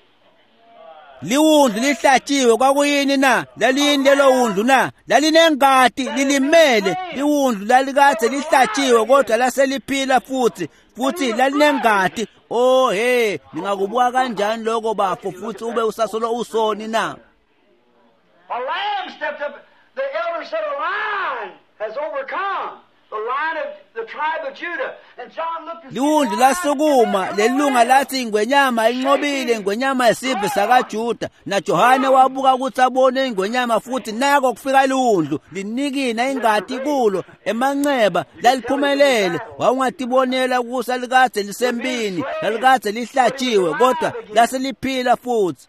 Liwundlu lihlatshiwe kwakuyini na? Laliyini lelo wundlu na? Lalinengati lilimele. Liwundlu lalikade lihlatshiwe kodwa laseliphila futhi, futhi lalinengati. Oh hey, ningakubuka kanjani lokho bafo futhi ube usasolo usoni na? A lamb stepped up. The elder said, a lion has overcome. The lion of the tribe of Judah. And John looked and Liwundlu lasukuma, lelunga lathi ingwenyama inqobile, ingwenyama yesive sakaJuda. NaJohane wabuka ukuthi abone ingwenyama futhi nako kufika liwundlu linikina ingati kulo emanxeba laliphumelele. Wawungatibonela ukuthi alikade lisempini, lalikade lihlatshiwe kodwa laseliphila futhi.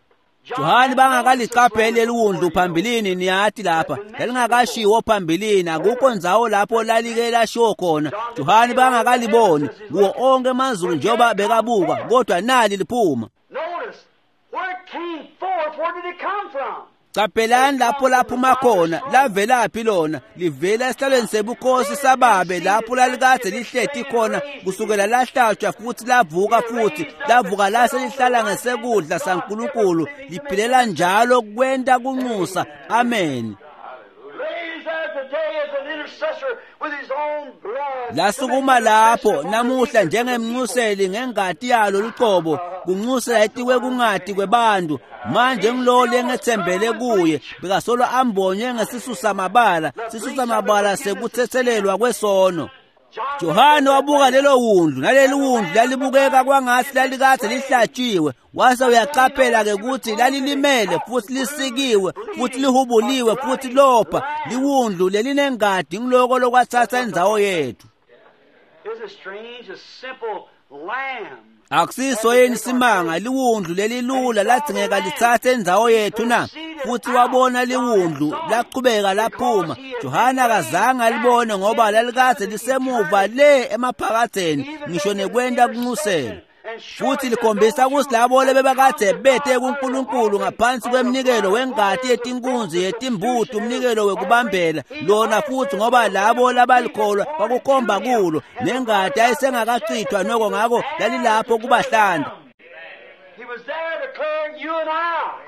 Johane bangakaliqapheli eliwundlu phambilini, niyathi lapha lalingakashiwo phambilini, akukho ndzawo lapho lalike lashiwo khona. Johane bangakaliboni kuwo onke amazulu njengoba bekabuka, kodwa nali liphuma. Notice where it came forth. Where did it come from? Qaphelani lapho laphuma khona, lavelaphi lona? Livela esihlalweni sebukhosi sababe lapho lalikade lihleti khona kusukela lahlatshwa futhi lavuka futhi lavuka lase lihlala ngesekudla saNkulunkulu, liphilela njalo kwenta kunxusa. Amen. Raised there today as an intercessor with his own blood. Lasukuma lapho namuhla njengemnxuseli ngengati yalo luqobo, kunxusela etikwe kungati kwebantu. Manje ngilolo lengethembele kuye, bekasolo ambonywe ngesisusa mabala, sisusa mabala sekuthethelelwa kwesono. Johane wabuka lelo wundlu, naleli wundlu lalibukeka kwangathi lalikade lihlatshiwe. Wase uyaqaphela ke ukuthi lalilimele futhi lisikiwe futhi lihubuliwe futhi lopha. Liwundlu lelinengadi ngiloko lokwathatha indzawo yethu. Isn't it strange? A simple lamb. Akusiso yini simanga liwundlu lelilula ladzingeka lithathe indzawo yethu na? Futhi wabona liwundlu laqhubeka laphuma. Johane akazange alibone ngoba lalikade lisemuva le emaphakatheni, ngisho nekwenta kunxusela. Futhi likhombisa ukuthi labo lebebakade bete kuNkulunkulu ngaphansi kweminikelo wengati yetinkunzi yetimbuti, umnikelo wekubambela lona futhi, ngoba labo labalikholwa kwakukhomba kulo, nengati ayisengakachithwa noko, ngako lalilapho kubahlanda. He was there declaring you and I.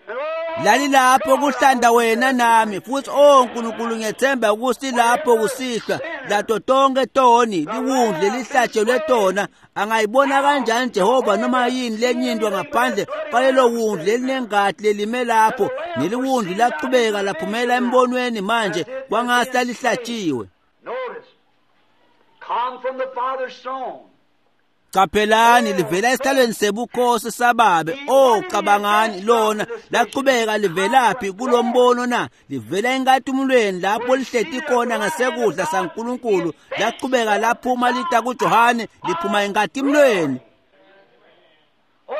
And oh, Lalilapho kuhlanda wena nami futhi. Oh Nkulunkulu, ngiyethemba ukuthi lapho kusihlwa lato tonke toni liwundlu lelihlatshelwe tona. Angayibona kanjani Jehova noma yini lenye into ngaphandle kwalelo wundlu lelinengati lelime lapho? Neliwundlu laqhubeka laphumela embonweni manje kwangathi lalihlatshiwe. Notice, come from the Father's throne. Qaphelani livela esihlalweni sebukhosi sababe. Oh, cabangani lona laqhubeka livelaphi kulombono na? Livela enkatimulweni lapho lihleti khona ngasekudla saNkulunkulu. Laqhubeka laphuma lita kuJohane, liphuma enkatimulweni. Oh,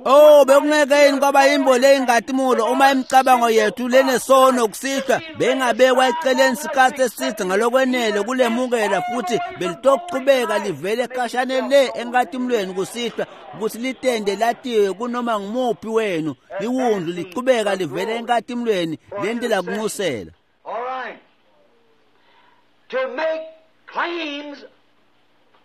Oh, bekungeke yini kwaba yimbo le inkatimula uma imicabango yethu lenesono kusihlwa bengabekwa eceleni sikhathi eside ngalokwenele kulemukela, futhi belitoqhubeka livele khashane le enkatimulweni kusihlwa ukuthi litende latiwe kunoma ngumuphi wenu. Liwundlu liqhubeka livele enkatimulweni lentela kunxusela. All right. To make claims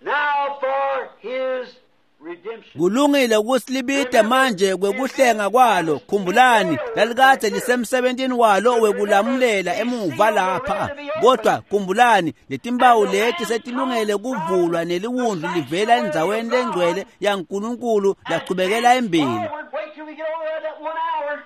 now for his redemption. Kulungile ukuthi libide manje kwekuhlenga kwalo. Khumbulani lalikade lisemsebentini walo wekulamulela emuva lapha, kodwa khumbulani letimpawu leti setilungele kuvulwa neliwundlu livela endzaweni lengcwele yaNkulunkulu lachubekela embili. Forward, wait till we get over there that one hour.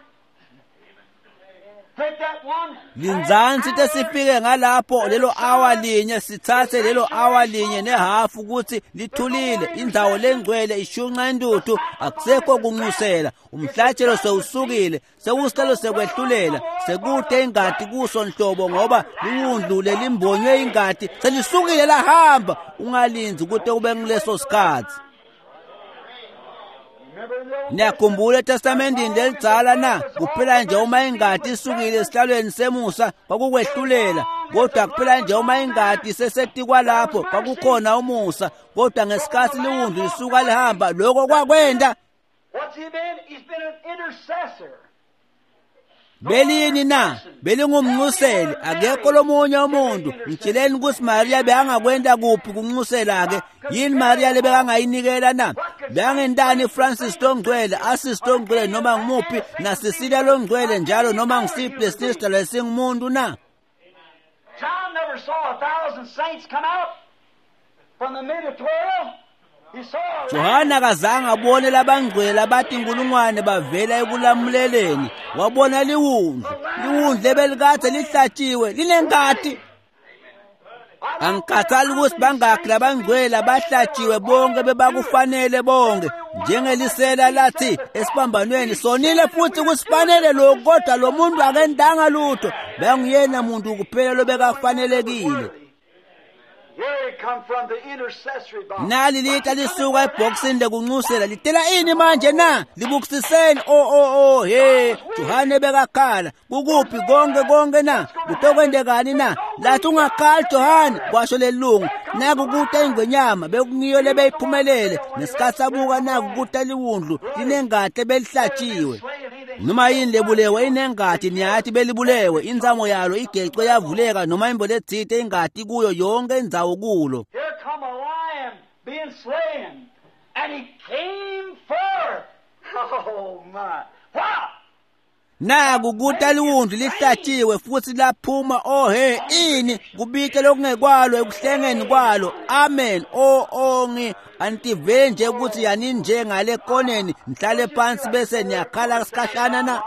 Take that one. Linzansi tesifike ngalapho lelo awa linye, sithathe lelo awa linye nehafu ukuthi lithulile, indzawo lengcwele ishunqa intuthu, akusekho kunxusela, umhlatshelo sewusukile, sewusihlalo sekwehlulela, sekude ingati kuso nhlobo, ngoba liwundlu lelimbonywe ingati selisukile lahamba. Ungalindzi kute kube nguleso sikhathi. Niyakhumbula eTestamentini lelidzala na? Kuphela nje uma ingati isukile esihlalweni semusa kwakukwehlulela, kodwa kuphela nje uma ingati isesetikwa lapho kwakukhona umusa, kodwa ngesikhathi liwundlu lisuka lihamba lokho kwakwenda. Belini na? Belingumnxuseli, akekho lomunye umuntu. Ngitsheleni ukuthi Maria bekangakwenda kuphi kunxusela ke? Yini Maria lebekangayinikela na? Bekangentani Francis longcwele, Assis longcwele noma ngimuphi, na Cecilia longcwele njalo noma ngisiphi lesista lesingumuntu na? John never saw a thousand saints come out from the mid of twelve. Johana akazange abone labangcwele labatinkulungwane bavela ekulamuleleni. Wabona liwundlu, liwundlu ebelikade lihlatshiwe linengati. Angikhathali ukuthi bangakhi labangcwele abahlatshiwe, bonke bebakufanele bonke. Njengelisela lathi esiphambanweni, sonile futhi kusifanele lokhu, kodwa lo muntu akendanga lutho. Benguyena muntu kuphela lobekafanelekile. Nali lita lisuka ebhokisini lekunxusela litela ini manje na? Libukisiseni. O o o he, Johane bekakhala. Kukuphi konke konke na? Kutokwendekani na? Lathi ungakhali Johane, kwasho lelungu. Naku kuta ingwenyama bekungiyo lebeyiphumelele. Ngesikhathi abuka naku kuta liwundlu linengati belihlatshiwe. Noma yini lebulewe inengati, niyathi belibulewe, inzamo yalo igecwe yavuleka noma imbo letsite ingati kuyo yonke indzawo kulo. Here come a lion being slain, and he came forth. Oh my. Wow! Naku kuta liwundlu lihlatshiwe futhi laphuma. Oh he, ini kubike lokungekwalo ekuhlengeni kwalo. Amen. Oh oh ngi antive nje ukuthi yani nje ngale koneni nihlale phansi bese niyakhala sikhashana na.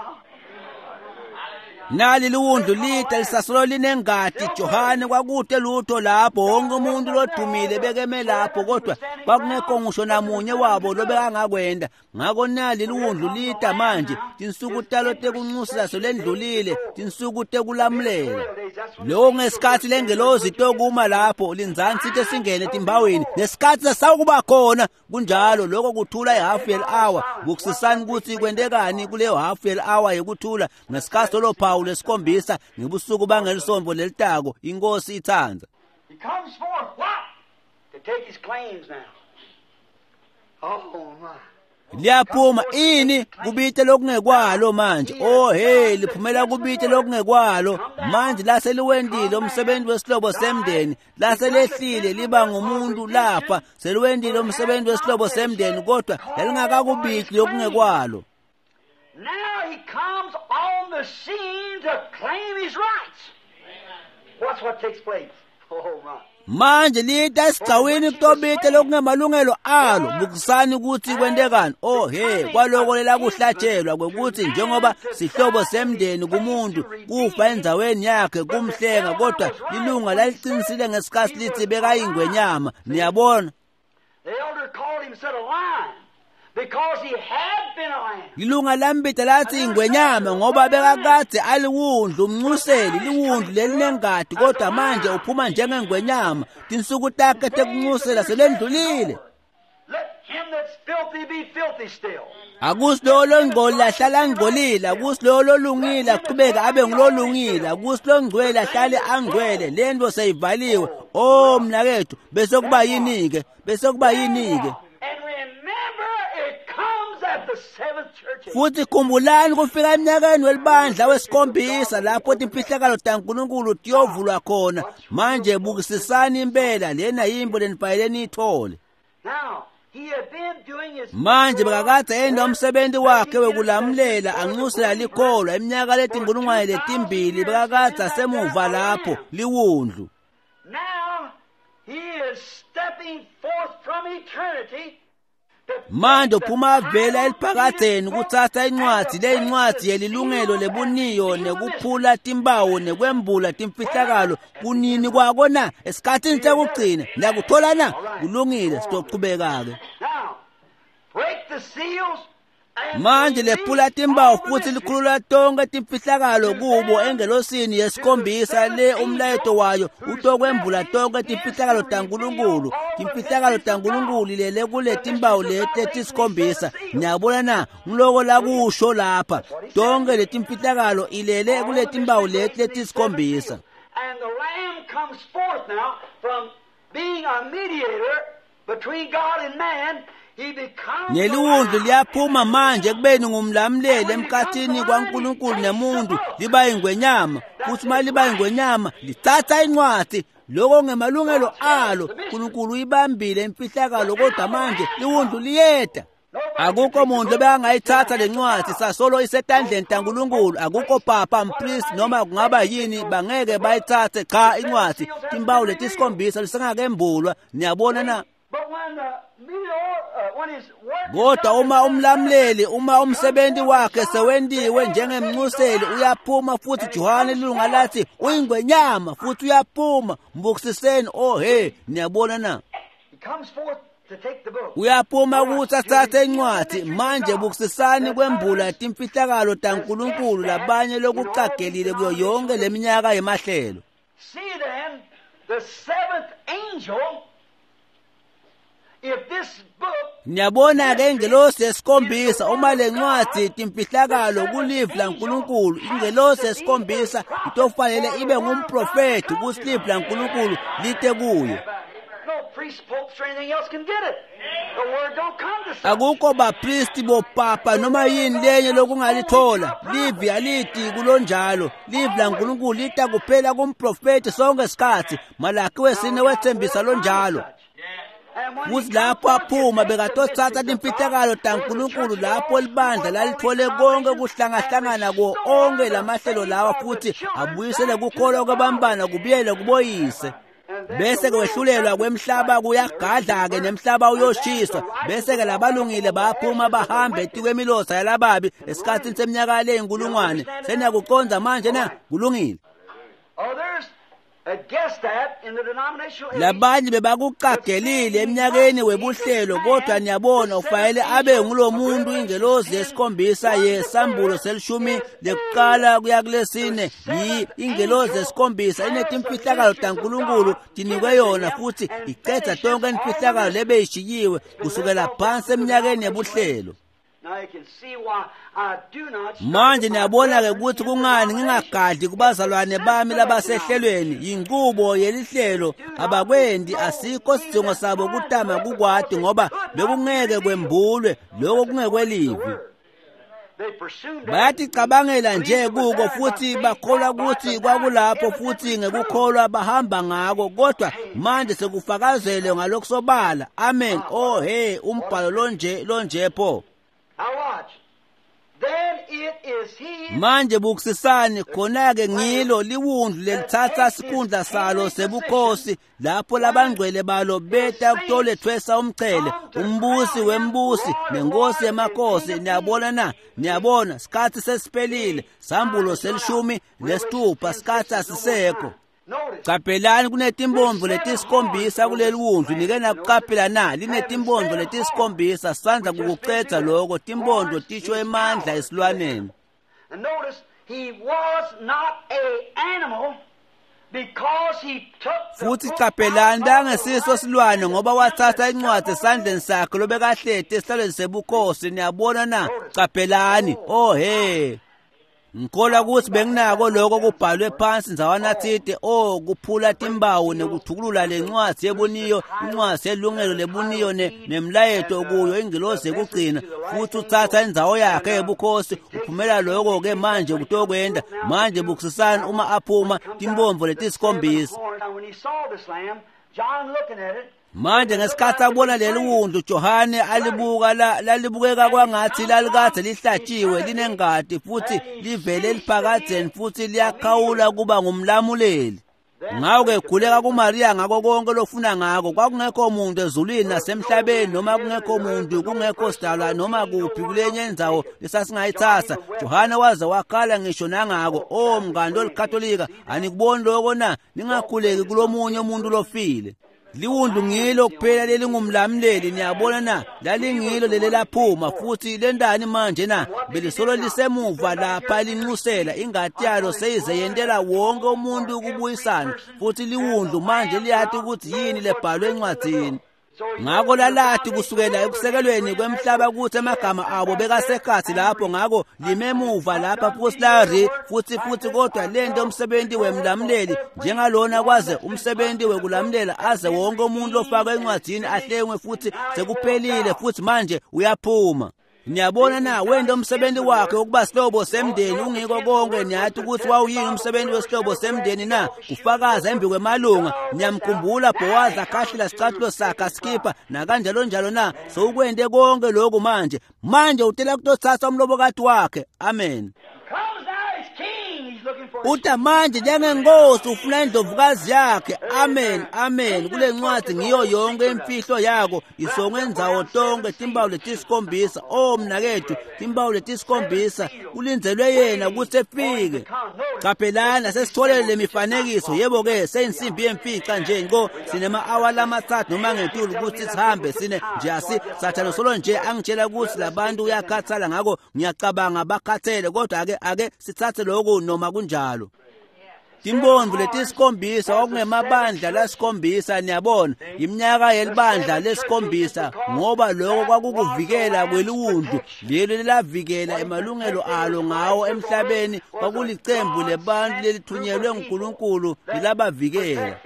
Nali liwundlu lita lisasolo linengati. Johane kwakude lutho lapho, wonke umuntu lodumile bekeme lapho, kodwa kwakungekho ngisho namunye wabo lobekangakwenda. Ngako nali liwundlu lita manje, tinsuku talo tekunxusela solendlulile, tinsuku tekulamulela. Lokho ngesikhathi lengelozi tokuma lapho linzansi sithe singene etimbawini, nesikhathi sasawukuba khona. Kunjalo lokho kuthula ihalf hour. Bukusisani ukuthi kwentekani kuleyo half hour yekuthula ngesikhathi lophawu lesikhombisa ngebusuku bangelisonto lelitako. Inkosi ithanda. He comes forth what? To take his claims now. Oh my. Liyaphuma ini kubite lokungekwalo manje. Oh hey, liphumela kubite lokungekwalo manje. Laseliwendile umsebenzi wesihlobo semndeni, laselehlile liba ngumuntu lapha, seliwendile umsebenzi wesihlobo semndeni, kodwa lalingakakubiti lokungekwalo. Now he comes on the scene to claim his rights. Watch what takes place. Oh my. Manje lita esigcawini kutobite lokungemalungelo alo. Bukusani ukuthi kwentekani. Oh he, kwaloko lelakuhlatshelwa kwekuthi njengoba sihlobo semndeni kumuntu kufa endzaweni yakhe kumhlenga, kodwa lilunga laliqinisile ngesikhathi lithi bekayingwenyama. Niyabona? The elder called him said a lion because he had been a lamb. Lilunga lambita lathi ingwenyama ngoba bekakade aliwundlu umnxuseli, liwundlu lelinengati, kodwa manje uphuma njengengwenyama. Tinsuku takhe tekunxusela selendlulile. Let him that's filthy be filthy still. Akusi lowo longcolile ahlale angcolile, akusi lowo lolungile aqhubeke abe ngulolungile, akusi longcwele ahlale angcwele. Lento seyivaliwe. Oh mnakethu, bese kuba yini-ke? Bese kuba yini-ke? And remember, it comes at the seventh church age. Futhi khumbulani kufika eminyakeni welibandla wesikhombisa lapho timfihlakalo taNkulunkulu tiyovulwa khona. Manje bukisisani impela, lena yimbo lenifanele niyithole. Now, he had been doing his Manje bekakade enda umsebenzi wakhe wekulamulela anxusela likholwa iminyaka letinkulungwane letimbili, bekakade asemuva lapho liwundlu. Now he is stepping forth from eternity to Manje uphuma avela eliphakadzeni kutsatsa incwadzi leyincwadzi yelilungelo lebuniyo nekuphula timbawo nekwembula timfihlakalo. Kunini kwako na? Esikhathini sekugcina. Niyakuthola na? Kulungile, sizochubeka-ke. Now, break the seals Manje lephula timbawu futhi likhulula tonke timfihlakalo kubo engelosini yesikhombisa le umlayeto wayo utokwembula tonke timfihlakalo taNkulunkulu. Timfihlakalo taNkulunkulu lele kule timbawu leti letisikhombisa. Niyabona na? Ngiloko lakusho lapha, tonke letimfihlakalo ilele kule timbawu leti letisikhombisa. And the Lamb comes forth now from being a mediator between God and man. Neliwundlu liyaphuma manje ekubeni ngumlamuleli emkhathini kwaNkulunkulu nemuntu, liba ingwenyama. Futhi uma liba ingwenyama lithatha incwadi, lokho ngemalungelo alo. uNkulunkulu uyibambile imfihlakalo, kodwa manje liwundlu liyeda. Akukho muntu obengayithatha lencwadi, sasolo isetandleni taNkulunkulu. Akukho papa, mpriest, noma kungaba yini, bangeke bayithathe. Cha, incwadi timbawu letisikhombisa lisengakembulwa. Niyabona na? Kodwa uma umlamuleli, uma umsebenzi wakhe sewentiwe njengemnxuseli, uyaphuma futhi. Johane lilunga lathi uyingwenyama futhi uyaphuma. Mbukisiseni. Oh he, niyabona na? Uyaphuma ukuthi athathe incwadi. Manje bukisisani kwembula timfihlakalo taNkulunkulu labanye lokucagelile kuyo yonke leminyaka yemahlelo. See then the seventh angel, if this book Niyabona ke ingelosi yesikhombisa, uma lencwadi timfihlakalo kulivi laNkulunkulu, ingelosi yesikhombisa itofanele ibe ngumprofethi ukuthi livi laNkulunkulu lite kuyo. no priests, popes, or anything else can get it. The word don't come to such. Akukho bapristi, bopapa, noma yini lenye lokungalithola. Livi aliti kulonjalo. Livi laNkulunkulu lita kuphela kumprofethi sonke isikhathi. Malaki wesine wethembisa lonjalo. And when Futhi he lapho comes forth, aphuma he takes the bekatothatha mysteries of timfihlakalo God. taNkulunkulu lapho libandla lalithole konke kuhlangahlangana kuwo onke lamahlelo lawa, futhi abuyisele kukholwa kwabambana kubuyele kuboyise. Bese ke wehlulelwa kwemhlaba kuyagadla-ke, nemhlaba uyoshiswa. Bese-ke labalungile bayaphuma bahambe etikwemilosa yalababi esikhathini seminyaka leyinkulungwane. Seniyakucondza manje na? Kulungile. Others had guessed that in the denominational age. Labanye bebakucagelile eminyakeni webuhlelo, kodwa niyabona ufanele abe ngulo muntu ingelosi yesikhombisa yesambulo selishumi lekuqala kuya kulesine. Yi ingelosi yesikhombisa inetimfihlakalo taNkulunkulu tinikwe yona, futhi icedza tonke imfihlakalo lebeyishiyiwe kusukela phansi eminyakeni yebuhlelo. Now you can see why I do not Manje niyabona-ke ukuthi kungani ngingagadli kubazalwane bami labasehlelweni. Yinqubo yelihlelo, abakwendi, asikho sidingo sabo kutama kukwati, ngoba bekungeke kwembulwe lokho kungekwelivi. They presumed Bayaticabangela nje kuko futhi bakholwa ukuthi kwakulapho, futhi ngekukholwa bahamba ngako, kodwa manje sekufakazelwe ngalokusobala. Amen. Oh he, umbhalo lonje lonje pho. Now watch. Then it is he Manje bukisisani khona-ke, ngilo liwundlu lelithatha sikhundla salo sebukhosi lapho labangcwele balo beta kutolethwesa umchele, umbusi wembusi nenkosi yemakhosi. Niyabona na? Niyabona, sikhathi sesiphelile. Sambulo selishumi nesithupha, sikhathi asisekho. Notice. Qaphelani, kunetimbombo letisikhombisa kuleli wundlu. Nike nakuqaphela na? Linetimbombo letisikhombisa. Sandla kukucedza lokho. Timbondo tisho emandla esilwaneni. And notice he was not a animal because he took the Futhi book qaphelani, out of bangesiso the silwane, ngoba wathatha incwadi esandleni sakhe lobekahleti esihlalweni sebukhosi. Niyabona na? Qaphelani. Oh he, ngikholwa ukuthi benginako lokho kubhalwe phansi ndzawana thide. Oh, kuphula timbawu nekuthukulula lencwadi yebuniyo, incwadi yelungelo lebuniyo nemlayeto kuyo, ingilosi yekugcina, futhi uthatha indzawo yakhe yebukhosi. Uphumela lokho-ke manje kutokwenda. Manje bukisisani uma aphuma timbombo letisikhombisa. Manje ngesikhathi abona leli wundlu, Johane alibuka, lalibukeka kwangathi lalikade lihlatshiwe, linengadi futhi livele eliphakadzeni, futhi liyakhawula kuba ngumlamuleli. Ngakho-ke khuleka kuMariya ngako konke lofuna ngako. Kwakungekho muntu ezulwini nasemhlabeni, noma kungekho muntu, kungekho sidalwa noma kuphi kulenye indzawo lesasingayithatha. Johane waze wakhala ngisho nangako. O mngani lolikatolika, anikuboni lokho na? Ningakhuleki kulomunye umuntu lofile. Liwundlu ngilo kuphela lelingumlamleli, niyabona na? Lalingilo lelelaphuma futhi lendani manje na? Belisolo lisemuva lapha linxusela ingati yalo seyize yentela wonke umuntu ukubuyisana, futhi liwundlu manje liyati ukuthi yini lebhalwe encwadzini. Ngako lalati kusukela ekusekelweni kwemhlaba ukuthi amagama abo bekasekhathi lapho, ngako limemuva lapha futhi lari futhi futhi kodwa lento umsebenzi wemlamleli njengalona kwaze umsebenzi wekulamlela aze wonke umuntu ofakwe encwadzini ahlengwe futhi sekuphelile futhi manje uyaphuma. Niyabona na, wenda umsebenzi wakhe ukuba sihlobo semndeni ungiko konke. Niyathi ukuthi wawuyini umsebenzi wesihlobo semndeni na? Kufakaza embi kwemalunga. Niyamkhumbula Boaz akhahlela isicathulo sakhe asikhipha nakanjalo njalo na? Sowukwente konke lokhu manje. Manje utela kutothatha umlobokati wakhe. Amen. Uta manje njengenkosi ufuna indlovukazi yakhe. Amen, amen. Kule ncwadi ngiyo yonke imfihlo yako isongwe indzawo tonke timpawu letisikhombisa. Oh mnakethu, timpawu letisikhombisa kulindelwe yena ukuthi efike. Qaphelani sesitholele le mifanekiso. Yebo ke seyinsimbi yemfica nje ngo sinema-awa lamathathu noma ngetulu ukuthi sihambe sine nje asi sathane solo nje angitshela ukuthi labantu uyakhathala, ngakho ngiyacabanga bakhathele, kodwa ake ake sithathe lokhu noma kunjalo. Timbondvo letisikhombisa kwakungemabandla lasikhombisa, niyabona, iminyaka yelibandla lesikhombisa, ngoba lokho kwakukuvikela kweliwundlu lelo lelavikela emalungelo alo ngawo emhlabeni. Kwakulicembu lebantu lelithunyelwe nguNkulunkulu lilabavikela.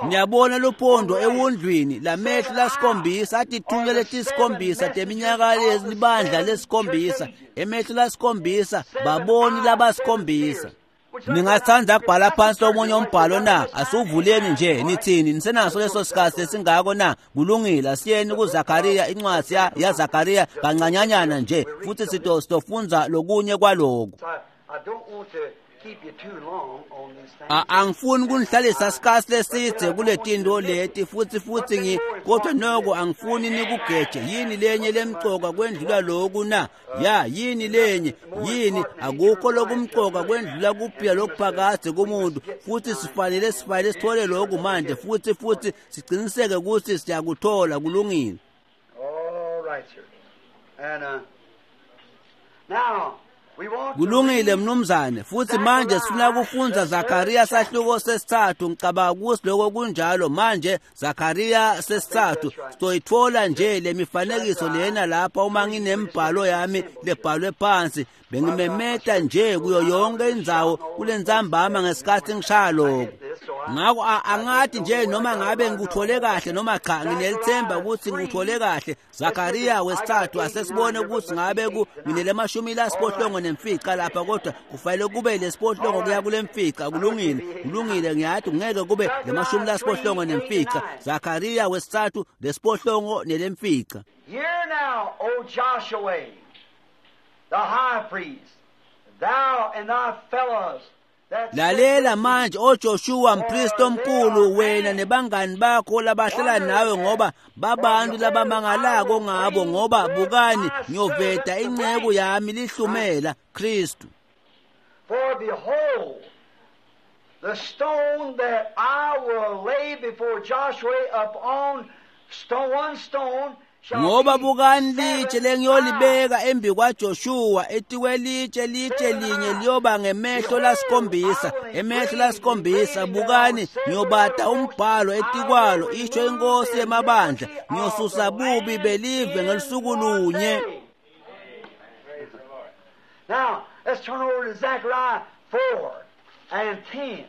Niyabona luphondo ewundlwini lamehlo lasikhombisa atithunywa letisikhombisa teminyaka lelibandla lesikhombisa, emehlo lasikhombisa baboni labasikhombisa. Ningathanda kubhala phansi omunye umbhalo na? Asuvuleni nje nithini, nisenaso leso sikhathi esingako na? Kulungile, asiyeni kuZakaria, incwadi ya Zakaria kancanyanyana nje futhi sitofunza lokunye kwalokhu. Angifuni kunihlalisa sikhathi lesidze kule tinto leti futhi futhi ngi kodwa noko angifuni nikugeje. Yini lenye lemcoka kwendlula lokhu na? Ya, yini lenye? Yini? Akukho lokumcoka kwendlula kuphila lokuphakade kumuntu, futhi sifanele sifanele sithole lokhu manje futhi futhi siqiniseke ukuthi siyakuthola. Kulungile. All right, sir. And uh, now Kulungile mnumzane. Futhi manje sifuna kufunza Zakaria sahluko sesithathu. Ngicabanga ukuthi lokho kunjalo. Manje Zakaria sesithathu sizoyithola nje le mifanekiso lena lapha uma nginembhalo yami lebhalwe phansi. Bengimemeta nje kuyo yonke indzawo kulentsambama ngesikhathi ngishaya lokho. Ngakho angathi nje noma ngabe ngikuthole kahle noma cha, nginelithemba ukuthi ngikuthole kahle. Zakaria wesithathu, asesibone ukuthi ngabe ku nginelemashumi lasiphohlongo nemfica lapha, kodwa kufanele kube lesiphohlongo kuya kule mfica. Kulungile, kulungile, ngiyathi ngeke kube lemashumi lasiphohlongo nemfica. Zakaria wesithathu lesiphohlongo nelemfica. Hear now, O Joshua, the high priest, thou and thy fellows. Lalela manje oJoshua mpristi omkhulu, wena nebangani bakho labahlala nawe, ngoba babantu labamangalako ngabo, ngoba bukani ngiyoveta inceku yami lihlumela Kristu. For behold, the stone that I will lay before Joshua upon stone, one stone Ngoba bukani litshe lengiyolibeka embi kwaJoshua etikwelitshe litshe linye liyoba ngemehlo lasikhombisa, emehlo lasikhombisa. Bukani ngiyobata umbhalo etikwalo, isho inkosi yemabandla, ngiyosusa bubi belive ngelusuku lunye. Now, let's turn over to Zechariah four and ten.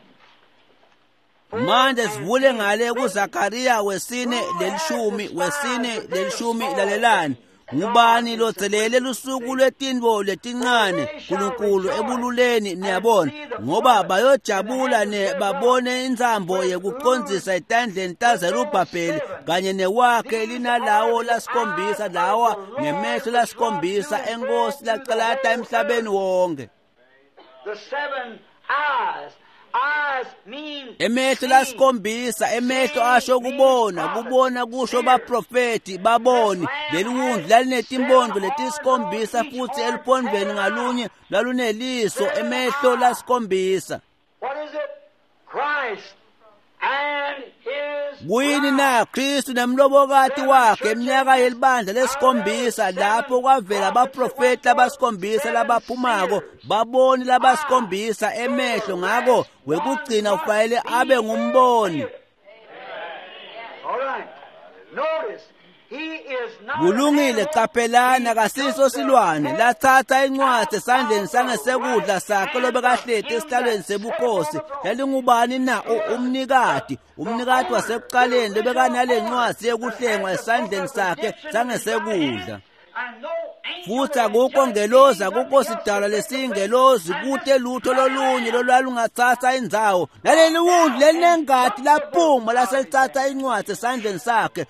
Manje sivule ngale kuZakaria wesine lelishumi, wesine lelishumi. Lalelani, ngubani lotselele lusuku lwetintfo letincane Nkulunkulu ebululeni, niyabona, ngoba bayojabula ne babone intsambo yekucondzisa etandleni taZerubhabheli kanye newakhe linalawo lasikhombisa, lawa ngemehlo lasikhombisa enkosi lacalata emhlabeni wonke. The seven eyes. Emehlo lasikhombisa, emehlo asho kubona, kubona kusho baprofeti baboni. Leli wundlu lalinetimpondvo letisikhombisa futhi eluphondvweni ngalunye laluneliso, emehlo lasikhombisa. What is it? Christ And his Kuyini na Kristu nemlobokati wakhe eminyaka yelibandla lesikhombisa lapho kwavela abaprofeti labasikhombisa labaphumako baboni labasikhombisa emehlo ngako wekugcina ufanele abe ngumboni. All right. Notice, he is not Kulungile, qaphelani akasiso silwane lathatha incwadi esandleni sangesekudla sakhe lobekahleti esihlalweni sebukhosi. Lalingubani na? U- Umnikati, umnikati wasekuqaleni lobekanale ncwadi yekuhlengwa esandleni sakhe sangesekudla. And no angel Futhi akukho ngelozi, akukho sidalwa lesiyingelozi, kute lutho lolunye lolwalungathatha indzawo. Naleli wundlu lelinengati laphuma laselithatha incwadi esandleni sakhe.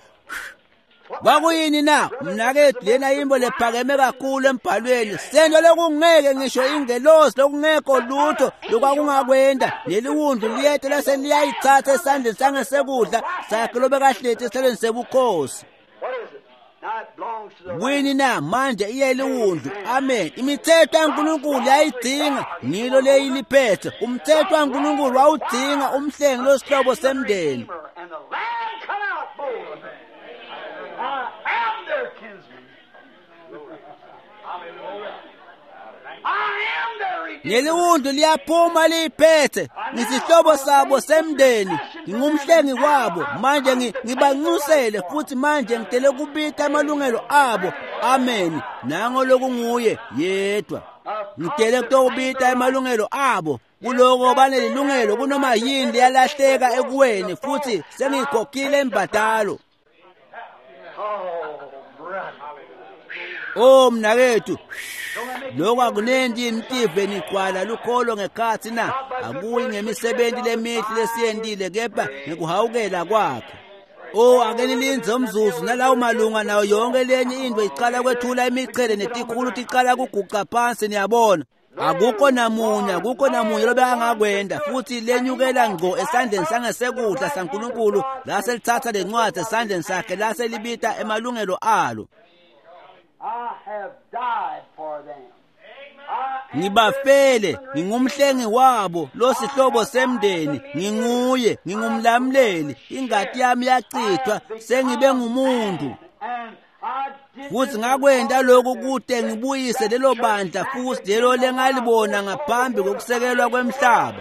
Kwakuyini na? Mnakethu, lena yimbo lephakeme kakhulu embhalweni. Sento lokungeke ngisho ingelozi, lokungekho lutho lokwakungakwenda. Leli wundlu liyeta lase liyayithatha esandleni sangesekudla sakhe lobekahleti esihlalweni sebukhosi. What is it? Now it belongs to the Kuyini na? Manje iyeliwundlu. Amen. Imithetho kaNkulunkulu yayidinga ngilo leyiliphethe. Umthetho kaNkulunkulu wawudinga umhlengi losihlobo semndeni. Redeemer, and the Lamb come out bold. I am their kinsman. I am their redeemer. Leliwundlu liyaphuma liyiphethe. Ngisihlobo sabo semndeni, ngingumhlengi wabo. Manje ngi- ngibanxusele futhi manje ngitele kubita amalungelo abo. Amen. Nango lokunguye yedwa. Ngitele kutobita amalungelo abo. Kuloko banelilungelo kunoma yini leyalahleka ekuweni futhi sengiyikhokhile imbadalo. Oh, brother. Oh mnakethu, lokho akunenti imtive nigcwala lukholo ngekhathi na? Akuyi ngemisebenzi lemihle lesiyentile kepha ngekuhawukela kwakhe. Oh, ake nilindze umzuzu nalawo malunga nayo yonke lenye into icala kwethula imichele netikhulu ticala kuguca phansi niyabona. Akukho namunye, akukho namunye lobekangakwenda futhi lenyukela ngqo esandleni sangesekudla saNkulunkulu lase lithatha lencwadi esandleni sakhe lase libita emalungelo alo. I have died for them. I am Ngibafele, ngingumhlengi wabo, losihlobo semndeni, nginguye, ngingumlamleli, ingati yami yachithwa, sengibe ngumuntu. And I did Futhi this ngakwenda lokhu kute ngibuyise lelo bandla futhi lelo lengalibona ngaphambi kokusekelwa kwemhlaba.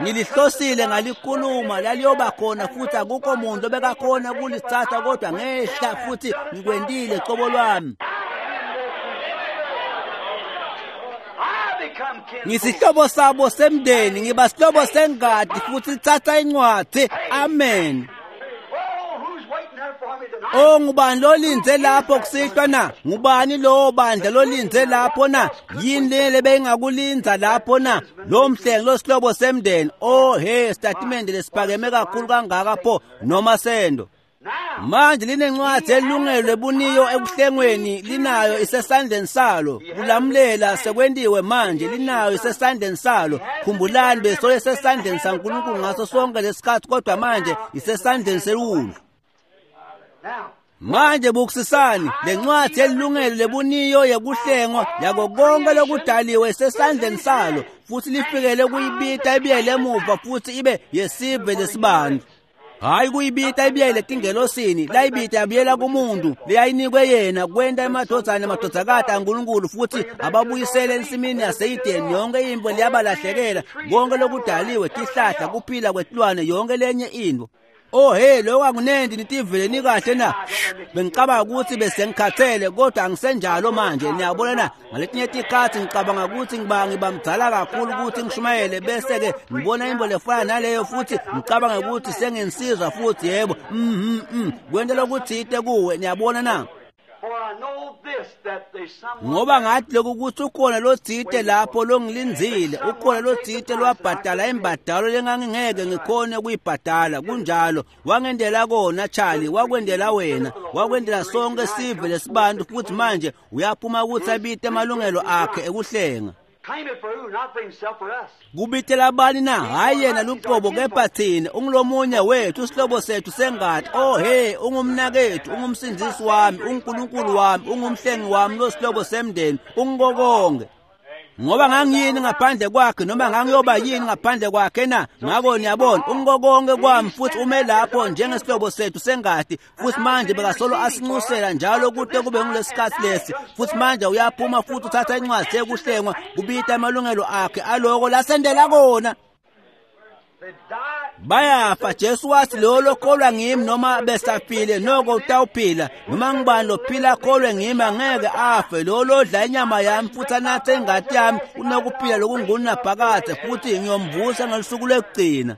Ngilihlosile ngalikhuluma laliyoba khona futhi akukho muntu obekakhona kulithatha kodwa ngehla futhi ngikwendile cobo lwami. I become kinsman. Ngisihlobo sabo semndeni, ngiba sihlobo sengadi futhi lithatha incwadi. Amen. Oh, who's waiting there for me tonight? Oh, ngubani lolinze lapho kusihlwa na? Ngubani lowo bandla lolinze lapho na? Yini le beyingakulinza lapho na? Lo mhlengi losihlobo semndeni. Oh he, statimende lesiphakeme kakhulu kangaka pho noma sendo. Now, Manje linencwadi elungelo lebuniyo ekuhlengweni linayo isesandleni salo. Kulamulela sekwentiwe manje linayo isesandleni salo. Khumbulani besoye esesandleni saNkulunkulu ngaso sonke lesikhathi kodwa manje isesandleni sewundlu. now, Manje bukusisani lencwadi yelungelo lebuniyo yekuhlengwa yako konke lokudaliwe isesandleni salo futhi lifikele kuyibita ibiyele emuva futhi ibe yesive lesibantu. Hayi kuyibita ibiyele tingelosini, layibita yabuyela kumuntu leyayinikwe yena kwenta emadvodzana nemadvodzakati aNkulunkulu futhi ababuyisele ensimini yaseYideni. Yonke into liyabalahlekela, konke lokudaliwe, tihlahla, kuphila kwetilwane, yonke lenye into. Oh hey, lokho akunenti nitivele nikahle na? Bengicabanga ukuthi bese ngikhathele kodwa angisenjalo manje. Niyabona na? Ngaletinye tikhathi ngicabanga ukuthi ngiba ngibamdala kakhulu ukuthi ngishumayele bese ke ngibona into lefana naleyo futhi ngicabanga ukuthi senginsizwa futhi yebo. Mhm mhm. Kwenta lokuthite kuwe, niyabona na? for I know this, that there's someone Ngoba ngathi lokhu ukuthi ukhona lothite lapho longilindzile, ukhona lothite lwabhadala imbadalo lengangingeke ngikhone kuyibhadala. Kunjalo, wangendela kona Charlie, wakwendela wena, wakwendela sonke sive lesibantu futhi manje uyaphuma ukuthi abite amalungelo akhe ekuhlenga. Claim it for who? Not for himself or us. Kubitela abani na? Hayi yena luqobo kepha thina, ungulomunye wethu, isihlobo sethu sengati. Oh hey, ungumnakethu, ungumsindisi wami, unguNkulunkulu wami, ungumhlengi wami, losihlobo semndeni, ungukokonke. Ngoba ngangiyini ngaphandle kwakhe noma ngangiyoba yini ngaphandle kwakhe na? Ngako niyabona ungokonke kwami futhi ume lapho njengesihlobo sethu sengati, futhi manje bekasolo asinxusela njalo kude kube ngulesikhathi lesi. Futhi manje uyaphuma futhi uthatha incwadi yekuhlengwa kubita amalungelo akhe aloko lasendela kona. Bayafa. Jesu wathi lo lokholwa ngimi noma besafile noko utawuphila, noma ngibani lophila akholwe ngimi angeke afe. Lo lodla inyama yami futhi anathe ingati yami unokuphila lokungunaphakadze, futhi ngiyomvusa ngelusuku lwekugcina.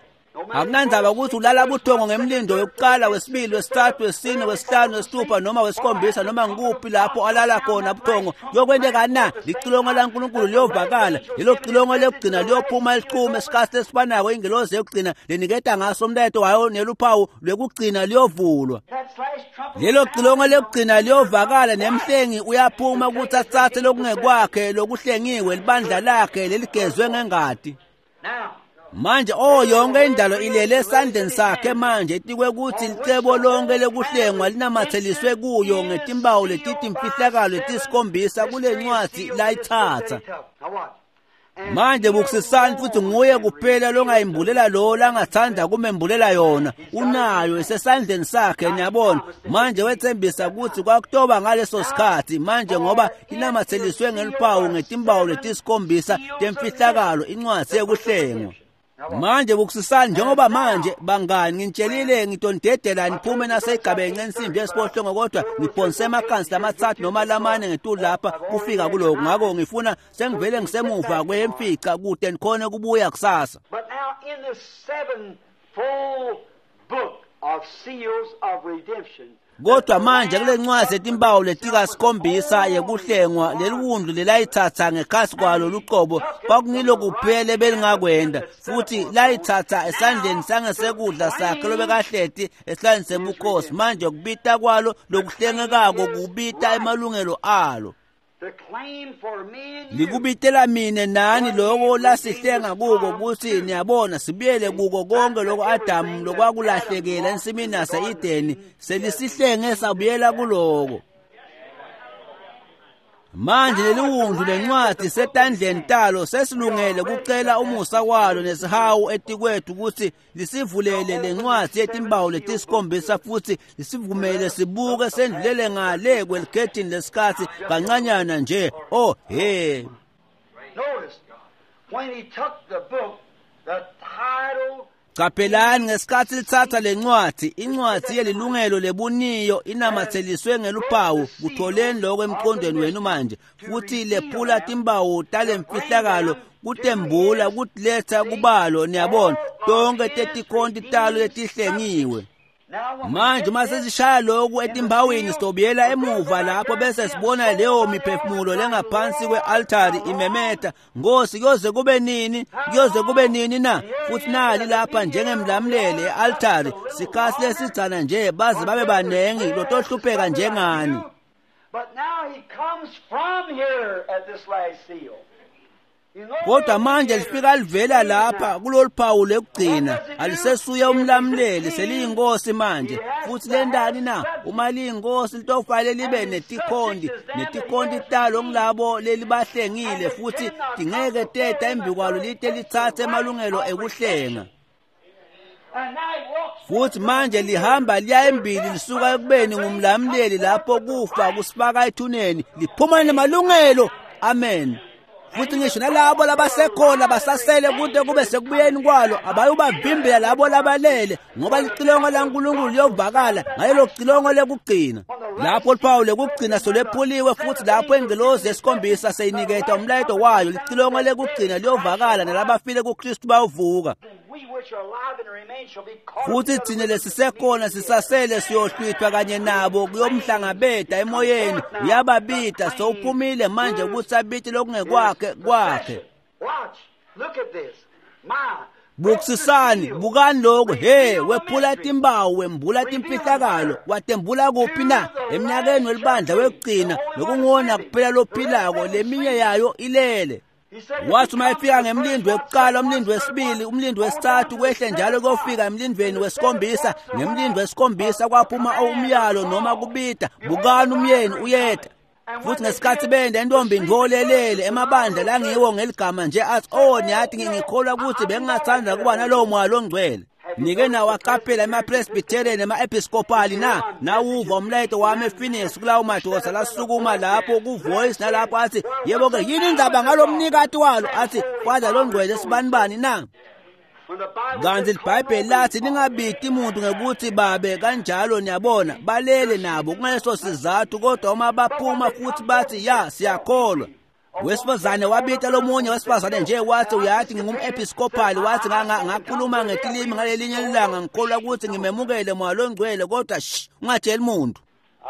Akunandzaba ukuthi ulala buthongo ngemlindo wekuqala, wesibili, wesithathu, wesine, wesihlanu, wesithupha noma wesikhombisa, noma ngikuphi lapho alala khona buthongo, kuyokwenteka na? Licilongo laNkulunkulu liyovakala, lelo cilongo lekugcina liyophuma lichume esikhathi esifanako ingelosi yekugcina leniketa ngaso umlayeto wayo neluphawu lwekugcina liyovulwa. Lelo cilongo lekugcina liyovakala nemhlengi uyaphuma ukuthi atsatse lokungekwakhe lokuhlengiwe, libandla lakhe leligezwe ngengati. Manje oh yonke indalo ilele esandleni sakhe manje, etikwe kuthi licebo lonke lekuhlengwa linamatheliswe kuyo ngetimpawu letitimfihlakalo letisikhombisa kule ncwadi layitsatsa. Manje bukusisani futhi nguye kuphela longayimbulela lo langathanda kumembulela yona, unayo isesandleni sakhe niyabona. Manje wethembisa ukuthi kwakutoba ngaleso sikhathi manje, ngoba inamatheliswe ngeluphawu ngetimpawu letisikhombisa temfihlakalo incwadi yekuhlengwa. Manje bukusisani njengoba manje bangani nginitshelile ngitondedela niphume nasegabeni ensimbi yesiphohlongo, kodwa ngiphonse emakansi lamathathu noma lamane ngetulu lapha kufika kuloko. Ngako ngifuna sengivele ngisemuva kwemfica kude nikhone kubuya kusasa. But now in the sevenfold book of seals of redemption, Kodwa manje kule ncwadi yetimpawu letikasikhombisa yekuhlengwa, leliwundlu lelayitsatsa ngekhasi kwalo luqobo kwakungilo kuphela ebelingakwenda, futhi layitsatsa esandleni sangesekudla sakhe lobekahleti esihlalweni sebukhosi. Manje kubita kwalo lokuhlengekako kubita emalungelo alo, the claim for me and you. likubitela mine nani loko lasihlenga kuko, kuthi niyabona sibuyele kuko konke loko Adamu lokwakulahlekela ensimini yase-Edeni, selisihlenge sabuyela kuloko. Manje leliwundlu lencwadi setandleni talo sesilungele kucela umusa walo nesihawu etikwethu ukuthi lisivulele lencwadi yetimpawu letisikhombisa futhi lisivumele sibuke sendlulele ngale kwelikhethini lesikhathi kancanyana nje. Oh he. Notice, when he took the book, the title Qaphelani ngesikhathi lithatha lencwadi, incwadi yelilungelo lebuniyo inamatheliswe ngeluphawu, kutholeni lokho emqondweni wenu manje, futhi lephula timpawu talemfihlakalo kutembula kutiletha kubalo niyabona tonke tetikhonti talo letihlengiwe. Now when we Manje get uma this, sesishaya lokhu etimpawini sitobuyela emuva lapho bese sibona leyo miphefumulo lengaphansi kwe-altari imemeta, Nkosi kuyoze kube nini, kuyoze kube nini na? Futhi nali lapha njengemlamlele e-altari sikhathi lesidzana nje baze babe banengi lotohlupheka njengani. But now he comes from here at this last seal. You know Kodwa manje lifika livela lapha kulolu phawu lekugcina, alisesuye umlamleli, seliyinkosi manje. Futhi lentani na? Uma liyinkosi litofanele libe netikhonti, netikhonti talo ngilabo lelibahlengile, futhi tingeke teta embi kwalo lite litsatse emalungelo ekuhlenga. And now he walks Futhi manje lihamba liya embili lisuka ekubeni ngumlamleli lapho kufa kusifaka ethuneni, liphuma nemalungelo. Amen. Futhi ngisho nalabo labasekhona basasele kude kube sekubuyeni kwalo abayubavimbela labo labalele, ngoba licilongo laNkulunkulu liyovakala ngalelo cilongo lekugcina. Lapho luphawu lekugcina solwephuliwe, futhi lapho ingelosi yesikhombisa seyiniketa umlayeto wayo, licilongo lekugcina liyovakala nalabafile kuKristu bayovuka. and we which are alive and remain shall be caught Futhi up thina lesisekhona sisasele siyohlwithwa kanye nabo kuyomhlangabeda emoyeni. Uyababida sowuphumile manje ukuthi abite lokungekwakhe kwakhe. Watch. Look at this. My. Bukusisani, bukani lokhu. He, wephula timpawu, wembula timfihlakalo, watembula kuphi na? Emnyakeni welibandla wekugcina, lokunguwona kuphela lophilako, leminye yayo ilele. He said, Wathi uma efika ngemlindo wekuqala, umlindo wesibili, umlindo wesithathu, kwehle njalo kuyofika emlindweni wesikhombisa. Ngemlindo wesikhombisa kwaphuma umyalo noma kubida, bukani umyeni uyeta. Futhi ngesikhathi benda intombi ntolelele emabandla langiwo ngeligama nje athi oh niyathi ngikholwa ukuthi bengingathanda kuba nalowo moya longcwele. Nike nawaqaphela ema-Presbyterian nema-Episcopal na nawuva umlayeto wami ePhoenix kulawo madoda lasukuma lapho ku-Voice nalapho athi yebo-ke yini indaba ngalo mnikati walo athi Father longcwele sibanibani na. Kanti iBhayibheli lathi ningabiti umuntu ngekuthi babe kanjalo niyabona balele nabo kungaleso sizathu kodwa uma baphuma futhi bathi ya siyakholwa. Wesifazane wabita lomunye wesifazane nje wathi uyathi ngingum-episcopal wathi ngakhuluma ngetilimi ngalelinye ilanga ngikholwa ukuthi ngimemukele moya longcwele kodwa shh ungatsheli muntu.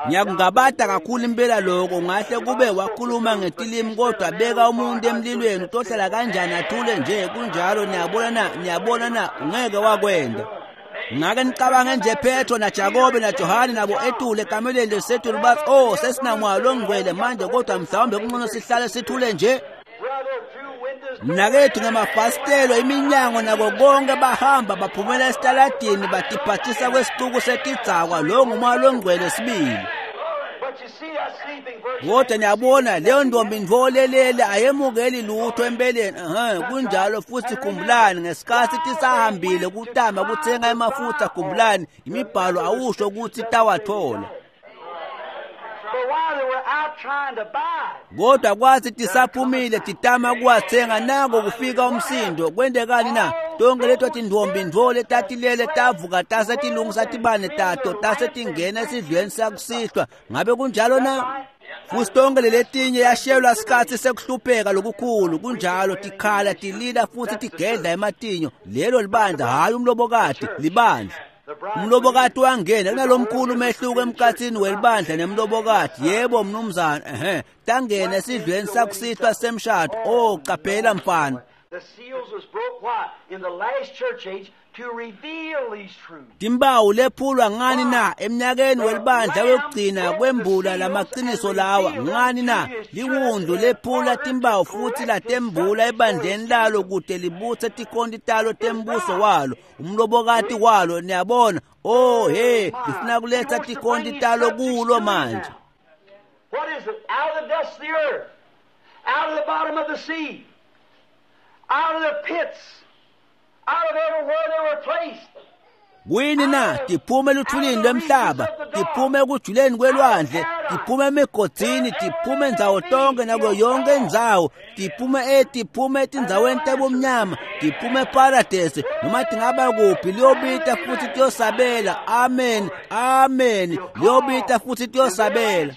Ngiyakungabata kakhulu impela lokho ngahle kube wakhuluma ngetilimi kodwa beka umuntu emlilweni utohlala kanjani athule nje kunjalo niyabona na niyabona na ungeke wakwenda. Ngake nicabange nje Petro na Jakobe na Johane nabo etule ekamelweni lesetulu bathi oh sesinamoya longcwele manje kodwa mhlawumbe kungcono sihlale sithule nje. Mnakethu ngamafasitelo iminyango nako konke bahamba baphumela esitaladini batiphathisa kwesixuku setidzakwa lo ngumoya longcwele sibili. Kodwa niyabona leyo ntombi ntolelele ayemukeli lutho empeleni. Ehhe kunjalo futhi khumbulani ngesikhathi tisahambile kutama kuthenga emafutha khumbulani imibhalo awusho ukuthi tawathola. Kodwa kwathi tisaphumile titama kuwathenga nako kufika umsindo kwendekani na tonke leto tintombi ntfo tatilele tavuka tase tilungisa tibane tato tase tingena esidlweni sakusihlwa ngabe kunjalo na. Futhi tonke leletinye yashelwa sikhathi sekuhlupheka lokukhulu kunjalo tikhala tilila futhi tigedla ematinyo lelo libandla hhayi umlobokati libandla. Umlobokati wangena kunalomkhulu umehluko emkhathini welibandla nemlobokati yebo mnumzane ehe tangena esidlweni sakusihlwa semshado oh qaphela mfana. Timbawu lephulwa ngani na eminyakeni welibandla wekugcina kwembula lamaqiniso lawa ngani na liwundlu lephula timbawu futhi latembula ebandleni lalo kude libutse tikhonti talo tembuso walo umlobokati walo niyabona oh hey lifuna kuletha tikhonti talo kulo manje. What is it? Out of the dust of the earth, out of the bottom of the sea, out of the pits, out of everywhere they were placed. Kuyini na tiphume eluthulini lwemhlaba tiphume ekujuleni kwelwandle tiphume emigodini tiphume ndzawo tonke nako yonke indzawo tiphume e tiphume etindzaweni tebumnyama tiphume eparadesi noma tingaba kuphi liyobita futhi tiyosabela. Amen amen liyobita futhi tiyosabela.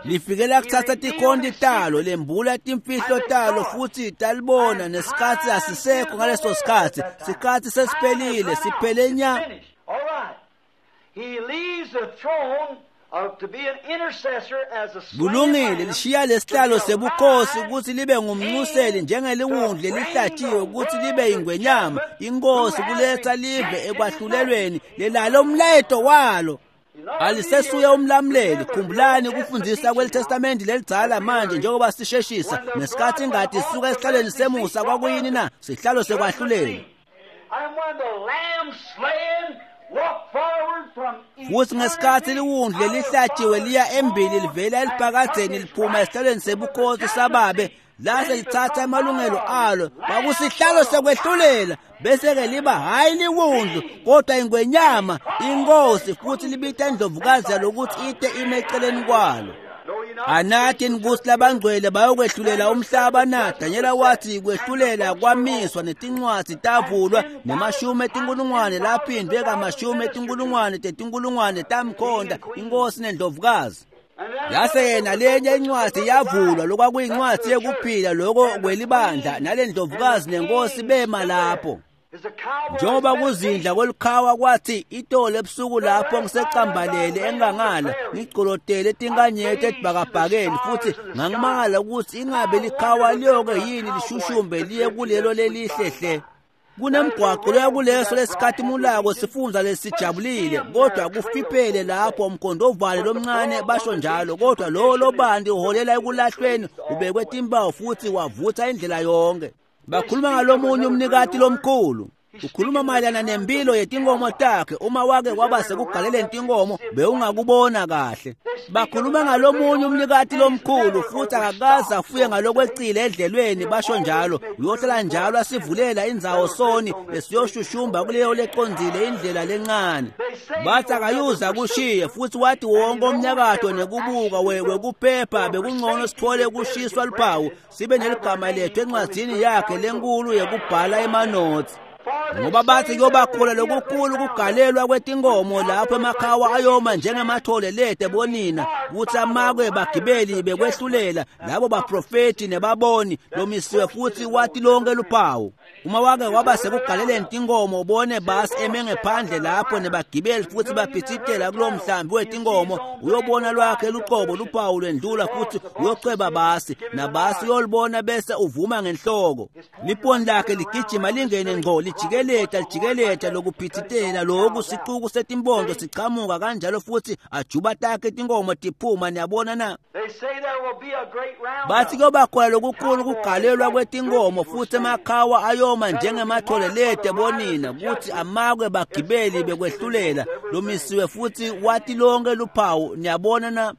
Lifikela kuthatha tikhonti talo lembula timfihlo talo futhi talibona nesikhathi asisekho ngaleso sikhathi sikhathi sesiphelile siphele nya. Kulungile lishiya lesihlalo sebukhosi ukuthi libe ngumnxuseli njengeliwundlu elihlatshiwe ukuthi libe ingwenyama inkosi kuletha live ekwahlulelweni lelalo umlayeto walo. Alisesuye umlamuleli khumbulani ukufundisa kwelitestamenti lelidzala manje njengoba sisheshisa nesikhathi ingadi isuka esihlalweni semusa kwakuyini na sihlalo sekwahlulela. Futhi ngesikhathi liwundlu lelihlatshiwe liya embili livela eliphakadzeni liphuma esihlalweni sebukhosi sababe lase lithatha amalungelo alo kwakusihlalo sekwehlulela bese-ke liba hhayi liwundlu kodwa ingwenyama inkosi futhi libita indlovukazi yalokuthi ite ime eceleni kwalo. Anathi ukuthi labangcwele bayokwehlulela umhlaba na? Danyela wathi kwehlulela kwamiswa netincwadzi tavulwa nemashumi etinkulungwane laphindwe kamashumi etinkulungwane tetinkulungwane tamkhonta inkosi nendlovukazi. Yase yena lenye incwadi yavulwa lokwakuyincwadi yekuphila loko kwelibandla nalendlovukazi nenkosi bema lapho. Njengoba kuzindla kwelikhawa kwathi itolo ebusuku lapho ngisecambalele engangala ngigcolodele etinkanyeti edibhakabhakeni futhi ngangimangala ukuthi ingabe likhawa liyoke yini lishushumbe liye kulelo lelihle hle. Kunemgwaqo loya kuleso lesikhatimulako sifundza lesijabulile kodwa kufiphele lapho umkhondovane lomncane basho njalo kodwa lo lobandi uholela ekulahlweni ubekwe timpawu futhi wavutha indlela yonke. Bakhuluma ngalomunye umnikati lomkhulu. Ukhuluma mayelana nempilo yetinkomo takhe. Uma wake kwaba sekugaleleni tinkomo bewungakubona kahle. Bakhuluma ngalomunye umnikati lomkhulu futhi akakaze afuye ngalokwecile edlelweni, basho njalo. Uyohlala njalo asivulela indzawo soni lesiyoshushumba kuleyo lecondzile indlela lencane. Bathi akayuza kushiye futhi wathi wonke umnyakato nekubuka wekuphepha bekungcono sithole kushiswa luphawu sibe neligama lethu encwadzini yakhe lenkulu yekubhala emanotsi. Ngoba bathi kuyobakhona lokukhulu kugalelwa kwetinkomo lapho emakhawa ayoma njengemathole lete bonina, kutsi amakwe bagibeli bekwehlulela labo baprofethi nebaboni lomisiwe futhi wathi lonke luphawu. Uma wake waba sekugaleleni tinkomo ubone basi eme ngephandle lapho nebagibeli futhi baphithitela kulowo mhlambi wetinkomo, uyobona lwakhe luqobo luphawu lwendlula futhi uyocweba basi nabasi uyolibona bese uvuma ngenhloko. Liponi lakhe ligijima lingene ngco lijikeleta lijikeleta lokuphithitela loku sicuku setimpondo sichamuka kanjalo futhi ajuba takhe tinkomo tiphuma. Niyabona na? Bathi kuyoba khona lokukhulu kugalelwa kwetinkomo futhi emakhawa ayoma njengemathole lete bonina, kuthi amakwe bagibeli bekwehlulela lomisiwe futhi wathi lonke luphawu. Niyabona na?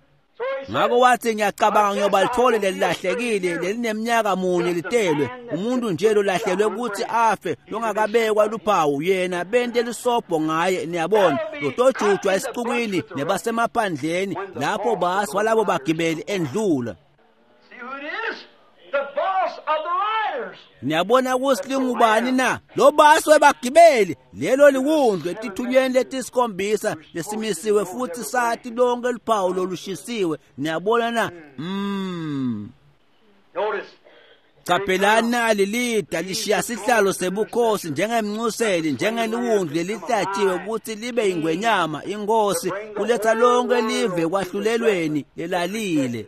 Ngakho wathi ngiyacabanga ngiyoba lithole lelilahlekile lelineminyaka munye litelwe umuntu nje lolahlelwe ukuthi afe longakabekwa luphawu, yena bente lisobho ngaye. Niyabona, lotojujwa esicukwini nebasemaphandleni lapho basi walabo bagibeli endlula. Niyabona ukuthi lingubani na? Lo basi webagibeli lelo liwundlu etithunyweni letisikhombisa lesimisiwe futhi sathi lonke luphawu lolushisiwe. Niyabona na? Mm. Caphelani nali lida lishiya sihlalo sebukhosi njengemncuseli njengeliwundlu lelihlatshiwe ukuthi libe ingwenyama inkosi kuletha lonke live kwahlulelweni lelalile.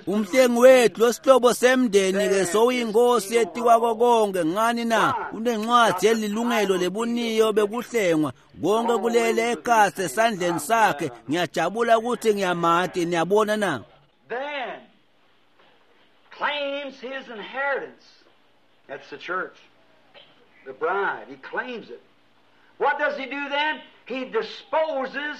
Umhlengi wethu losihlobo semndeni ke sowuyinkosi etikwako konke. Ngani na? Unencwadi yelilungelo lebuniyo bekuhlengwa konke kulele ekasi esandleni sakhe. Ngiyajabula ukuthi ngiyamati. Niyabona na? Then claims his inheritance. That's the church, the bride. He claims it. What does he do then? He disposes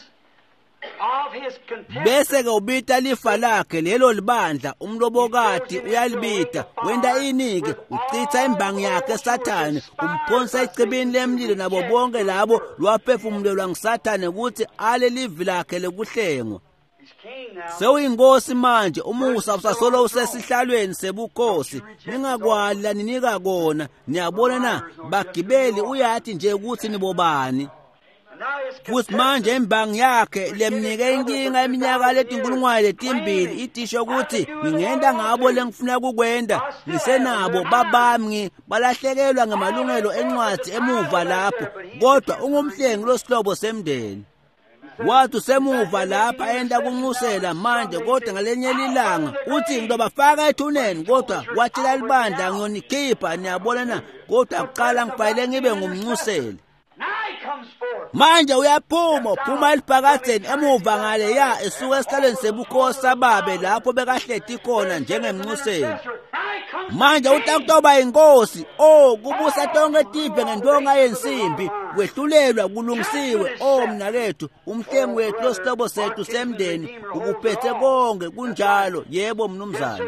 bese ke ubita lifa lakhe lelo libandla umlobokati uyalibita. Wenta inike uchitha imbangi yakhe Sathane, umphonsa ecibini lemlilo nabo bonke labo lwaphefumulelwa nguSathane ukuthi ale livi lakhe lekuhlengwa. Sewuyinkosi manje, umusa usasolo usesihlalweni sebukhosi. Ningakwali laninika kona. Niyabona na? Bagibeli uyathi nje ukuthi nibobani. Futhi manje imbangi yakhe lemnike inkinga iminyaka letinkulungwane letimbili itisho ukuthi ngingenda ngabo lengifuna kukwenda ngisenabo babami balahlekelwa ngamalungelo encwadi emuva lapho, kodwa ungumhlengi losihlobo semndeni. Wathi usemuva lapha enda kunxusela manje, kodwa ngalenye ilanga uthi ngizobafaka ethuneni, kodwa watshela libandla ngiyonikhipha. Niyabona na? Kodwa kuqala ngifanele ngibe ngumnxuseli. Manje uyaphuma uphuma eliphakadzeni emuva ngale ya esuka esihlalweni sebukhosi sababe lapho bekahleti khona njengemnxuseli. Manje utakutoba inkosi, oh kubusa tonke tive ngentonga yensimbi, kwehlulelwa kulungisiwe. Oh mnakethu, umhlengi wethu losihlobo sethu semndeni ukuphethe konke. Kunjalo, yebo mnumzane.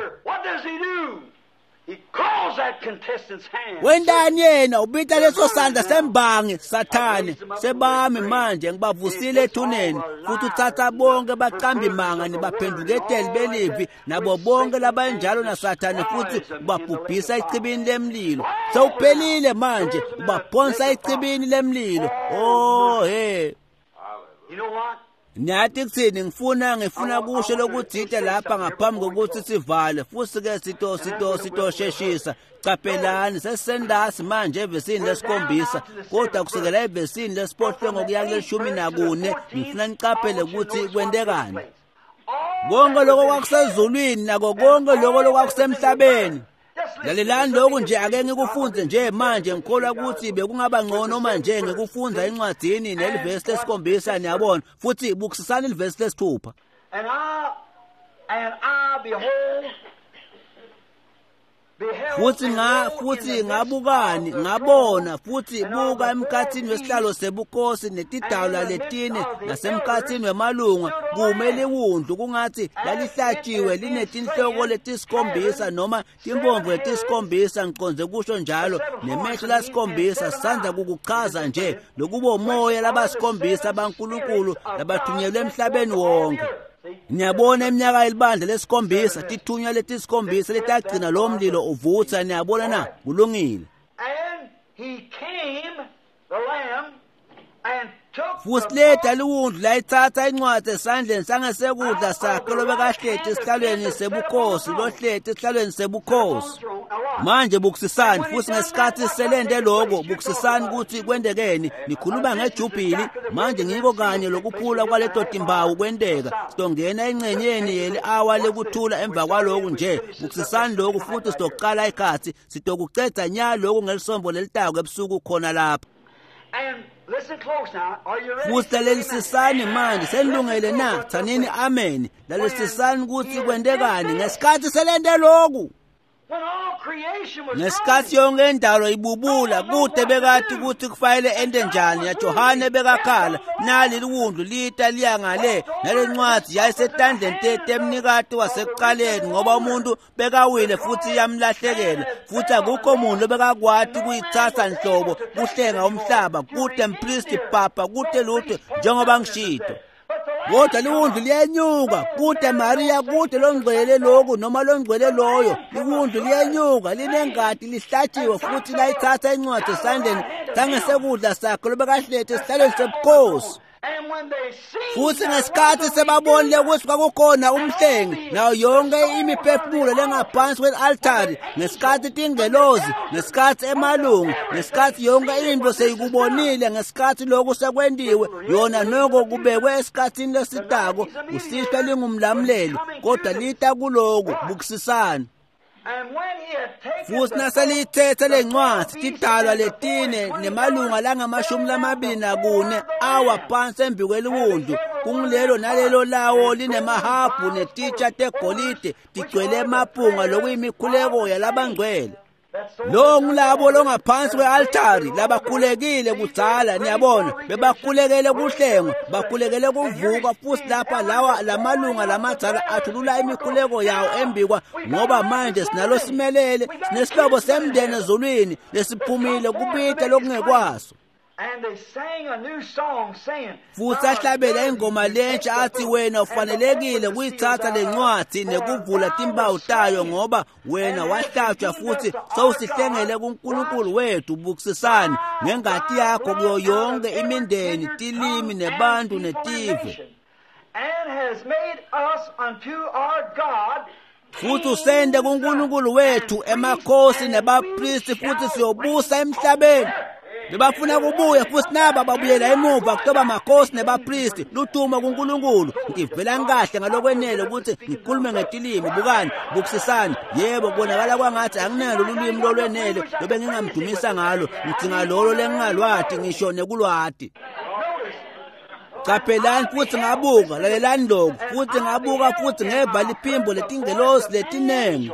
Wentani yena? Ubita leso sandla sembangi Sathane sebami manje ngibavusile ethuneni, futhi uthatha bonke baqambi manga nibaphenduketeli belivi nabo bonke labanjalo naSathane, futhi ubabhubhisa echibini lemlilo. Sewuphelile manje, ubaphonsa echibini lemlilo. Oh hey, Niyathi kuthini? Ngifuna ngifuna kusho lokuthile lapha ngaphambi kokuthi sivale, futhi ke sito sito sitosheshisa. Caphelani sesendasi manje evesini lesikhombisa, kodwa kusukela evesini lesiphohlongo kuya kuleshumi nakune ngifuna nicaphele ukuthi kwentekani. Konke lokho kwakusezulwini nako konke lokho lokwakusemhlabeni. Lalelani lokhu nje, ake ngikufunze nje manje. Ngikholwa ukuthi bekungaba ngcono manje ngikufunza encwadini nelivesi lesikhombisa, niyabona, futhi bukisisani ilivesi lesithupha. And I, and I behold, Futhi nga futhi ngabukani ngabona futhi buka emkhathini wesihlalo sebukhosi netidalwa letine nasemkhathini wemalunga kume liwundlu kungathi lalihlatshiwe linetinhloko letisikhombisa noma timpomvu letisikhombisa ngiqonze kusho njalo nemehlo lasikhombisa. Sisandza kukuchaza nje lokubo moya labasikhombisa baNkulunkulu labathunyelwe emhlabeni wonke. Niyabona iminyaka yelibandla lesikhombisa tithunywa letisikhombisa letagcina lo mlilo uvutha. Niyabona na? Kulungile. Futhi leta liwundlu layitsatsa incwadi esandleni sangesekudla sakhe lobekahleti esihlalweni sebukhosi lohleti esihlalweni sebukhosi. Manje bukusisani futhi ngesikhathi selende lokho bukusisani ukuthi kwendekeni. Nikhuluma ngejubhili manje ngiko kanye lokuphula kwaleto timbawu kwenteka. Sidongena engcenyeni yeli-awa lekuthula emva kwaloku nje. Bukusisani lokhu futhi sidokuqala ikhathi sidokucedza nya lokhu ngelisombo lelitako ebusuku khona lapha. Futhi lalelisisani manje senilungele na? Thanini amen. Lalelisisani ukuthi kwentekani ngesikhathi selente lokhu. Ngesikhathi yonke indalo ibubula kude bekati ukuthi kufanele ente njani. YaJohane bekakhala nali liwundlu lita liya ngale nalencwadi yayisetandleni temnikati wasekuqaleni ngoba umuntu bekawile futhi yamlahlekela futhi akukho muntu obekakwati kuyitsatsa nhlobo kuhlenga umhlaba kude mpristi papa kude lutho njengoba ngishito. Kodwa liwundlu liyenyuka kude Maria kude longcwele lokhu noma longcwele loyo. Liwundlu liyenyuka linengadi lihlatshiwe futhi layithatha incwadi esandleni sangesekudla sakhe lobekahleti esihlalweni sebukhosi. Futhi ngesikhathi sebabonile ukuthi kwakukhona umhlengi nayo yonke imiphefumulo lengaphansi kwe-altari, ngesikhathi tingelozi, ngesikhathi emalungu, ngesikhathi yonke into seyikubonile, ngesikhathi lokhu sekwentiwe yona noko kubekwe esikhathini lesitako usihlwa lingumlamuleli kodwa lita kuloku. Bukusisani. Futhi naseliyithethe lencwadi tidalwa letine nemalunga langamashumi lamabili nakune awa phansi embi kweliwundlu kungilelo nalelo lawo linemahabhu netitsha tegolide tigcwele emaphunga lokuyimikhuleko yalabangcwele. Lo ngulabo longaphansi kwe-altari labakhulekile kudzala. Niyabona bebakhulekele kuhlengwa, bakhulekele kuvuka futhi lapha lawa lamalunga lamadzala athulula imikhuleko yawo embikwa ngoba manje sinalo simelele sinesihlobo semndeni ezulwini lesiphumile kubita lokungekwaso. Futhi ahlabela ingoma lentsha athi wena ufanelekile kuyitsatsa lencwadi nekuvula timpawu tayo ngoba wena wahlatshwa futhi sowusihlengele kuNkulunkulu wethu. Bukusisani ngengati yakho kuyo yonke imindeni tilimi nebantu netive. Futhi usende kuNkulunkulu wethu emakhosi nebapristi futhi siyobusa emhlabeni. Bebafuna kubuya futhi naba babuyela emuva kutoba makhosi nebapristi luthuma kuNkulunkulu. Ngivela kahle ngalokwenele ukuthi ngikhulume ngetilimi. Bukani, bukusisani. Yebo kubonakala kwangathi anginalo lulwimi lolwenele lobe ngingamdumisa ngalo. Ngidzinga lolo lengingalwati ngisho nekulwati. Qaphelani futhi ngabuka, lalelani lokhu futhi ngabuka futhi ngeva liphimbo letingelosi letinengi.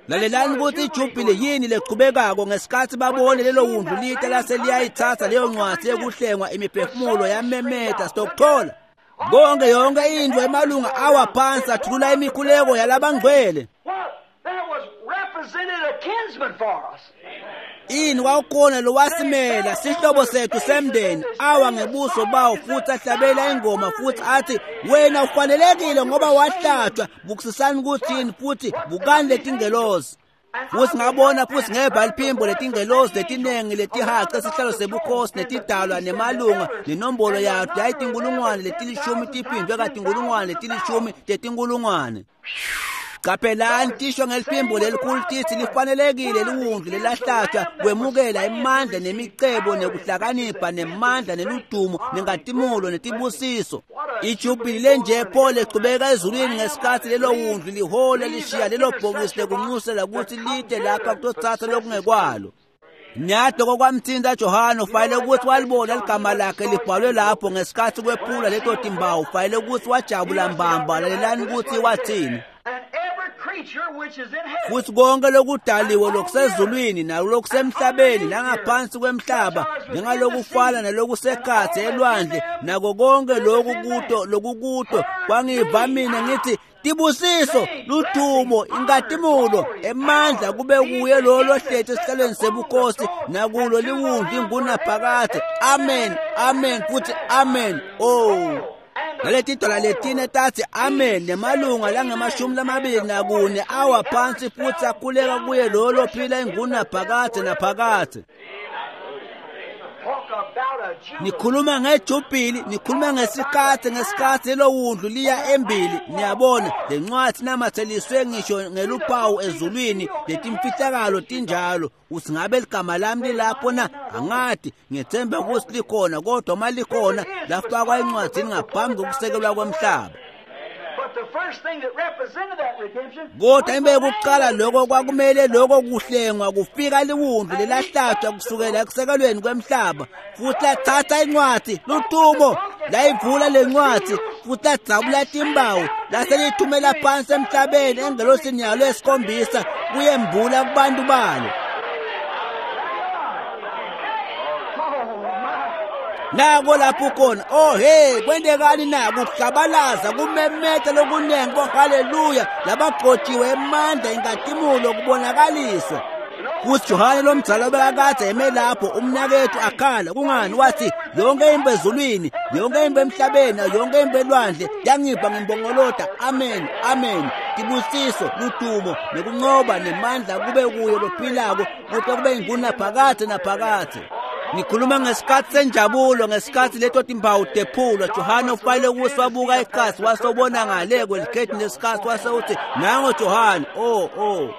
Lalelani ukuthi ijubhili yini leqhubekako ngesikhathi babone lelo wundlu lita laseliyayithatha leyo ncwadi yekuhlengwa imiphefumulo yamemeta sitokuthola konke yonke into emalunga awa phansi athulula imikhuleko yalabangcwele. Ini kwakukhona lowasimela sihlobo sethu semndeni awa ngebuso bawo futhi ahlabela ingoma futhi athi wena ufanelekile ngoba wahlatshwa. Bukusisani kuthini futhi bukani letingelozi. Futhi ngabona futhi ngeva liphimbo letingelozi letinengi letihaca esihlalo sebukhosi netidalwa nemalunga nenombolo yato yayitinkulungwane letilishumi tiphindwe katinkulungwane letilishumi tetinkulungwane. Qaphelani tisho ngeliphimbo lelikhulu tithi lifanelekile liwundlu lelahlatshwa kwemukela imandla nemicebo nekuhlakanipha nemandla neludumo nengatimulo netibusiso. Ijubhili lenje pho lechubeka ezulwini ngesikhathi lelo wundlu lihola lishiya lelo bhokisi lekunxusela ukuthi lide lapha kutotsatsa lokungekwalo. Nyadoko kwamthinta Johane ufanele ukuthi walibona ligama lakhe libhalwe lapho ngesikhathi kwephula leto timbawu. Ufanele ukuthi wajabula mbamba. Lalelani ukuthi wathini. Futhi konke lokudaliwe lokusezulwini nalokusemhlabeni nangaphansi kwemhlaba njengalokufana nalokusekhatsi elwandle nako konke lokhu kuto lokukuto kwangiva mina ngithi tibusiso ludumo inkatimulo emandla kube kuye lo lohleti esihlalweni sebukhosi nakulo liwundlu ingunaphakadze. Amen, amen futhi amen. Oh, naleti dola letine tathi amen nemalunga langamashumi lamabili nakune awa phansi futhi akhuleka kuye lo lophila ingunaphakadze naphakadze. Nikhuluma ngejubhili, nikhuluma ngesikhathi ngesikhathi lowundlu liya embili. Niyabona lencwadi namatheliswe ngisho ngeluphawu ezulwini letimfihlakalo tinjalo. Uthi ngabe ligama lami lilapho na? Angati, ngethemba ukuthi likhona, kodwa uma likhona lafakwa encwadini ngaphambi kokusekelwa kwemhlaba. Kodwa imbe yokuqala lokho kwakumele lokho kuhlengwa kufika liwundlu lelahlatshwa kusukela ekusekelweni kwemhlaba futhi lathatha incwadi lutumo layivula lencwadi futhi ladzabula timbawu laselithumela phansi emhlabeni engelosini yalo esikhombisa kuyembula kubantu balo. Nako lapho khona. Oh hey, kwentekani na? Kuhlabalaza kumemeta lokunengi ko haleluya labagcotshiwe emandla inkatimulo kubonakaliswa. Kuthi Johane lomdzala obekakade eme lapho umnakethu akhala kungani wathi yonke imbe ezulwini yonke imbe emhlabeni yonke imbe elwandle yangipha ngimbongolota. Amen, amen. Tibusiso ludumo nekunqoba nemandla kube kuyo lophilako kuze kube ingunaphakadze naphakadze. Ngikhuluma ngesikhathi senjabulo ngesikhathi leto timpawu tephulwa. Johane ufanele ukuthi wabuka ikhasi wasobona ngale kwelikhethi nesikhathi wase uthi nango Johane. Oh oh,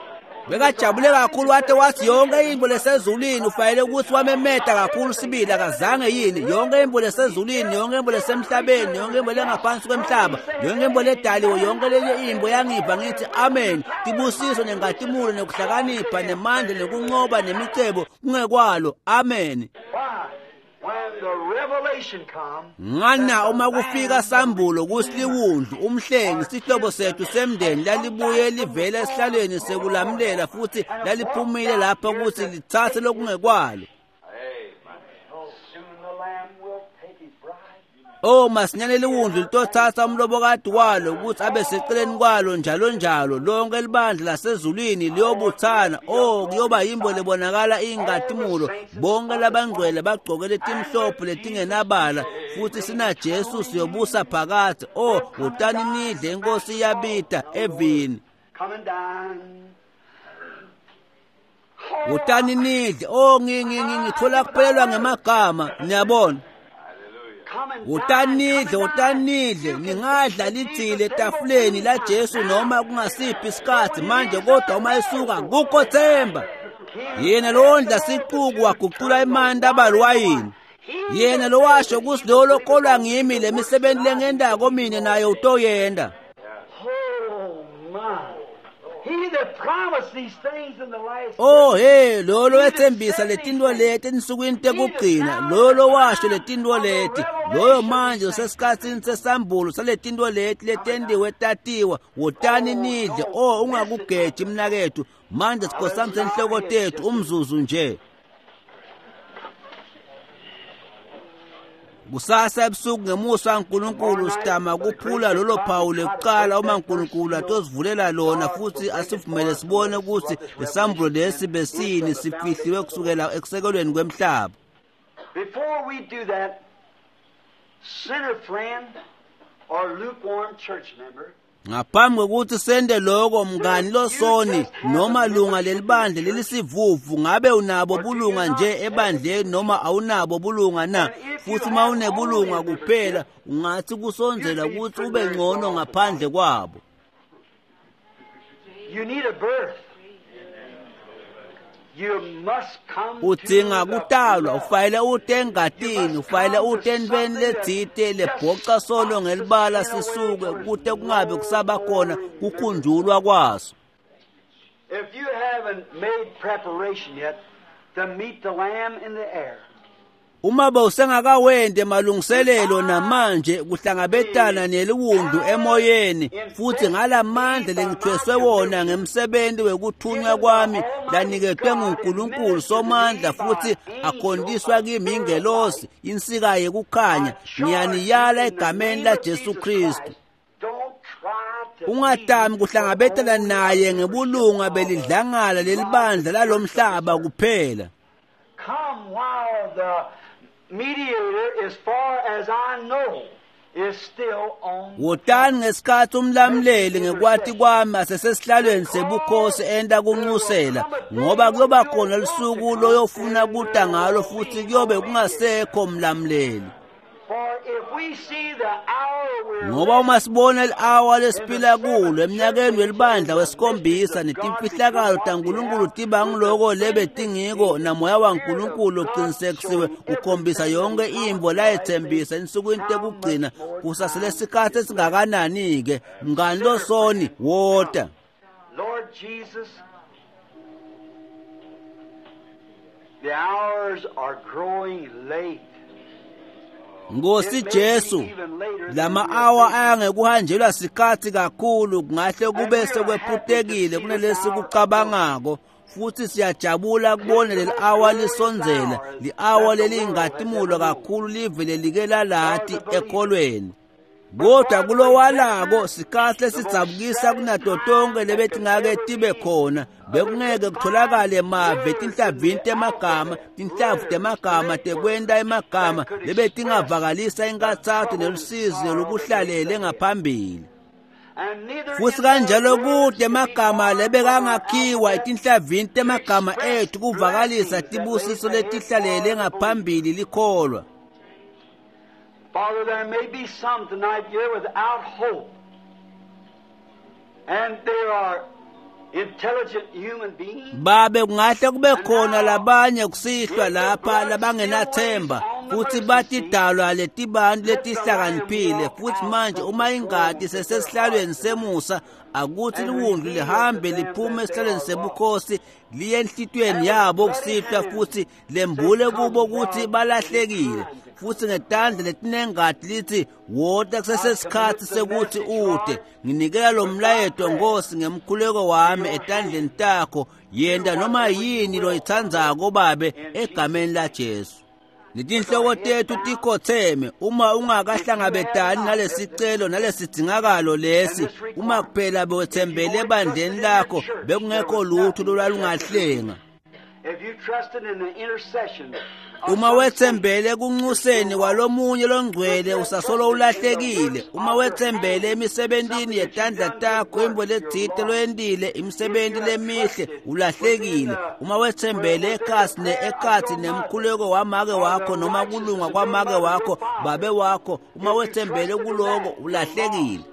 bekajabule kakhulu wathi wathi yonke imbo lesezulwini ufanele ukuthi wamemeta kakhulu sibili akazange yini yonke imbo lesezulwini yonke imbo lesemhlabeni yonke imbo lengaphansi kwemhlaba yonke imbo ledaliwe yonke lenye imbo yangiva ngithi amen. Tibusiso nenkatimulo nekuhlakanipha nemandla nekunqoba nemicebo kungekwalo. Amen. Ngana uma kufika sambulo kusiliwundlu umhlengi sihlobo sethu semndeni lalibuye livela esihlalweni sekulamlela futhi laliphumile lapha ukuthi lithathe lokungekwalo. Oh masinyane liwundlu litothatha umlobokati walo ukuthi abe seceleni kwalo njalo njalo. Lonke libandla lasezulwini liyobuthana. Oh kuyoba yimbo lebonakala ingatimulo bonke labangcwele bagcoke letimhlophe letingenabala futhi sina Jesu siyobusa phakadze. Oh utani nidle inkosi iyabita evini. Utani nidle. Oh ngithola kuphelelwa ngemagama niyabona. Utanidle, utanidle, ningadla lithile etafuleni la Jesu noma kungasiphi isikhathi manje, kodwa uma esuka kukho themba. Yena lowondla siquku waguqula emanti aba liwayini. Yena lowasho ukuthi lo lokholwa ngimi le misebenzi lengendako mina naye utoyenda. Oh hey, lo lowethembisa letinto leti ensukwini tekugcina, lo lowasho letinto leti, loyo manje usesikhatsini sesambulo saletinto leti letendiwe tatiwa. Wotani nidle. Oh ungakugeji mnakethu. Manje sikhosami senhloko tethu umzuzu nje. Kusasa ebusuku ngemusa kaNkulunkulu sidama kuphula lolo phawu lekuqala uma uNkulunkulu atosivulela lona futhi asivumele sibone ukuthi lesambulo lesi besini sifihliwe kusukela ekusekelweni kwemhlaba. Before we do that, sinner friend or lukewarm church member, ngaphambi kokuthi sende lokho mngani losoni noma lunga lelibandla lelisivuvu, ngabe unabo bulunga nje ebandleni noma awunabo bulunga na? Futhi uma unebulunga kuphela ungathi kusondzela ukuthi ube ngcono ngaphandle kwabo. You need a birth. You must come udzinga kutalwa, ufanele ute engatini, ufanele ute entweni letsite lebhoca solo ngelibala sisuke kute kungabe kusaba khona kukhunjulwa kwaso. If you haven't made preparation yet to meet the Lamb in the air, Uma bowusengakawenti malungiselelo namanje kuhlangabetana neliwundlu emoyeni futhi ngalamandla lengithweswe wona ngemsebenzi wekuthunywa kwami laniketwe nguNkulunkulu Somandla futhi akhondiswa kimi ingelosi insika yekukhanya, ngiyaniyala egameni laJesu Kristu. Ungatami kuhlangabetana naye ngebulunga belidlangala lelibandla lalomhlaba kuphela. Come while the mediator, as far as I know, is still on. Wotani ngesikhathi umlamuleli ngekwati kwami asesesihlalweni sebukhosi enta kunxusela, ngoba kuyoba khona lusuku loyofuna kuta ngalo futhi kuyobe kungasekho mlamuleli. For if we see the hour we're Ngoba uma sibona li-awa lesiphila kulo eminyakeni welibandla wesikhombisa netimfihlakalo taNkulunkulu tiba ngiloko lebetingiko namoya waNkulunkulu uqinisekisiwe ukhombisa yonke imvo layethembisa ensukwini tekugcina, kusasele sikhathi esingakanani-ke mngani losoni wota. Lord Jesus, the hours are growing late. Nkosi Jesu, lama awa ayangekuhanjelwa sikhathi kakhulu, kungahle kube sekwephutekile kunalesi kucabangako, futhi siyajabula kubona leli awa lisondzela, li-awa lelingatimulo kakhulu live lelike lalati ekholweni. Kodwa kulowalako sikhathi lesidzabukisa kunato tonke lebetingake tibe khona, bekungeke kutholakale mave tinhlavini temagama, tinhlavu temagama tekwenta emagama lebetingavakalisa inkathatho nelusizi lokuhlalele ngaphambili. And neither Futhi is kanjalo there kude words to be emagama formed lebekangakhiwa etinhlavini temagama express ethu kuvakalisa blessings that tibusiso lays ahead letihlalele for the ngaphambili likholwa. Father, there may be some tonight here without hope. And there are intelligent human beings. Babe, kungahle kube khona labanye kusihlwa lapha labangenathemba futhi batidalwa letibantu letihlakaniphile, futhi manje uma ingati sesesihlalweni semusa, akuthi liwundlu lihambe liphume esihlalweni sebukhosi liye enhlitiyweni yabo kusihlwa futhi lembule kubo ukuthi balahlekile, futhi ngetandla letinengati lithi wota kusesesikhathi sekuthi ute. Nginikela lo mlayeto Nkosi ngemkhuleko wami etandleni takho, yenta noma yini loyitsandzako Babe egameni laJesu. Letinhloko tethu tikhotheme, uma ungakahlangabetani nalesicelo nalesidzingakalo lesi, uma kuphela bewetsembele ebandleni lakho, bekungekho lutho lolwalungahlenga. If you trusted in the intercession of Uma some wetsembele ekunxuseni kwalomunye longcwele usasolo ulahlekile. Uma wetsembele emisebentini yetandla takho, intfo letsite loyentile, imisebenti lemihle, ulahlekile. Uma wetsembele ekhasi ne ekhatsi nemkhuleko wamake wakho noma kulunga kwamake wakho, babe wakho, uma wetsembele kuloko ulahlekile.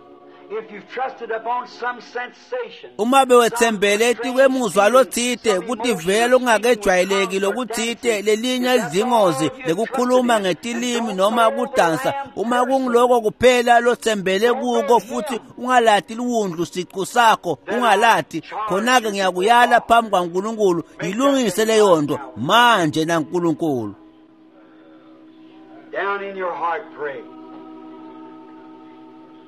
If you've trusted upon some sensation, Uma bewetsembele etikwemuzwa lotsite, kutivela lokungakejwayeleki lokutsite, lelinye lidlingozi lekukhuluma ngetilimi noma kudansa, uma kunguloko kuphela lotsembele kuko futhi ungalati liwundlu siqu sakho, ungalati, khona-ke ngiyakuyala phambi kwaNkulunkulu, yilungise leyo nto manje naNkulunkulu. down in your heart pray.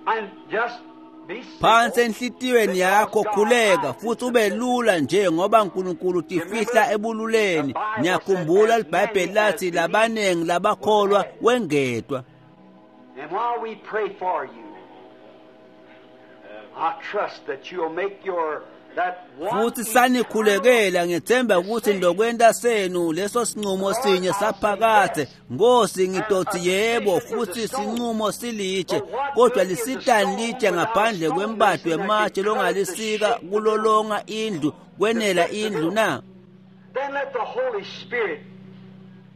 And just be Phansi simple. enhlitiyweni yakho khuleka futhi ube lula nje ngoba uNkulunkulu utifihla ebululeni. Niyakhumbula iBhayibheli lathi labanengi labakholwa wengetwa. And while we pray for you, I trust that you'll make your that one Futhi sanikhulekela, ngethemba ukuthi ndokwenta senu leso sinqumo sinye saphakathe. Nkosi, ngitothi yebo, futhi sinqumo silitshe, kodwa lisitani litshe ngaphandle kwembado wematshe longalisika kulolonga indlu kwenela indlu na? Then let the Holy Spirit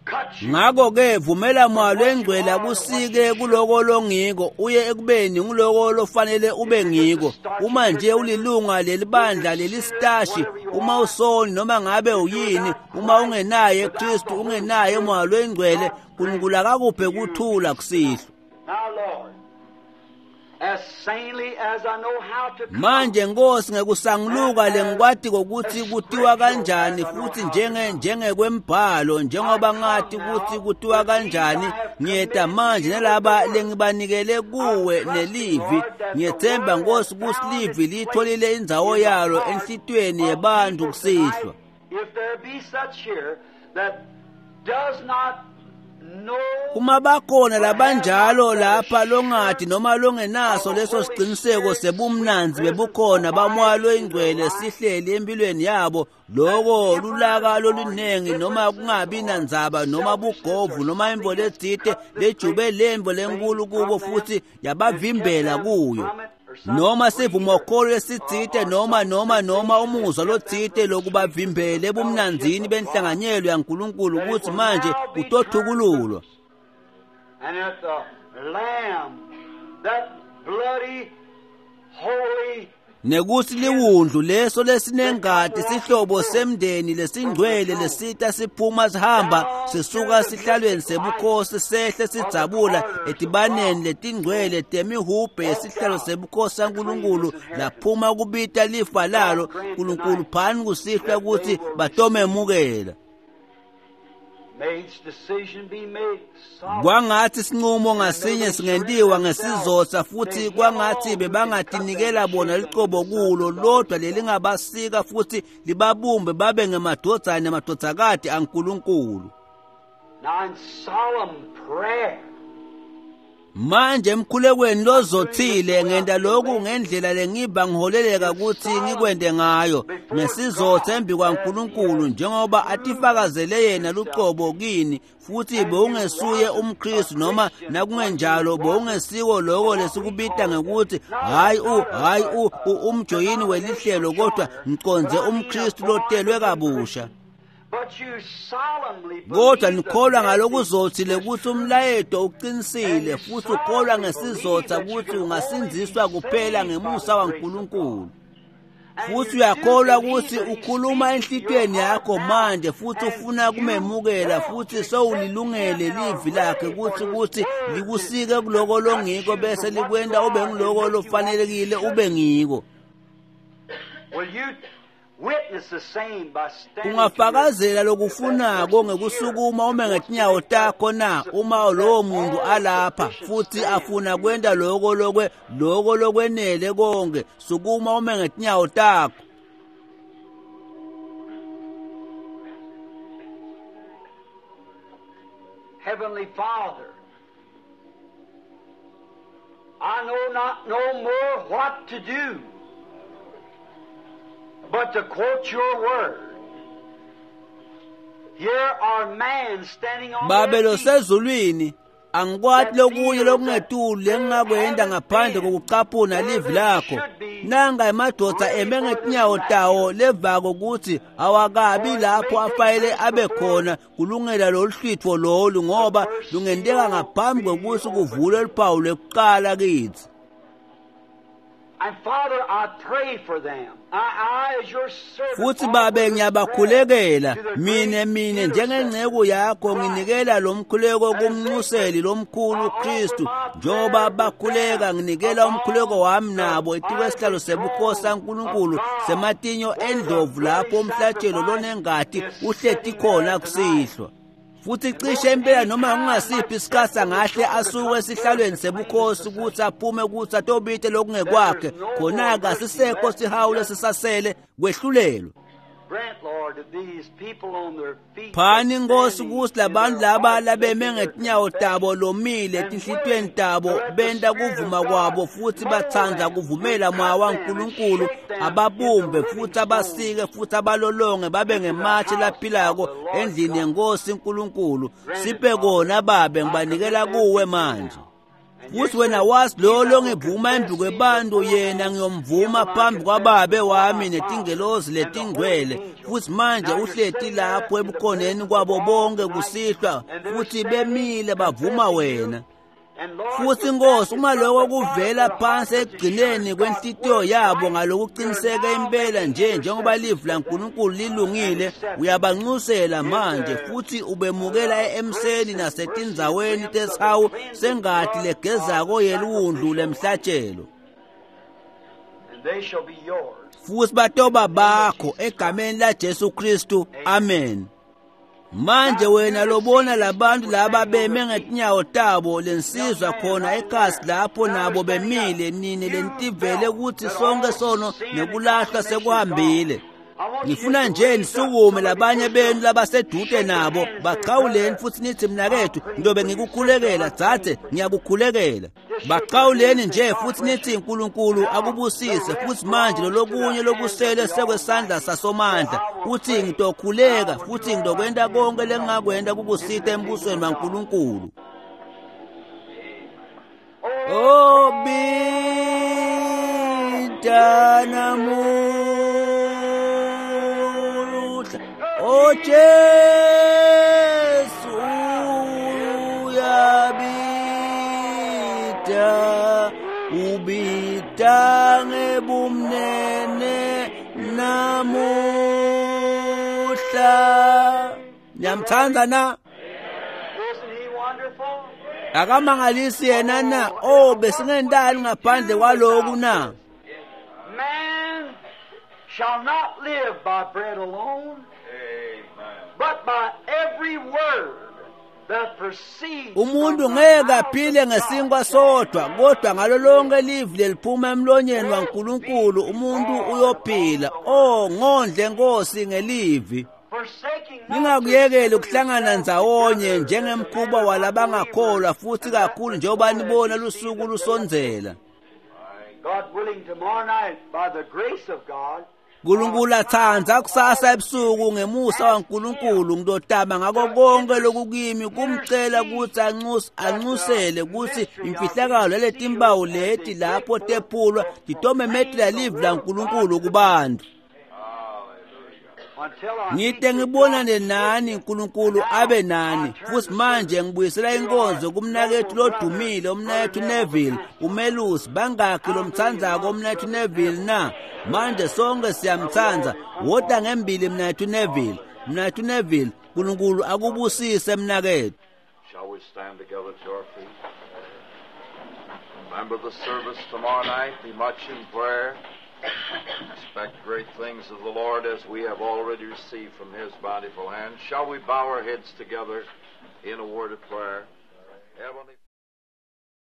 cut you. Ngakho-ke vumela Moya lwengcwele akusike kuloko longiko uye ekubeni nguloko lofanele ube ngiko. Uma nje ulilunga lelibandla lelisitashi, uma usoni noma ngabe uyini, uma ungenaye Kristu, ungenaye Moya lwengcwele, uNkulunkulu akakuphe kuthula kusihlwa. Now, Lord, Manje Nkosi ngekusanguluka lengikwati kokuthi kutiwa kanjani futhi njenge njengekwembhalo njengoba ngathi ukuthi kutiwa kanjani ngiyeta manje nalaba lengibanikele kuwe nelivi ngiyethemba Nkosi ukuthi livi litholile indzawo yalo enhlitiyweni yebantu kusihlwa. If there be such here that does not Uma bakhona labanjalo lapha longathi noma longenaso leso siqiniseko sebumnanzi bebukhona bamoya loyingcwele sihleli empilweni yabo loko lulaka lolunengi noma kungabi nandzaba noma bugovu noma imvo letsite lejube lemvo lenkulu kubo futhi yabavimbela kuyo noma sivumokholo lesitsite noma noma noma umuzwa lotsite lokubavimbele ebumnanzini benhlanganyelo yaNkulunkulu ukuthi manje utothukululwa. And that the lamb, that bloody, holy nekuthi liwundlu leso lesinengati sihlobo semndeni lesingcwele lesita siphuma sihamba sisuka sihlalweni sebukhosi sehle sidzabula etibaneni letingcwele temihubhe yesihlalo sebukhosi saNkulunkulu laphuma kubita lifa lalo Nkulunkulu phani kusihlwa ukuthi batomemukela. Kwangathi sinqumo ngasinye singentiwa ngesizotha futhi kwangathi bebangatinikela bona licobo kulo lodwa lelingabasika futhi libabumbe babe ngemadvodzana nemadvodzakati aNkulunkulu. Manje emkhulekweni lozothile ngenta lokhu ngendlela lengiba ngiholeleka ukuthi ngikwente ngayo ngesizotha embi kwaNkulunkulu njengoba atifakazele yena lucobo kini futhi bewungesuye umKristu noma nakungenjalo bewungesiko loko lesikubita ngekuthi hayi u hayi u umjoyini welihlelo kodwa ngiconze umKristu lotelwe kabusha. Kodwa nikholwa ngalokuzothile ukuthi umlayeto uqinisile futhi ukholwa ngesizotha ukuthi ungasindziswa kuphela ngemusa waNkulunkulu. Futhi uyakholwa ukuthi ukhuluma enhlitiyweni yakho manje futhi ufuna kumemukela futhi sewulilungele livi lakhe ukuthi ukuthi likusike kuloko longiko bese likwenta ube ngiloko lofanelekile ube ngiko. Ungafakazela lokufunako ngekusukuma ume ngetinyawo takho na uma lowo muntu alapha futhi afuna kwenta loko lokwe loko lokwenele konke sukuma ume ngetinyawo takho. Heavenly Father, I know not no more what to do but to quote your word. Here are man standing on Babe their feet. losezulwini angikwati lokunye lokungetulu lengingakwenta ngaphandle kokucaphuna livi lakho. Nanga emadvodza eme ngetinyawo tawo levako ukuthi awakabi lapho afanele abe khona kulungela lolu hlwitfo lolu ngoba lungenteka ngaphambi kwekutsi kuvulwe luphawu lwekuqala kitsi. And Father, I pray for them. I, I as your servant, Futhi babe ngiyabakhulekela mine mine njengenceku yakho nginikela lo mkhuleko kumnxuseli lomkhulu Kristu njengoba bakhuleka nginikela umkhuleko wami nabo etikwesihlalo sebukhosi saNkulunkulu sematinyo endlovu lapho umhlatshelo lonengati uhleti khona kusihlwa. Futhi cishe impela noma kungasiphi isikhathi angahle asuke esihlalweni sebukhosi ukuthi aphume ukuthi atobite lokungekwakhe khona-ke asisekho sihawu lesisasele kwehlulelwa. Grant, Lord, that these people on their feet Phani Nkosi standing ukuthi labantu in their laba hearts labeme making their ngetinyawo tabo lomile etinhlitiyweni tabo benta kuvuma kwabo futhi batsandza kuvumela moya waNkulunkulu ababumbe futhi abasike futhi abalolonge babe ngematshe laphilako endlini yenkosi uNkulunkulu. Siphe kona babe ngibanikela kuwe manje. Futhi wena wazi lo longivuma embi kwebantu yena ngiyomvuma phambi kwababe wami netingelozi letingcwele. Futhi manje uhleti lapho ebukhoneni kwabo bonke kusihlwa futhi bemile bavuma wena. Futhi Nkosi, uma lokho kuvela phansi ekugcineni kwenhlitiyo yabo ngalokuqiniseka impela nje njengoba livi laNkulunkulu lilungile, uyabanxusela manje futhi ubemukela emseni nasetindzaweni tesihawu sengati legezako yeliwundlu lemhlatshelo. Futhi batoba bakho egameni laJesu Kristu. Amen. Manje wena lobona labantu laba beme ngetinyawo tabo lensizwa khona ekhasi lapho nabo bemile nini lentivele ukuthi sonke sono nekulahlwa sekuhambile. Ngifuna nje nisukume labanye benu labasedude nabo baqhawuleni futhi nithi mnakethu ndobe ngikukhulekela dzadze ngiyakukhulekela. Baqhawuleni nje futhi nithi uNkulunkulu akubusise. Futhi manje lolokunye lokusele sekwesandla sasomandla uthi ngitokhuleka futhi ngidokwenta konke lengingakwenta kukusita embusweni waNkulunkulu. Oh bidana mu O Jesu uyabita, ubita ngebumnene namuhla. Niyamthanda na? Akamangalisi yena na? Oh, besingentani ngaphandle kwaloku na? Man shall not live by bread alone, but by every word that proceeds. Umuntu ngeke aphile ngesinkwa sodwa, kodwa ngalo lonke livi leliphuma emlonyeni waNkulunkulu umuntu uyophila. Oh, ngondle Nkosi ngelivi. Ningakuyekeli ukuhlangana ndzawonye njengemkhuba walabangakholwa, futhi kakhulu njengoba nibona lusuku lusondzela. God willing, tomorrow night, by the grace of God, uNkulunkulu atsandza kusasa ebusuku ngemusa waNkulunkulu ngidotama ngako konke lokukimi kumcela ukuthi anxuse anxusele ukuthi imfihlakalo letimpawu leti lapho tephulwa titomemetela livi laNkulunkulu kubantu. Ngite ngibonane nani, uNkulunkulu abe nani. Futhi manje ngibuyisela inkonzo kumnakethu lodumile, umnakethu Neville, umelusi. Bangakhi lomthandzako umnakethu Neville na? Manje sonke siyamthanda. Wota ngembili mnakethu Neville. Mnakethu Neville, uNkulunkulu akubusise mnakethu. Shall we stand together to our feet? Remember the service tomorrow night. Be much in prayer. Expect great things of the Lord as we have already received from His bountiful hand. Shall we bow our heads together in a word of prayer? Heavenly